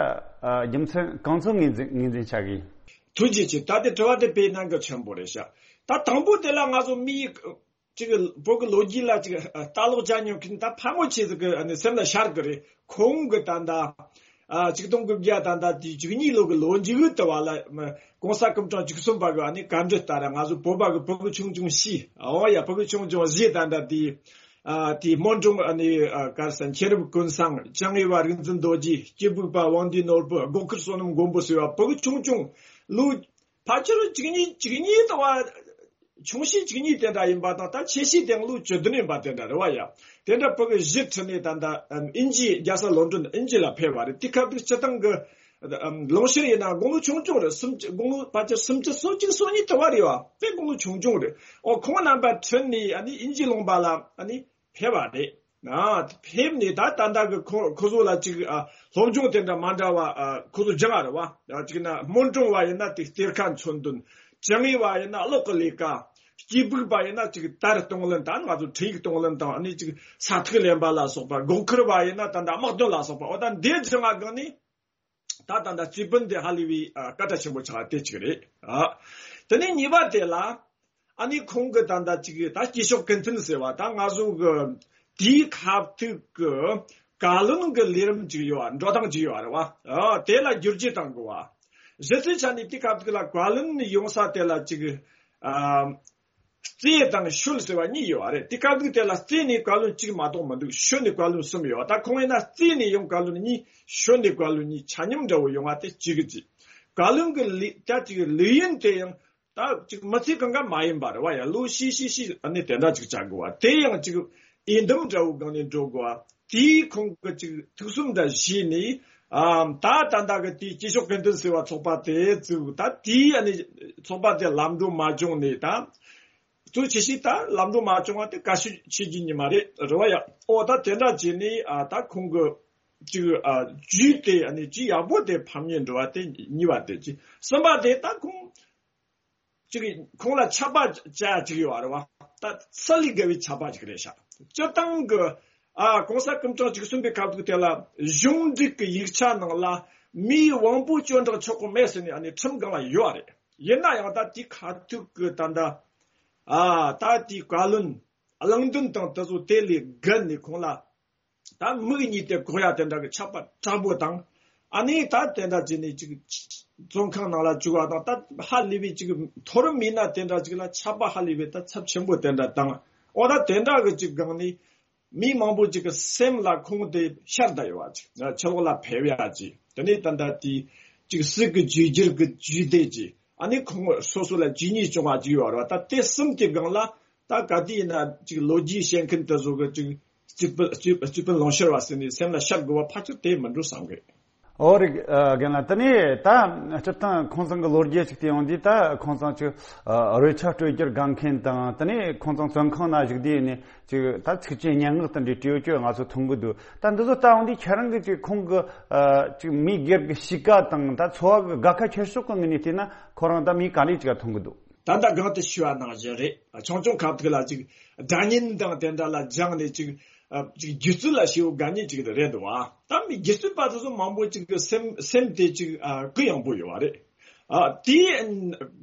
རྒྱུ་མཚན་གང་ཚོད་ངོས་འཛིན་ངོས་འཛིན་བྱ་གི་ཡིན། ཐུགས་རྗེ་ཆེ། ད་དེ་དྲི་བ་དེ་དཔེ་གནད་འགག་ཆེན་པོ་རེད་ཤག་ད་དང་པོ་དེ་ལ་ང་ཚོ་མིའི་ཅིག་བོད་ཀྱི་ལོ་རྒྱུས་ལ་ཅིག་ལྟ་ཀློག་བྱ་མྱོང་མཁན་ད་ཕལ་མོ་ཆེ་ཟིག་གི་ཨ་ནི་སེམས་ལ་ཤར་གི་རེད། ཁོང་གི་ད་ལྟ་ཨ་ཆིག་སྟོང་དགུ་བརྒྱ་ད་ལྟ་དེ་བཅུ་གཉིས་ལོ་གི་ལོ་མཇུག་དུ་བ་ལ་གོང་ས་སྐུ་ཕྲེང་བཅུ་གསུམ་པ་གི་ཨ་ནི་བཀའ་འདྲི་ལྟར། ང་ཚོ་བོད་པ་གི་ཕྲུ་གུ་ཆུང་ཆུང་བཞི། འོ་ཡ། ཕྲུ་གུ་ཆུང་ཆུང་བཞི་ད་ལྟ་དེ་ཨ་དེ་སྨོན་འབྲིང་ཨ་ནི་ཨ་ག་རེ་ཟེར། མཁྱེན་རབ་ཀུན་བཟང་། ཅང་ངེ་བ་རིག་འཛིན་རྡོ་རྗེ། སྐྱེས་བུ་པ་དབང་འདུས་ནོར་བུ། སྒོ་ཁར་བསོད་ནམས་མགོན་པོ་ཟེར་བ་ཕྲུ་གུ་ཆུང་ཆུང་། ལོ་ཕལ་ཆེར་བཅུ་གཉིས་བཅུ་གཉིས་ད་བ། ཆུང་ཤོས་བཅུ་གཉིས་དེ་འདྲ་ཡིན་པ་དང་། ད་ཆེ་ཤོས་དེ་ལོ་བཅུ་བདུན་ཡིན་པ་དེ་འདྲ་རེད་བ་ཡ། དེ་འདྲ་ཕྲུ་གུ་བཞི་ཁྲིད་ནས་ད་ལྟ་ཨམ་དབྱིན་ཇི་རྒྱལ་ས་ལོན་ཌོན་དབྱིན་ཇི་ལ་ཕེབས་པ་རེད། དེ་སྐབས་དུས་སྤྱིར་བཏང་གི་ཨམ་ལུང་ཤུར་ཡིན་ན་དགུང་ལོ་ཆུང་ཆུང་རེད། སུམ་ཅུ། དགུང་ལོ་ཕལ་ཆེར་སུམ་ཅུ་སོ་གཅིག་སོ་གཉིས་དེ་བ་རེད་བ། དཔེ་དགུང་ལོ་ཆུང་ཆུང་རེད། ཨོ་ཁོང་རྣམ་པ་ཁྲིད་ནས་ཨ་ནི་དབྱིན་ཇི་ལུང་པ་ལ་ཨ་ནི་ཕེབས་པ་རེད། ཨ་ཕེབས་ནས་ད་ད་ལྟ་གི་ཁོ་ཁོ་ཚོ་ལ་ཅིག་ཨ་སློབ་སྦྱོང་དེ་འདྲ་མ་འདྲ་བ་ཨ་ཁོ་ཚོ་སྦྱངས་པ་རེད་བ། ཨ་ཅིག་ན་སྨོན་འབྲིང་བ་ཡིན་ན་དེ་གཏེར་ཁ་མཚོན་དོན། ཅང་ངེ་བ་ཡིན་ན་གློག་གི་ལས་ཀ། སྐྱེས་བུ་པ་ཡིན་ན་ཅིག་དར་གཏོང་ལེན་དང་། ང་ཚོ་འཕྲིན་ཡིག་གཏོང་ལེན་དང་། ཨ་ནི་ཅིག་ས་ཐིག་ལེན་པ་ལ་སོགས་པ། སྒོ་ཁར་བ་ཡིན་ན་ད་ལྟ་དམག་དོན་ལ་སོགས་པ། འོ་ད་འདི་སྦྱངས་པ་སྒང་ནས། ད་ད་ལྟ་རྩིས་དཔོན་དེ་ཧ་ལས་པའི་ཨ་སྐད་གྲགས་ཆེན་པོ་ཆགས་དེ་གཅིག་རེད། ཨ་དེ་ནས་གཉིས་པ་དེ་ལ་ཨ་ནི་ཁོང་གི་ད་ལྟ་གཅིག་ད་སྐྱེས་མཆོག་ཀུན་བསྟན་ཟེར་བ། ད་ང་ཚོ་གི་དེའི་ཁ་ཐུག་གི་བཀའ་བློན་གི་ལས་རིམ་གཅིག་ཡོད་པ། འགྲོ་སྟངས་གཅིག་ཡོད་པ་རེད་བ། ཨ་དེ་ལ་བསྒྱུར་བཅོས་བཏང་དགོས་པ། གཞི་རྩའི་ཆ་ནས་དེའི་ཁ་ཐུག་ལ་བཀའ་བློན་ཡོང་ས་དེ་ལ་གཅིག་ཨ། རྩེ་དང་ཤོད་ཟེར་བ་གཉིས་ཡོད་པ་རེད། དེ་སྐབས་དུས་དེ་ལ་རྩེ་ནས་བཀའ་བློན་གཅིག་མ་གཏོགས་མི་འདུག་ཤོད་ནས་བཀའ་བློན་གསུམ་ཡོད་པ། ད་ཁོང་ཡིན་ན་རྩེ་ནས་ཡང་བཀའ་བློན་གཉིས། ཤོད་ནས་བཀའ་བློན་གཉིས། ཆ་མཉམ་འདྲ་བོ་ཡོང་བ་དེ་གཅིག་གི་གཅིག་བཀའ་བློན་གྱི་ལས་ད་ཅིག་ལས་ཡུན་དེ་ཡང་ད་ཅིག་མི་ཚེ་གང་ག་མ་ཡིན་པ་རེད་བ་ཡ། ལོ་བཞི་བཞི་བཞི་ཨ་ནི་དེ་འདྲ་ཅིག་བྱ་དགོས་པ། དེ་ཡང་ཅིག་འོས་འདེམས་འདྲ་བོ་སྒང་ནས་འགྲོ་དགོས་པ། དེའི་ཁོང་གི་ཅིག་ཐུགས་བསམ་འདྲ་བཞེས་ནས། ཨ་ད་ད་ལྟ་གི་དེའི་སྐྱེས་མཆོག་ཀུན་བསྟན་ཟེར་བ་ཚོགས་པ་དེ་བཙུགས། ད་དེའི་ཨ་ནི་ཚོགས་པ་དེ་ལམ་འགྲོ་མ་བྱུང་ནས། ད་གཙོ་ཆེ་ཤོས་ད་ལམ་འགྲོ་མ་བྱུང་བ་དེ་དཀའ་ཤོས་ཆེ་རྒྱུ་ཉི་མ་རེད་རེད་བ་ཡ། ཨོ་ད་དེ་འདྲ་བྱས་ནས་ཨ་ད་ཁོང་གི་ཅིག་ཨ་རྒྱུད་དེ་ཨ་ནི་ཅིག་ཡག་པོ་དེ་ཕམ་ཉེས་འགྲོ་བ་དེ་གཉིས་པ་དེ། ཅིག་གསུམ་པ་དེ་ད་ཁོང་ཅིག་ཁོང་ལ་ཆད་པ་བཅད་ཅིག་ཡོད་རེད་བ། ད་ཚད་ལས་བརྒལ་བའི་ཆད་པ་ཅིག་རེད་ཤག་སྤྱིར་བཏང་གི་ཨ་གོང་ས་སྐུ་ཕྲེང་བཅུ་གསུམ་པའི་སྐབས་དུས་དེ་ལ་གཞུང་འབྲེལ་གྱི་ཡིག་ཆ་ནང་ལ་མིའི་དབང་པོ་བཅོས་འདྲེན་ཆོག་གི་མེད་ཟེར་ནས་ཨ་ནི་ཁྲིམས་སྒང་ལ་ཡོད་རེད། ཡིན་ན་ཡང་ད་དེའི་ཁ་ཐུག་གི་ད་ལྟ་ཨ་ད་དེའི་བཀའ་བློན་གླེང་འདུན་དང་དེ་ཚོ་དེ་ལས་བརྒལ་ནས་ཁོང་ལ་ད་མིག་གཉིས་དེ་གོག་ཡ་དེ་འདྲ་གི་ཆད་པ་དྲག་པོ་དང་། ཨ་ནི་ད་དེ་འདྲ་བྱས་ནས་ཅིག་བཙོན་ཁང་ནང་ལ་བཅུག་པ་དང་། ད་ཧ་ལས་པའི་ཅིག་མཐོ་རིམ་མི་སྣ་དེ་འདྲ་ཅིག་ལ་ཆད་པ་ཧ་ལས་པའི་ད་ཚབས་ཆེན་པོ་དེ་འདྲ་དང་། འོ་ད་དེ་འདྲ་གི་ཅིག་སྒང་ནས་མི་མང་པོ་ཅིག་གི་སེམས་ལ་ཁོང་དེ་ཤར་བསྡད་ཡོད་པ་ཅིག་ཕྱི་ལོགས་ལ་ཕེབས་ཡ་ཅིག་དེ་ནས་ད་ལྟ་དེ་ཅིག་སྲིད་ཀྱི་བཅོས་བསྒྱུར་གྱི་བཅོས་སྒྲིག་ཅིག་ཨ་ནི་ཁོང་སོ་སོ་ལ་ཇུས་ཉེས་བྱུང་བ་ཅིག་ཡོད་རེད་བ། ད་དེ་གསུམ་གྱི་སྒང་ལ། ད་ག་དུས་ཡིན་ན་ཅིག་ལོ་རྒྱུས་བཤད་མཁན་དེ་ཚོ་གི་ཅིག་རྩིས་སྤུ་རྩིས་རྩིས་སྤུན་ལོངས་སྤྱོད་པ་ཟེར་ནས་སེམས་ལ་ཤར་དགོས་པ་ཕལ་ཆེར་དེ་མི་འགྲོ་བསམ་གི། ཨོ་རེད། ཨ། རྒན་ལགས། དེ་ནས་ད་སྤྱིར་བཏང་ཁོང་ཚང་གི་ལོ་རྒྱུས་ཅིག་བལྟས་ཡོང་དུས། ད་ཁོང་ཚང་ཅིག་ཨ། རོལ་ཆ་སྤྲོད་རྒྱུར་དགའ་མཁན་དང་། དེ་ནས་ཁོང་ཚང་བཙོན་ཁང་ན་བཞུགས་དུས་ནས་ཅིག་ད་ཚིག་ཆེན་སྙན་ངག་དེ་འདྲའི་བྲིས་ཡོད་ཅོག་ང་ཚོ་མཐོང་གི་འདུག། ད་འདི་ཚོ་ལྟ་ཡོང་དུས་ཁྱེད་རང་གི་ཅིག་ཁོང་གི་ཨ། ཅིག་མི་སྒེར་གྱི་གཤིས་ཀ་དང་ད་འཚོ་བ་གི་དགའ་ཁ་ཁྱེར་ཕྱོགས་ཀྱི་ངོས་ནས་བལྟས་ན། ཁོ་རང་ད་མི་ག་འདྲ་ཅིག་མཐོང་གི་འདུག། ད་ལྟ་གོང་དུ་ཞུས་པ་ནང་བཞིན་རེད། ཆུང་ཆུང་ཁ་ཐུག་ལ་ཅིག་སྒྲ་སྙན་དང་དེ་འདྲ་ལ་སྦྱངས་ནས་ཅིག་ཨ། ཅིག་སྒྱུ་རྩལ་ལ་ཞེ་པོ་དགའ་མཁན་ཅིག་རེད་འདུག་བ། ད་མི་སྒྱུ་རྩལ་པ་དེ་ཚོ་མང་པོ་ཅིག་གི་སེམས་སེམས་དེ་ཅིག་ཨ། གུ་ཡངས་པོ་ཡོད་པ་རེད། ཨ། དེའི་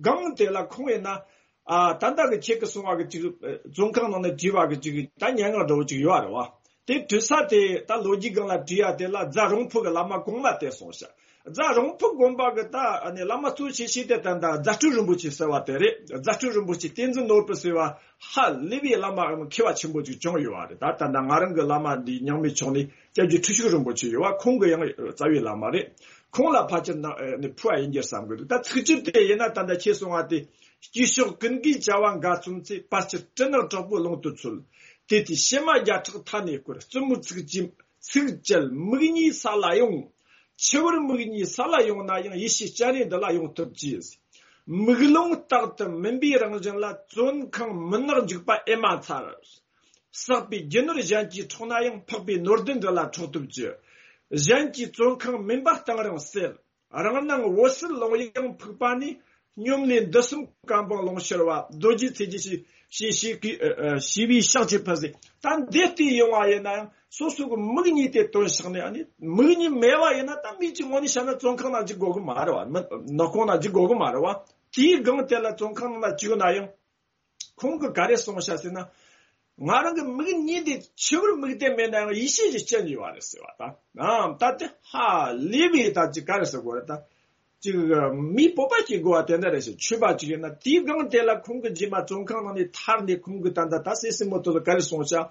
སྒང་དེ་ལ་ཁོང་ཡིན་ན། ཨ། ད་ལྟ་གི་ཁྱེད་ཀྱིས་གསུངས་པ་གི་ཅིག་བཙོན་ཁང་ནང་ནས་བྲིས་པ་གི་ཅིག་ད་སྙན་ངག་འདྲ་བོ་ཅིག་ཡོད་རེད་བ། དེ་བྲིས་ས་དེ་ད་ལོ་རྒྱུས་སྒང་ལ་བྲིས་ཡ་དེ་ལ་རྫ་རོང་ཕུ་གི་བླ་མ་གོང་མ་དེ་གསུངས་ཤག། རྫ་རོང་ཕུ་དགོན་པ་གི་ད་ནི་བླ་མ་གཙོ་ཆེ་ཤོས་དེ་ད་ད་རྫ་སྤྲུལ་རིན་པོ་ཆེ་ཟེར་བ་དེ་རེད། རྫ་སྤྲུལ་རིན་པོ་ཆེ་བསྟན་འཛིན་ནོར་བུ་ཟེར་བ་ཧ་ལས་པའི་བླ་མ་མཁས་པ་ཆེན་པོ་ཅིག་བྱུང་ཡོད་བ་རེད། ད་ད་ད་ང་རང་གི་བླ་མ་འདི་རྙིང་མའི་ཕྱོགས་ནས་སྐྱབས་རྗེ་ཁྲི་བྱུང་རིན་པོ་ཆེ་ཡོད་བ། ཁོང་གི་ཡང་རྩ་བའི་བླ་མ་རེད། ཁོང་ལ་ཕལ་ཆེར་ནི་ཕུལ་བ་ཡིན་རྒྱུ་བསམ་གི་འདུག། ད་ཚིགས་བཅད་དེ་ཡིན་ན་ད་ད་ཁྱེད་གསུང་བ་དེ། སྐྱེས་མཆོག་ཀུན་དགའི་བྱ་བ་འགའ་བརྩམས་ཚེ། བར་ཆད་སྤྲིན་ནག་དྲག་པོ་ཀློང་དུ་འཚོལ། དེ་དུས་ཕྱི་མ་བརྒྱ་ཕྲག་མཐའ་ནས་བསྐོར། བཙུན་མོའི་ཚིག་ཅིག་ཚིག་བཅད་མིག་གཉིས་ས་ལ་ཡོང་། འཆི་བར་མིག་གཉིས་ས་ལ་ཡོང་ན་ཡང་། ཡེ་ཤེས་སྤྱན་རས་འདི་ལ་ཡོང་ཐུབ་ཀྱིས། མིག་ལོང་རྟག་ཏུ་མུན་པའི་རང་བཞིན་ལ། བཙོན་ཁང་མུན་ནག་འཇིགས་པ་ཨེ་མ་མཚར། བསགས་པའི་རྒྱུ་ནོར་གཞན་གྱིས་འཕྲོག་ན་ཡང་། འཕགས་པའི་ནོར་ལྡན་འདི་ལ་འཕྲོག་ཐུབ་ཀྱི། གཞན་གྱི་བཙོན་ཁང་མུན་པ་གཏིང་རིང་སེལ། རང་སྣང་འོད་གསལ་ཀློང་ཡངས་ཕུག་པ་ནས། སྙོམས་ལས་འདི་གསུམ་བཀའ་འབངས་ལོངས་སྤྱོད་པ། རྡོ་རྗེ་ཐེག་ཆེན་ཞེས་ཞེས་ཞེས་ཀྱི་ཨ། ཨ། ཞེས་པའི་ཕྱག་བྱས་ཕུལ་ཟེར། ད་འདི་ལྟས་ཡོང་བ་ཡིན་ན་ཡང་། སོ་སོ་གི་མིག་གཉིས་དེ་སྟོན་བཞག་ནས། ཨ་ནི་མིག་གཉིས་མེད་པ་ཡིན་ན། ད་མིག་གཅིག་ངོ་ནས་བཤད་ན་བཙོན་ཁང་ནང་འཇུག་དགོས་གི་མ་རེད་བ། མི་ནག་ཁུང་ནང་འཇུག་དགོས་གི་མ་རེད་བ། དེའི་སྒང་དེ་ལ་བཙོན་ཁང་ནང་ལ་བཅུག་ན་ཡང་། ཁོང་གིས་ག་རེ་གསུངས་ཤག་ཟེར་ན། ང་རང་གི་མིག་གཉིས་དེ་འཆི་བར་མིག་ལྡན་མེད་ན་ཡང་ཡེ་ཤེས་ཀྱི་སྤྱན་ཡོད་པ་རེད་ཟེར་བ་དང་། ཨ། ད་དེ་ཧ་ལས་པའི་ད་ཅིག་ག་རེ་ཟེར་དགོས་རེད་ད། ཅིག་མིའི་སྤོབས་པ་སྐྱེ་དགོས་པ་དེ་འདྲ་རེད་ཟེར། ཆོས་པ་ཅིག་ཡིན་ན། དེའི་སྒང་དེ་ལ་ཁོང་གིས་རྗེས་མ་བཙོན་ཁང་ནང་ནས་ཐར་ནས། ཁོང་གིས་ད་ད་ད་སྲས་སྲས་མོ་དེ་ཚོ་ག་རེ་གསུངས་ཤག།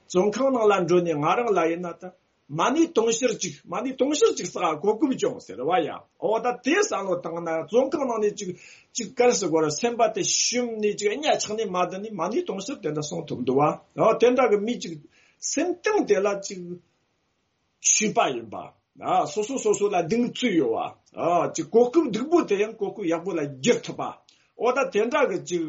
བཙོན་ཁང་ནང་ལ་འགྲོ་ནས་ང་རང་ལ་ཡིན་ན་ད། མ་ཎི་དུང་ཕྱུར་གཅིག། མ་ཎི་དུང་ཕྱུར་གཅིག་བསགས། གོ་སྐབས་བྱུང་ཟེར་བ་ཡ། འོ་ད་དེ་བསམ་བློ་བཏང་ན། བཙོན་ཁང་ནང་ནས་ཅིག་ཅིག་ག་རེ་ཟེར་དགོས་རེད། སེམས་པ་དེ་ཞུམ་ནས་ཅིག་གཉའ་ཆག་ནས་མ་བསྡད་ནས། མ་ཎི་དུང་ཕྱུར་དེ་འདྲ་གསུང་ཐུབ་འདུག་བ། འོ་དེ་འདྲ་གི་མི་ཅིག་སེམས་གཏིང་དེ་ལ་ཅིག་ཆོས་པ་ཡིན་པ། ཨ། སོ་སོ་སོ་སོ་ལ་གདེང་ཚོད་ཡོད་པ། ཨ། ཅིག་གོ་སྐབས་སྡུག་པོ་དེ་ཡང་གོ་སྐབས་ཡག་པོ་ལ་བསྒྱུར་ཐུབ་པ། འོ་ད་དེ་འདྲ་གི་ཅིག་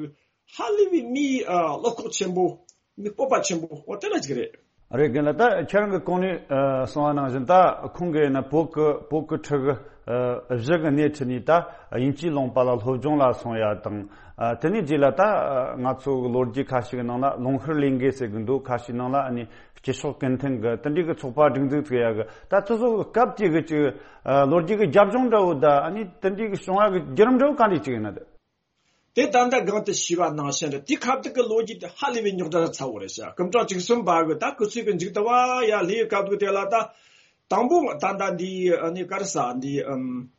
ཧ་ལས་པའི་མིའི་ཨ། བློ་ཁོག་ཆེན་པོ། མི་སྤོབས་པ་ཆེན་པོ། འོ་དེ་འདྲ་ཅིག་རེད། རེད། རྒན་ལགས། ད་ཁྱེད་རང་གི་གོང་ནས་ཨ། གསུངས་པ་ནང་བཞིན། ད་ཁོང་གིས་ན་བོད་ཀྱི་བོད་ཀྱི་ཕྲུ་གུ་ཨ། བཞི་གི་སྣེ་ཁྲིད་ནས་ད་དབྱིན་ཇིའི་ལུང་པ་ལ་སློབ་སྦྱོང་ལ་སོང་ཡ་དང་། ཨ། དེ་ནས་རྗེས་ལ་ད་ང་ཚོ་གི་ལོ་རྒྱུས་ཁ་ཤས་ཀྱི་ནང་ལ་ལུང་ཤུར་ལས་འགུལ་ཟེར་གི་འདུག། ཁ་ཤས་ནང་ལ་ཨ་ནི་སྐྱེས་མཆོག་ཀུན་ལྡན་གྱི་དེ་འདྲའི་གི་ཚོགས་པ་སྒྲིག་འཛུགས་བྱེད་ཡ་གི། ད་དེ་ཚོ་གི་སྐབས་དེ་གི་ཅིག་ཨ། ལོ་རྒྱུས་ཀྱི་རྒྱབ་ལྗོངས་འདྲ་བོ། ད་ཨ་ནི་དེ་འདྲའི་གི་བྱུང་བ་གི་བརྒྱུད་རིམ་འདྲ་བོ་ག་འདྲ་ཅིག་ཡིན་ན་ད། དེ་ད་ལྟ་གོང་དུ་ཞུས་པ་ནང་བཞིན་རེད། དེ་ཁ་ཐུག་གི་ལོ་རྒྱུས་དེ་ཧ་ལས་པའི་རྙོག་དྲ་ཚ་བོ་རེད་ཤག། སྐུ་ཕྲེང་བཅུ་གསུམ་པ་གི་ད་སྐུ་ཚེ་གི་མཇུག་ཏུ་བ་ཡ་ལྷོའི་སྐབས་དུས་དེ་ལ། ད་དང་པོ་ད་ལྟ་འདི་ཨ་ནི་ག་རེ་ཟེར། འདི་ཨམ།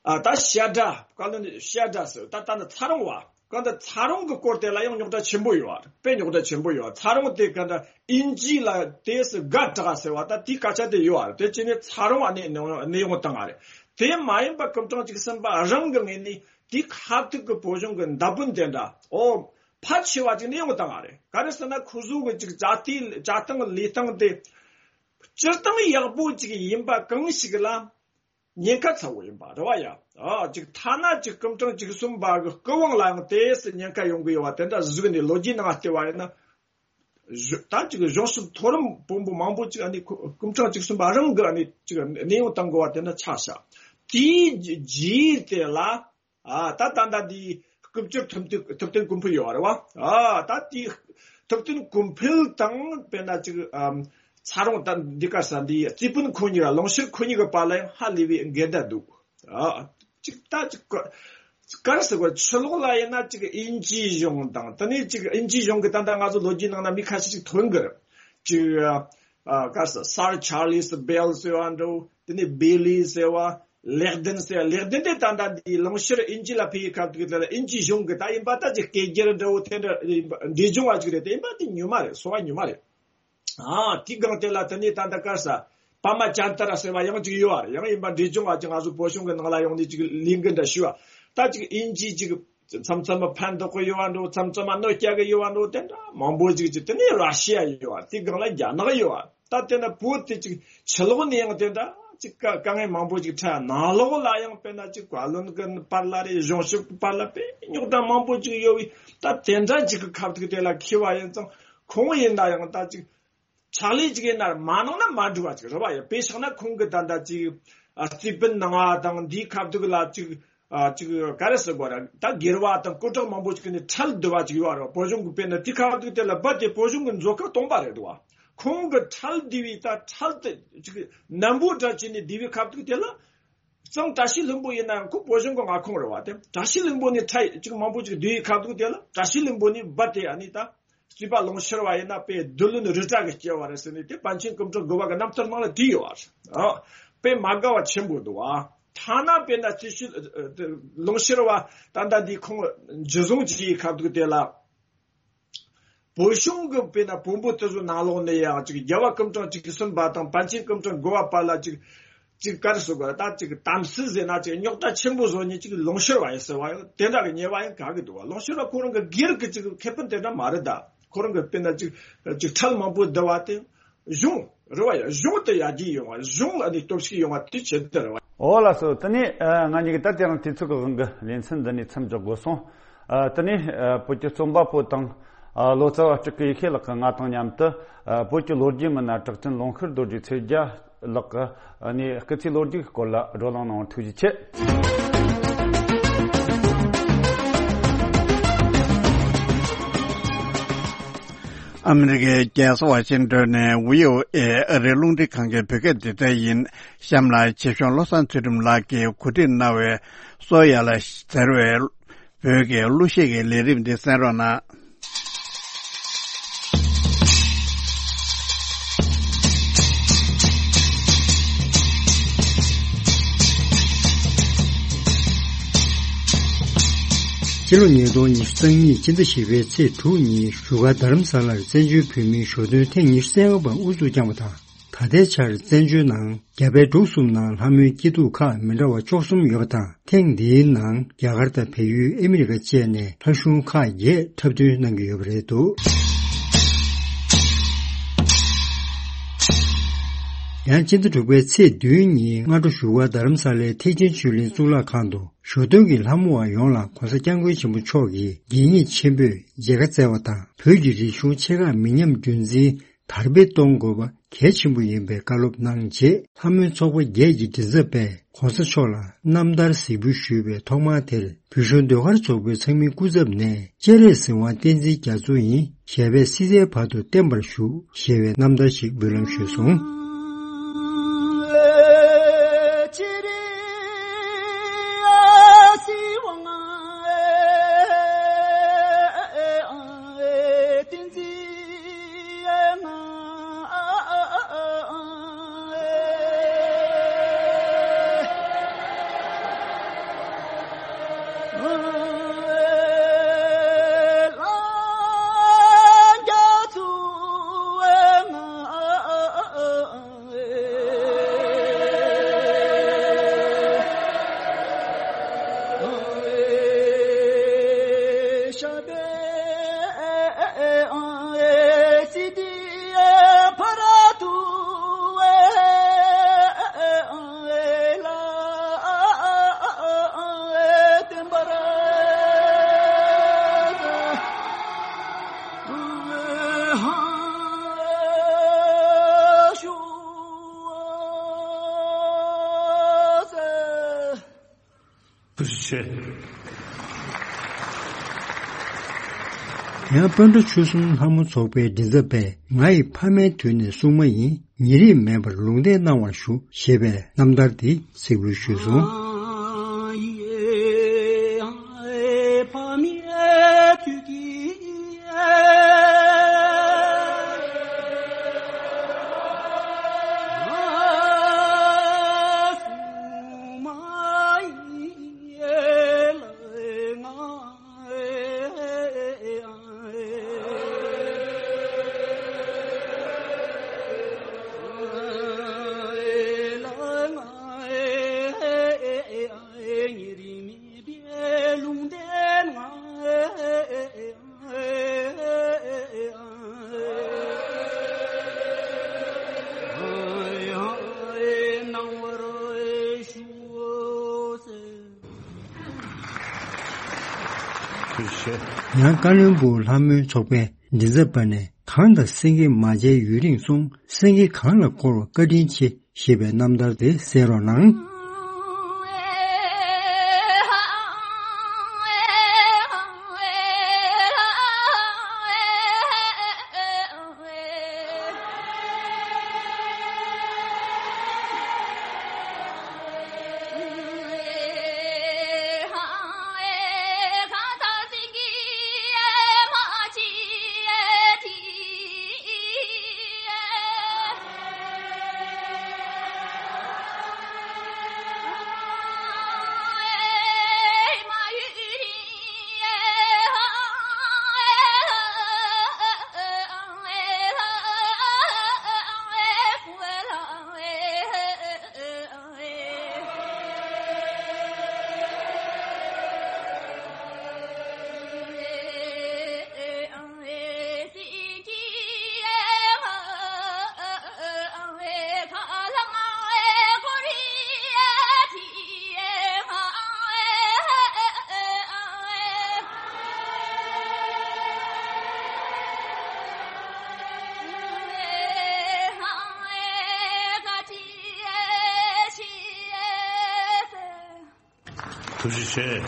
ཨ། ད་བཤད་གྲྭ། བཀའ་བློན་བཤད་གྲྭ་ཟེར། ད་ད་ནི་ཚ་རོང་བ། གང་ལྟར་ཚ་རོང་གི་སྐོར་དེ་ལ་ཡང་རྙོག་དྲ་ཆེན་པོ་ཡོད་པ་རེད། དཔེ་རྙོག་དྲ་ཆེན་པོ་ཡོད་པ། ཚ་རོང་དེ་ག་འདྲ་དབྱིན་ཇི་ལ་དེ་སུ་དགའ་དྲག་ཟེར་བ། ད་དེའི་སྐད་ཆ་དེ་ཡོད་པ་རེད། དེ་བྱས་ནས་ཚ་རོང་ཨ་ནི་གནས་དབྱུང་བཏང་བ་རེད། དེ་མ་ཡིན་པ་སྐུ་ཕྲེང་བཅུ་གསུམ་པ་རང་གི་ངོས་ནས་དེའི་ཁ་ཐུག་གི་བོད་གཞུང་གི་མདའ་དཔོན་དེ་འདྲ། ཨོ། ཕལ་ཆེ་བ་ཅིག་གནས་དབྱུང་བཏང་བ་རེད། ག་རེ་ཟེར་ན། ཁོ་ཚོ་གི་ཅིག་བྱ་དེ་བྱ་སྟངས་ལས་སྟངས་དེ་སྤྱིར་བཏང་ཡག་པོ་ཅིག་ཡིན་པ་གང་ཞིག་ལ་ཉེན་ཁ་ཚ་བོ་ཡིན་པ་རེད་བ་ཡ། ཨ། ཅིག་ཐ་ན་ཅིག་སྐུ་ཕྲེང་བཅུ་གསུམ་པ་གི་སྐུ་དབང་ལའང་དེ་སུ་ཉེན་ཁ་ཡོང་གི་ཡོད་པ་དེ་འདྲ་གཟིགས་ནས། ལོ་རྒྱུས་ནང་བལྟས་པ་ཡིན་ན། གཞུ་ད་ཅིག་གཞུང་ཞབས་མཐོ་རིམ་དཔོན་པོ་མང་པོ་ཅིག་ཨ་ནི་སྐུ་ཕྲེང་བཅུ་གསུམ་པ་རང་གི་ཨ་ནི་ཅིག་གནས་དབྱུང་བཏང་དགོས་པ་དེ་འདྲ་ཆགས་ཤག། དེའི་རྗེས་དེ་ལ། ཨ། ད་ད་ལྟ་འདི་སྐུ་བཅར་ཐུབ་བསྟན་ཐུབ་བསྟན་ཀུན་འཕེལ་ཡོད་རེད་བ། ཨ། ད་དེ་ཐུབ་བསྟན་ཀུན་འཕེལ་དང་། དཔེར་ན་ཅིག་ཨམ། ཚ་རོང་ད་འདི་ག་ས་འདི་རྩིས་དཔོན་ཁོ་གཉིས་ལ། ལུང་ཤུར་ཁོ་གཉིས་ཀྱི་བར་ལ་ཡང་ཧ་ལས་པའི་འགལ་ཟླ་འདུག། ཨ། ཅིག་ད་ཅིག་ག་ག་རེ་ཟེར་དགོས། ཕྱི་ལོགས་ལ་ཡིན་ན་ཅིག་དབྱིན་ཇིའི་གཞུང་དང་། དེ་ནས་ཅིག་དབྱིན་ཇིའི་གཞུང་གི་ད་ལྟ་ང་ཚོ་ལོ་རྒྱུས་ནང་ན་མི་ཁ་ཤས་ཅིག་ཐོན་གི་རེད། ཅིག་ཨ། ག་རེ་ཟེར། སར་ཆར་ལིས་བེལ་ཟེར་བ་འདྲ་བོ། དེ་ནས་བེ་ལི་ཟེར་བ། ལེག་ལྡན་ཟེར། ལེག་ལྡན་དེ་ད་ལྟ་འདི་ལུང་ཤུར་དབྱིན་ཇི་ལ་ཕེབས་ཡི་ཁ་ཐུག་དེ་ལ་དབྱིན་ཇིའི་གཞུང་གི་ད་ཡིན་པ་ད་ཅིག་སྐད་སྒྱུར་འདྲ་བོ་དེ་འདྲ་འབྲས་ལྗོངས་བ་ཅིག་རེད། དེ་ཡིན་པ་དེ་ཉུང་མ་རེད། སོ་བ་ཉུང་མ་རེད། ཨ། དེའི་སྒང་དེ་ལ་དེ་ནས་ད་ལྟ་ག་རེ་ཟེར། པདྨ་ཅན་ཏ་ར་ཟེར་བ་ཡང་ཅིག་ཡོད་པ་རེད། ཡང་ཡིན་པ་འབྲས་ལྗོངས་བ་ཅིག་ང་ཚོ་བོད་གཞུང་གི་ནང་ལ་ཡོང་ནས་ཅིག་ལས་འགུལ་འདྲ་ཞུས་པ། ད་ཅིག་དབྱིན་ཇི་ཅིག་ མཚམས་མཚམས་ཕན་ཐོགས་ཀྱི་ཡོད་པ་འགྲོ། མཚམས་མཚམས་གནོད་སྐྱེལ་གྱི་ཡོད་པ་འགྲོ། དེ་འདྲ་མང་པོ་ཅིག་ཅིག་དེ་ནས་ར་ཤི་ཡ་ཡོད་པ། དེའི་སྒང་ལ་རྒྱ་ནག་ཡོད་པ། ད་དེ་ན་བོད་དེ་ཅིག་ཕྱི་ལོགས་ནས་ཡང་དེ་འདྲ་ཅིག་དཀའ་དཀའ་ངལ་མང་པོ་ཅིག་འཕྲད། ནང་ལོགས་ལ་ཡང་དཔེར་ན་ཅིག་བཀའ་བློན་གྱི་བར་ལ་རེད། གཞུང་ཞབས་ཀྱི་བར་ལ་དཔེ་རྙོག་དྲ་མང་པོ་ཅིག་ཡོད་པས། ད་དེ་འདྲ་ཅིག་གི་ཁ་ཐུག་དེ་ལ་འཁེལ་བ་ཡིན་ཙང་། ཁོང་ཡིན་ན་ཡང་ད་ཅིག་ཕྱག་ལས་ཅིག་ཡིན་ན་མ་གནང་ན་མ་འགྲིག་པ་ཅིག་རེད་བ། ཡ་དཔེ་བཞག་ན་ཁོང་གི་ད་ལྟ་ཅིག་ཨ་རྩིས་དཔོན་གནང་བ་དང་འདིའི་ཁ་ཐུག་ལ་ཅིག་ཨ་ཅིག་ག་རེ་ཟེར་དགོས་ར། ད་སྒེར་བ་དང་སྐུ་དྲག་མང་པོ་ཅིག་ནས་ཁྲལ་བསྡུ་བ་ཅིག་ཡོད་རེད་བ། བོད་གཞུང་གི་དཔེར་ན་དེའི་ཁ་ཐུག་དེ་ལ་རྦད་དེ་བོད་གཞུང་གི་མཛོད་ཁང་སྟོང་པ་རེད་འདུག་བ། ཁོང་གི་ཁྲལ་བསྡུས་པའི་ད་ཁྲལ་དེ་ཅིག་ནན་པོ་འདྲ་བྱས་ནས་བསྡུས་པའི་ཁ་ཐུག་དེ་ལ། གཙང་བཀྲ་ཤིས་ལྷུན་པོ་ཡིན་ན་ཡང་ཁོ་བོད་གཞུང་གི་མངའ་ཁོངས་རེད་བ། དེ་བཀྲ་ཤིས་ལྷུན་པོ་ནས་ཁྲལ་ཅིག་མང་པོ་ཅིག་བསྡུས་ཡི་ཁ་ཐུག་དེ་ལ་བཀྲ་ཤིས་ལྷུན་པོ་ནས་རྦད་དེ་ཨ་ནི་ད་རྩིས་པ་ལུང་ཤུར་བ་ཡིན་ན་དཔེ་བདུད་བློན་རི་བྲག་གི་སྐྱེ་བ་རེད་ཟེར་ནས། དེ་པཎ་ཆེན་སྐུ་ཕྲེང་དགུ་པ་གི་རྣམ་ཐར་ནང་ལ་བྲིས་ཡོད་བ། ཨ་དཔེ་མ་དགའ་བ་ཆེན་པོ་འདུག་བ། ཐ་ན་དཔེར་ན་རྩིས་ཞིབ་ལུང་ཤུར་བ་ད་ལྟ་འདི་ཁོང་འཇུ་བཟུང་བྱས་ཡི་ཁ་ཐུག་དེ་ལ། བོད་གཞུང་གི་དཔེར་ན་བོན་པོ་དེ་ཚོ་ནང་ལོགས་ནས་ཡང་ཅིག་རྒྱལ་བ་སྐུ་ཕྲེང་བཅུ་གསུམ་པ་དང་པཎ་ཆེན་སྐུ་ཕྲེང་དགུ་པ་བར་ལ་ཅིག་ཅིག་ག་རེ་ཟེར་དགོས་རེད། ད་ཅིག་དམ་སྲི་ཟེར་ན་ཅིག་རྙོག་དྲ་ཆེན་པོ་བཟོ་ནས་ཅིག་ལུང་ཤོར་བ་ཡིན་ཟེར་བ་ཡང་དེ་འདྲ་གི་ཉེས་པ་ཡང་ག་གི་འདུག་བ། ལུང་ཤོར་བ་ཁོ་རང་གི་སྒེར་གི་ཅིག་ཁེ་ཕན་དེ་འདྲ་མ་རེད། ད་ཁོ་རང་གི་དཔེར་ན་ཅིག་ཅིག་ཁྲལ་མང་པོ་བསྡུ་བ་དེ། གཞུང་རེད་བ་ཡ། གཞུང་དུ་ཡར་རྒྱས་ཡོང་བ། གཞུང་ལ་ནི་སྟོབས་ཤུགས་ཡོང་བ་དེ་ཆེད་དུ་རེད་བ། འོ་ལགས་སོ། དེ་ནས་ཨ་ང་གཉིས་ཀྱིས་ད་དེ་རིང་དུས་ཚོད་ཀྱི་དབང་གིས་ལེ་ཚན་འདི་ནས་མཚམས་འཇོག་དགོས་སོང་། ཨ་དེ་ནས་ཨ་བོད་ཀྱི་རྩོམ་པ་པོ་དང་ཨ་ལོ་ཙཱ་བ་སྤྲུལ་སྐུ་ཡེ་ཤེས་ལགས་ཀྱིས་ང་དང་མཉམ་དུ་ཨ་བོད་ཀྱི་ལོ་རྒྱུས་མི་སྣ་གྲགས་ཅན་ལུང་ཤུར་རྡོ་རྗེ་ཚེ་རྒྱལ་ལགས་ཀྱི་ཨ་ནས་སྐུ་ཚེའི་ལོ་རྒྱུས་ཀྱི་སྐོར་ལ་བགྲོ་གླེང་གནང་བར་ཐུགས་རྗེ་ཆེ། ཨ་མི་རི་ཀའི་རྒྱལ་ས་ཝ་ཤིང་ཏོན་ནས་བྷི་ཨོ་ཨེ་ཨ་རིའི་རླུང་འཕྲིན་ཁང་གི་བོད་སྐད་སྡེ་ཚན་ཡིན། གཤམ་ལ་ཆེ་གཞུང་བློ་བཟང་ཚུལ་ཁྲིམས་ལགས་ཀྱིས་གོ་སྒྲིག་གནང་བའི་སོ་ཡ་ལ་ཟེར་བའི་བོད་ཀྱི་གླུ་གཞས་ཀྱི་ལས་རིམ་འདི་གསན་རོགས་གནང་། ཕྱི་ལོ་ཉིས་སྟོང་ཉི་ཤུ་རྩ་གཉིས་སྤྱི་ཟླ་བཞི་པའི་ཚེས་དྲུག་ཉིན་བཞུགས་སྒར་རྡ་རམ་ས་ལར་བཙན་བྱོལ་བོད་མིའི་ཞོ་སྟོན་ཐེངས་ཉི་ཤུ་རྩ་ལྔ་པ་དབུ་འཛུགས་བསྐྱངས་པ་དང་། ད་ལྟའི་ཆར་བཙན་བྱོལ་ནང་རྒྱ་བལ་འབྲུག་གསུམ་ནང་ལྷ་མོའི་སྐྱིད་སྡུག་ཁག་མི་འདྲ་བ་བཅུ་གསུམ་ཡོད་པ་དང་། ཐེངས་འདིའི་ནང་རྒྱ་གར་དང་བལ་ཡུལ་ཨ་མི་རི་ཀ་བཅས་ནས་ལྷ་གཞུང་ཁག་བརྒྱད་འཁྲབ་སྟོན་གནང་གི་ཡོད་པ་རེད་འདུག་ཡང་སྤྱི་ཟླ་དྲུག་པའི་ཚེས་བདུན་ཉིན་སྔ་དྲོ་བཞུགས་སྒར་རྡ་རམ་ས་ལའི་ཐེག་ཆེན་ཆོས་གླིང་གཙུག་ལག་ཁང་དུ་ཞོ་སྟོན་གྱི་ལྷ་མོ་བ་ཡོངས་ལ་༸གོང་ས་༸སྐྱབས་མགོན་ཆེན་པོ་མཆོག་གིས་དགྱེས་མཉེས་ཆེན་པོས་མཇལ་ཁ་བསྩལ་བ་དང་། བོད་ཀྱི་རིག་གཞུང་ཆེ་ཁག་མི་ཉམས་རྒྱུན་འཛིན་དར་སྤེལ་གཏོང་དགོས་པ་གལ་ཆེན་པོ་ཡིན་པའི་བཀའ་སློབ་གནང་རྗེས། ལྷ་མོའི་ཚོགས་པ་བརྒྱད་ཀྱི་མགྲིན་ཚབ་པས་༸གོང་ས་མཆོག་ལ་རྣམ་ཐར་གཟིགས་འབུལ་ཞུས་པའི་ཐོག་མར་དེར། བོད་གཞུང་ཟློས་གར་ཚོགས་པའི་ཚང་མའི་སྐུ་ཚབ་ནས། སྤྱན་རས་གཟིགས་དབང་བསྟན་འཛིན་རྒྱ་མཚོ་ཡིན་ཞེས་པའི་སྲིད་རྩེའི་བར་དུ་བརྟན་པར་བཞུགས་ཞེས་པའི་རྣམ་ཐར་ཞིག་འབུལ་ལམ་ཞུས་སོང་། ཐུགས་རྗེ་ཆེ། ཡང་སྤོན་ཊ་ཆོལ་གསུམ་ལྷ་མོ་ཚོགས་པའི་མགྲིན་ཚབ་པས། ང་ཡི་ཕ་མའི་དུས་ནས་སྲུང་མ་ཡིན། ཉེ་རིང་མེད་པར་ལུང་བསྟན་གནང་བར་ཞུ། ཞེས་པའི་རྣམ་ཐར་འདི་གཟིགས་འབུལ་ཞུས་སོང་། ཡང་ཀ་བློན་སྦུག་ལྷ་མོའི་ཚོགས་པའི་མགྲིན་ཚབ་པ་ནས། གངས་དང་སེང་གེ་མ་མཇལ་ཡུན་རིང་སོང་། སེང་གེ་གངས་ལ་བསྐོར་བ་བཀའ་དྲིན་ཆེ། ཞེས་པའི་རྣམ་ཐར་དེ་གསན་རོགས་གནང་། ཐུགས་རྗེ་ཆེ།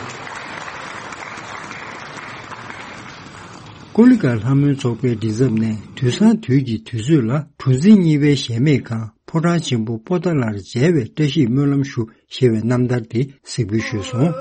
ཀོ་ལི་གྷལ་ལྷ་མོའི་ཚོགས་པའི་མགྲིན་ཚབ་ནས། དུས་སང་དུས་ཀྱི་དུས་ཚོད་ལ། གྲུ་འཛིན་གཉིས་པའི་གཞལ་མེད་ཁང་། ཕོ་བྲང་ཆེན་པོ་པོ་ཏཱ་ལར་མཇལ་བའི་བཀྲ་ཤིས་སྨོན་ལམ་ཞུ། ཞེས་པའི་རྣམ་ཐར་དེ་གཟིགས་འབུལ་ཞུས་སོང་།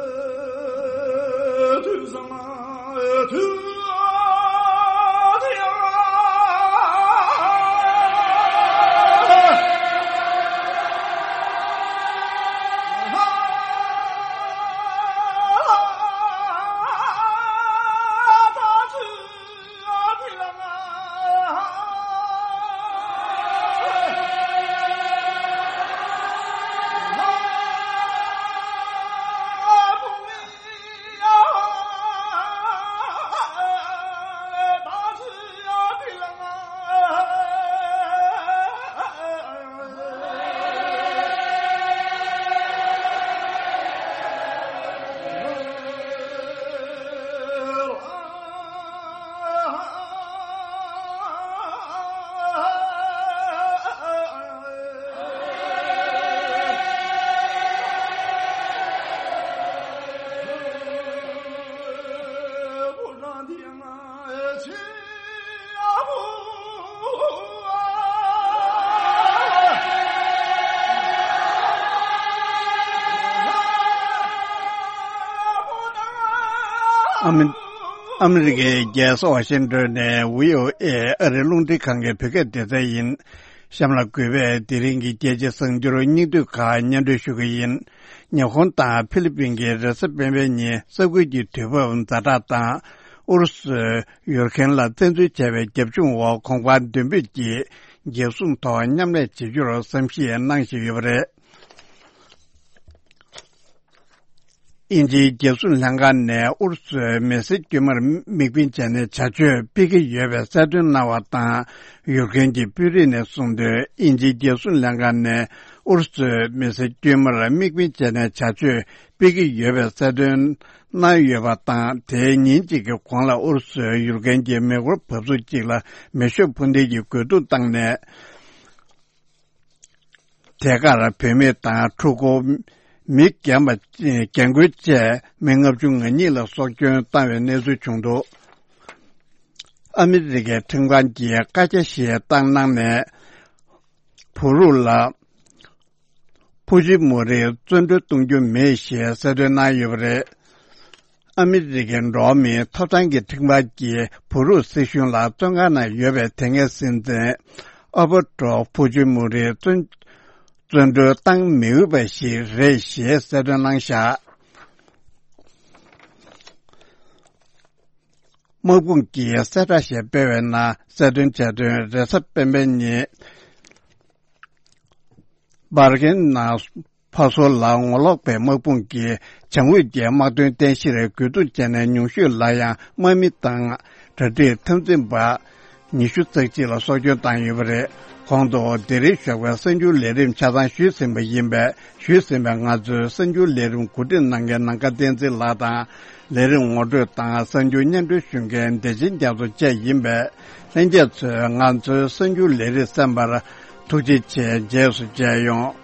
ཨ་མི་ཨ་མི་རི་ཀའི་རྒྱལ་ས་ཝ་ཤིང་ཏོན་ནས་བྷི་ཨོ་ཨེ་ཨ་རིའི་རླུང་འཕྲིན་ཁང་གི་བོད་སྐད་སྡེ་ཚན་ཡིན། གཤམ་ལ་གུས་པས་དེ་རིང་གི་རྒྱལ་སྤྱིའི་གསར་འགྱུར་སྙིང་བསྡུས་ཁག་སྙན་སྒྲོན་ཞུ་གི་ཡིན། ཉི་ཧོང་དང་ཧྥི་ལི་པིན་གྱིས་རེས་གཟའ་སྤེན་པའི་ཉིན་ས་ཁུལ་གྱི་དུས་བབ་ཛ་དྲག་དང་། ཨུ་རུ་སུས་ཡུར་ཁེན་ལ་བཙན་འཛུལ་བྱས་པའི་རྒྱབ་ལྗོངས་འོག་གོང་འཕང་མདུན་སྤོས་ཀྱིས་འགྱེད་སྲུང་ཐོག་མཉམ་ལས་བྱེད་རྒྱུར་བསམ་གཞིག་གནང་བཞིན་ཡོད་པ་རེད། དབྱིན་ཇིའི་རྒྱལ་སྲུང་ལྷན་ཁང་ནས་ཨུ་རུ་སུའི་མི་སེར་དཀྱུས་མར་དམིགས་འབེན་བྱས་ནས་བྱ་སྤྱོད་སྤེལ་གྱི་ཡོད་པའི་གསལ་སྟོན་གནང་བ་དང་། ཡུར་ཁེན་གྱི་དཔོན་རིགས་ནས་གསུངས་དོན། དབྱིན་ཇིའི་རྒྱལ་སྲུང་ལྷན་ཁང་ནས་ཨུ་རུ་སུའི་མི་སེར་དཀྱུས་མར་དམིགས་འབེན་བྱས་ནས་བྱ་སྤྱོད་སྤེལ་གྱི་ཡོད་པའི་གསལ་སྟོན་གནང་ཡོད་པ་དང་། དེའི་ཉིན་གཅིག་གི་གོང་ལ་ཨུ་རུ་སུས་ཡུར་ཁེན་གྱི་མེ་འཁོར་བབས་ཚུགས་གཅིག་ལ་མེ་ཤོག་འཕུར་མདེལ་གྱི་རྒོལ་རྡུང་བཏང་ནས། དེ་གར་བུད་མེད་དང་ཕྲུ་གུ། མི་རྒན་པ། རྒན་རྒོན་བཅས་མི་ལྔ་བཅུ་ང་གཉིས་ལ་སྲོག་སྐྱོན་བཏང་བའི་གནས་ཚུལ་བྱུང་འདུག་ཨ་མི་རི་ཀའི་ཁྲིམས་ཁང་གིས་བཀའ་རྒྱ་ཞིག་བཏང་གནང་ནས། བུ་རུག་ལ་ཕུ་ཇི་མོ་རིའི་བཙོན་གྲོལ་གཏོང་རྒྱུ་མེད་ཞེས་གསལ་སྟོན་གནང་ཡོད་པ་རེད། ཨ་མི་རི་ཀའི་འགྲོ་བ་མིའི་ཐོབ་ཐང་གི་ཁྲིམས་ཁང་གིས་བུ་རུག་སྲིད་གཞུང་ལ་བཙོན་ཁང་ནང་ཡོད་པའི་དེ་སྔའི་སྲིད་འཛིན་ཨོ་བྷ་ཏྲོ་ཕུ་ཇི་མོ་རི་བཙོན་བཙོན་གྲོལ་བཏང་མི་འོས་པ་ཞིག་རེད་ཞེས་གསལ་སྟོན་གནང་བཞག་དམག་དཔུང་གིས་གསལ་བསྒྲགས་ཤིག་སྤེལ་བའི་ནང་གསལ་སྟོན་བྱས་དོན། རེས་གཟའ་སྤེན་པའི་ཉིན། སྦར་ཀིན་ན་ཕ་སོ་ལ་ངོ་ལོག་པའི་དམག་དཔུང་གིས་བྱང་ངོས་ཀྱི་དམག་དོན་རྟེན་གཞིར་རྒོལ་རྡུང་བྱས་ནས། ཉུང་ཤོས་ལ་ཡང་དམག་མི་དང་གྲ་སྒྲིག་འཐབ་འཛིང་པ། ཉི་ཤུ་རྩ་གཅིག་ལ་སྲོག་སྐྱོན་བཏང་ཡོད་པ་རེད། གོང་དུ་དེ་རིང་ཞོགས་པའི་གསར་འགྱུར་ལས་རིམ་ཆ་ཚང་ཞུས་ཟིན་པ་ཡིན་པས། ཞུས་ཟིན་པའི་ང་ཚོའི་གསར་འགྱུར་ལས་རིམ་གོ་སྒྲིག་གནང་མཁན་ནམ་མཁའ་བསྟན་འཛིན་ལགས་དང་། ལས་རིམ་ངོ་སྤྲོད་དང་གསར་འགྱུར་སྙན་སྒྲོན་ཞུ་མཁན་བདེ་ཆེན་རྒྱ་མཚོ་བཅས་ཡིན་པས། ལྷན་རྒྱས་ཚོས་ང་ཚོའི་གསར་འགྱུར་ལས་རིམ་གསན་པར་ཐུགས་རྗེ་ཆེ། རྗེས་སུ་མཇལ་ཡོང་།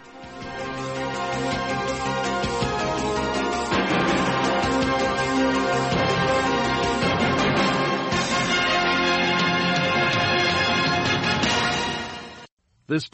This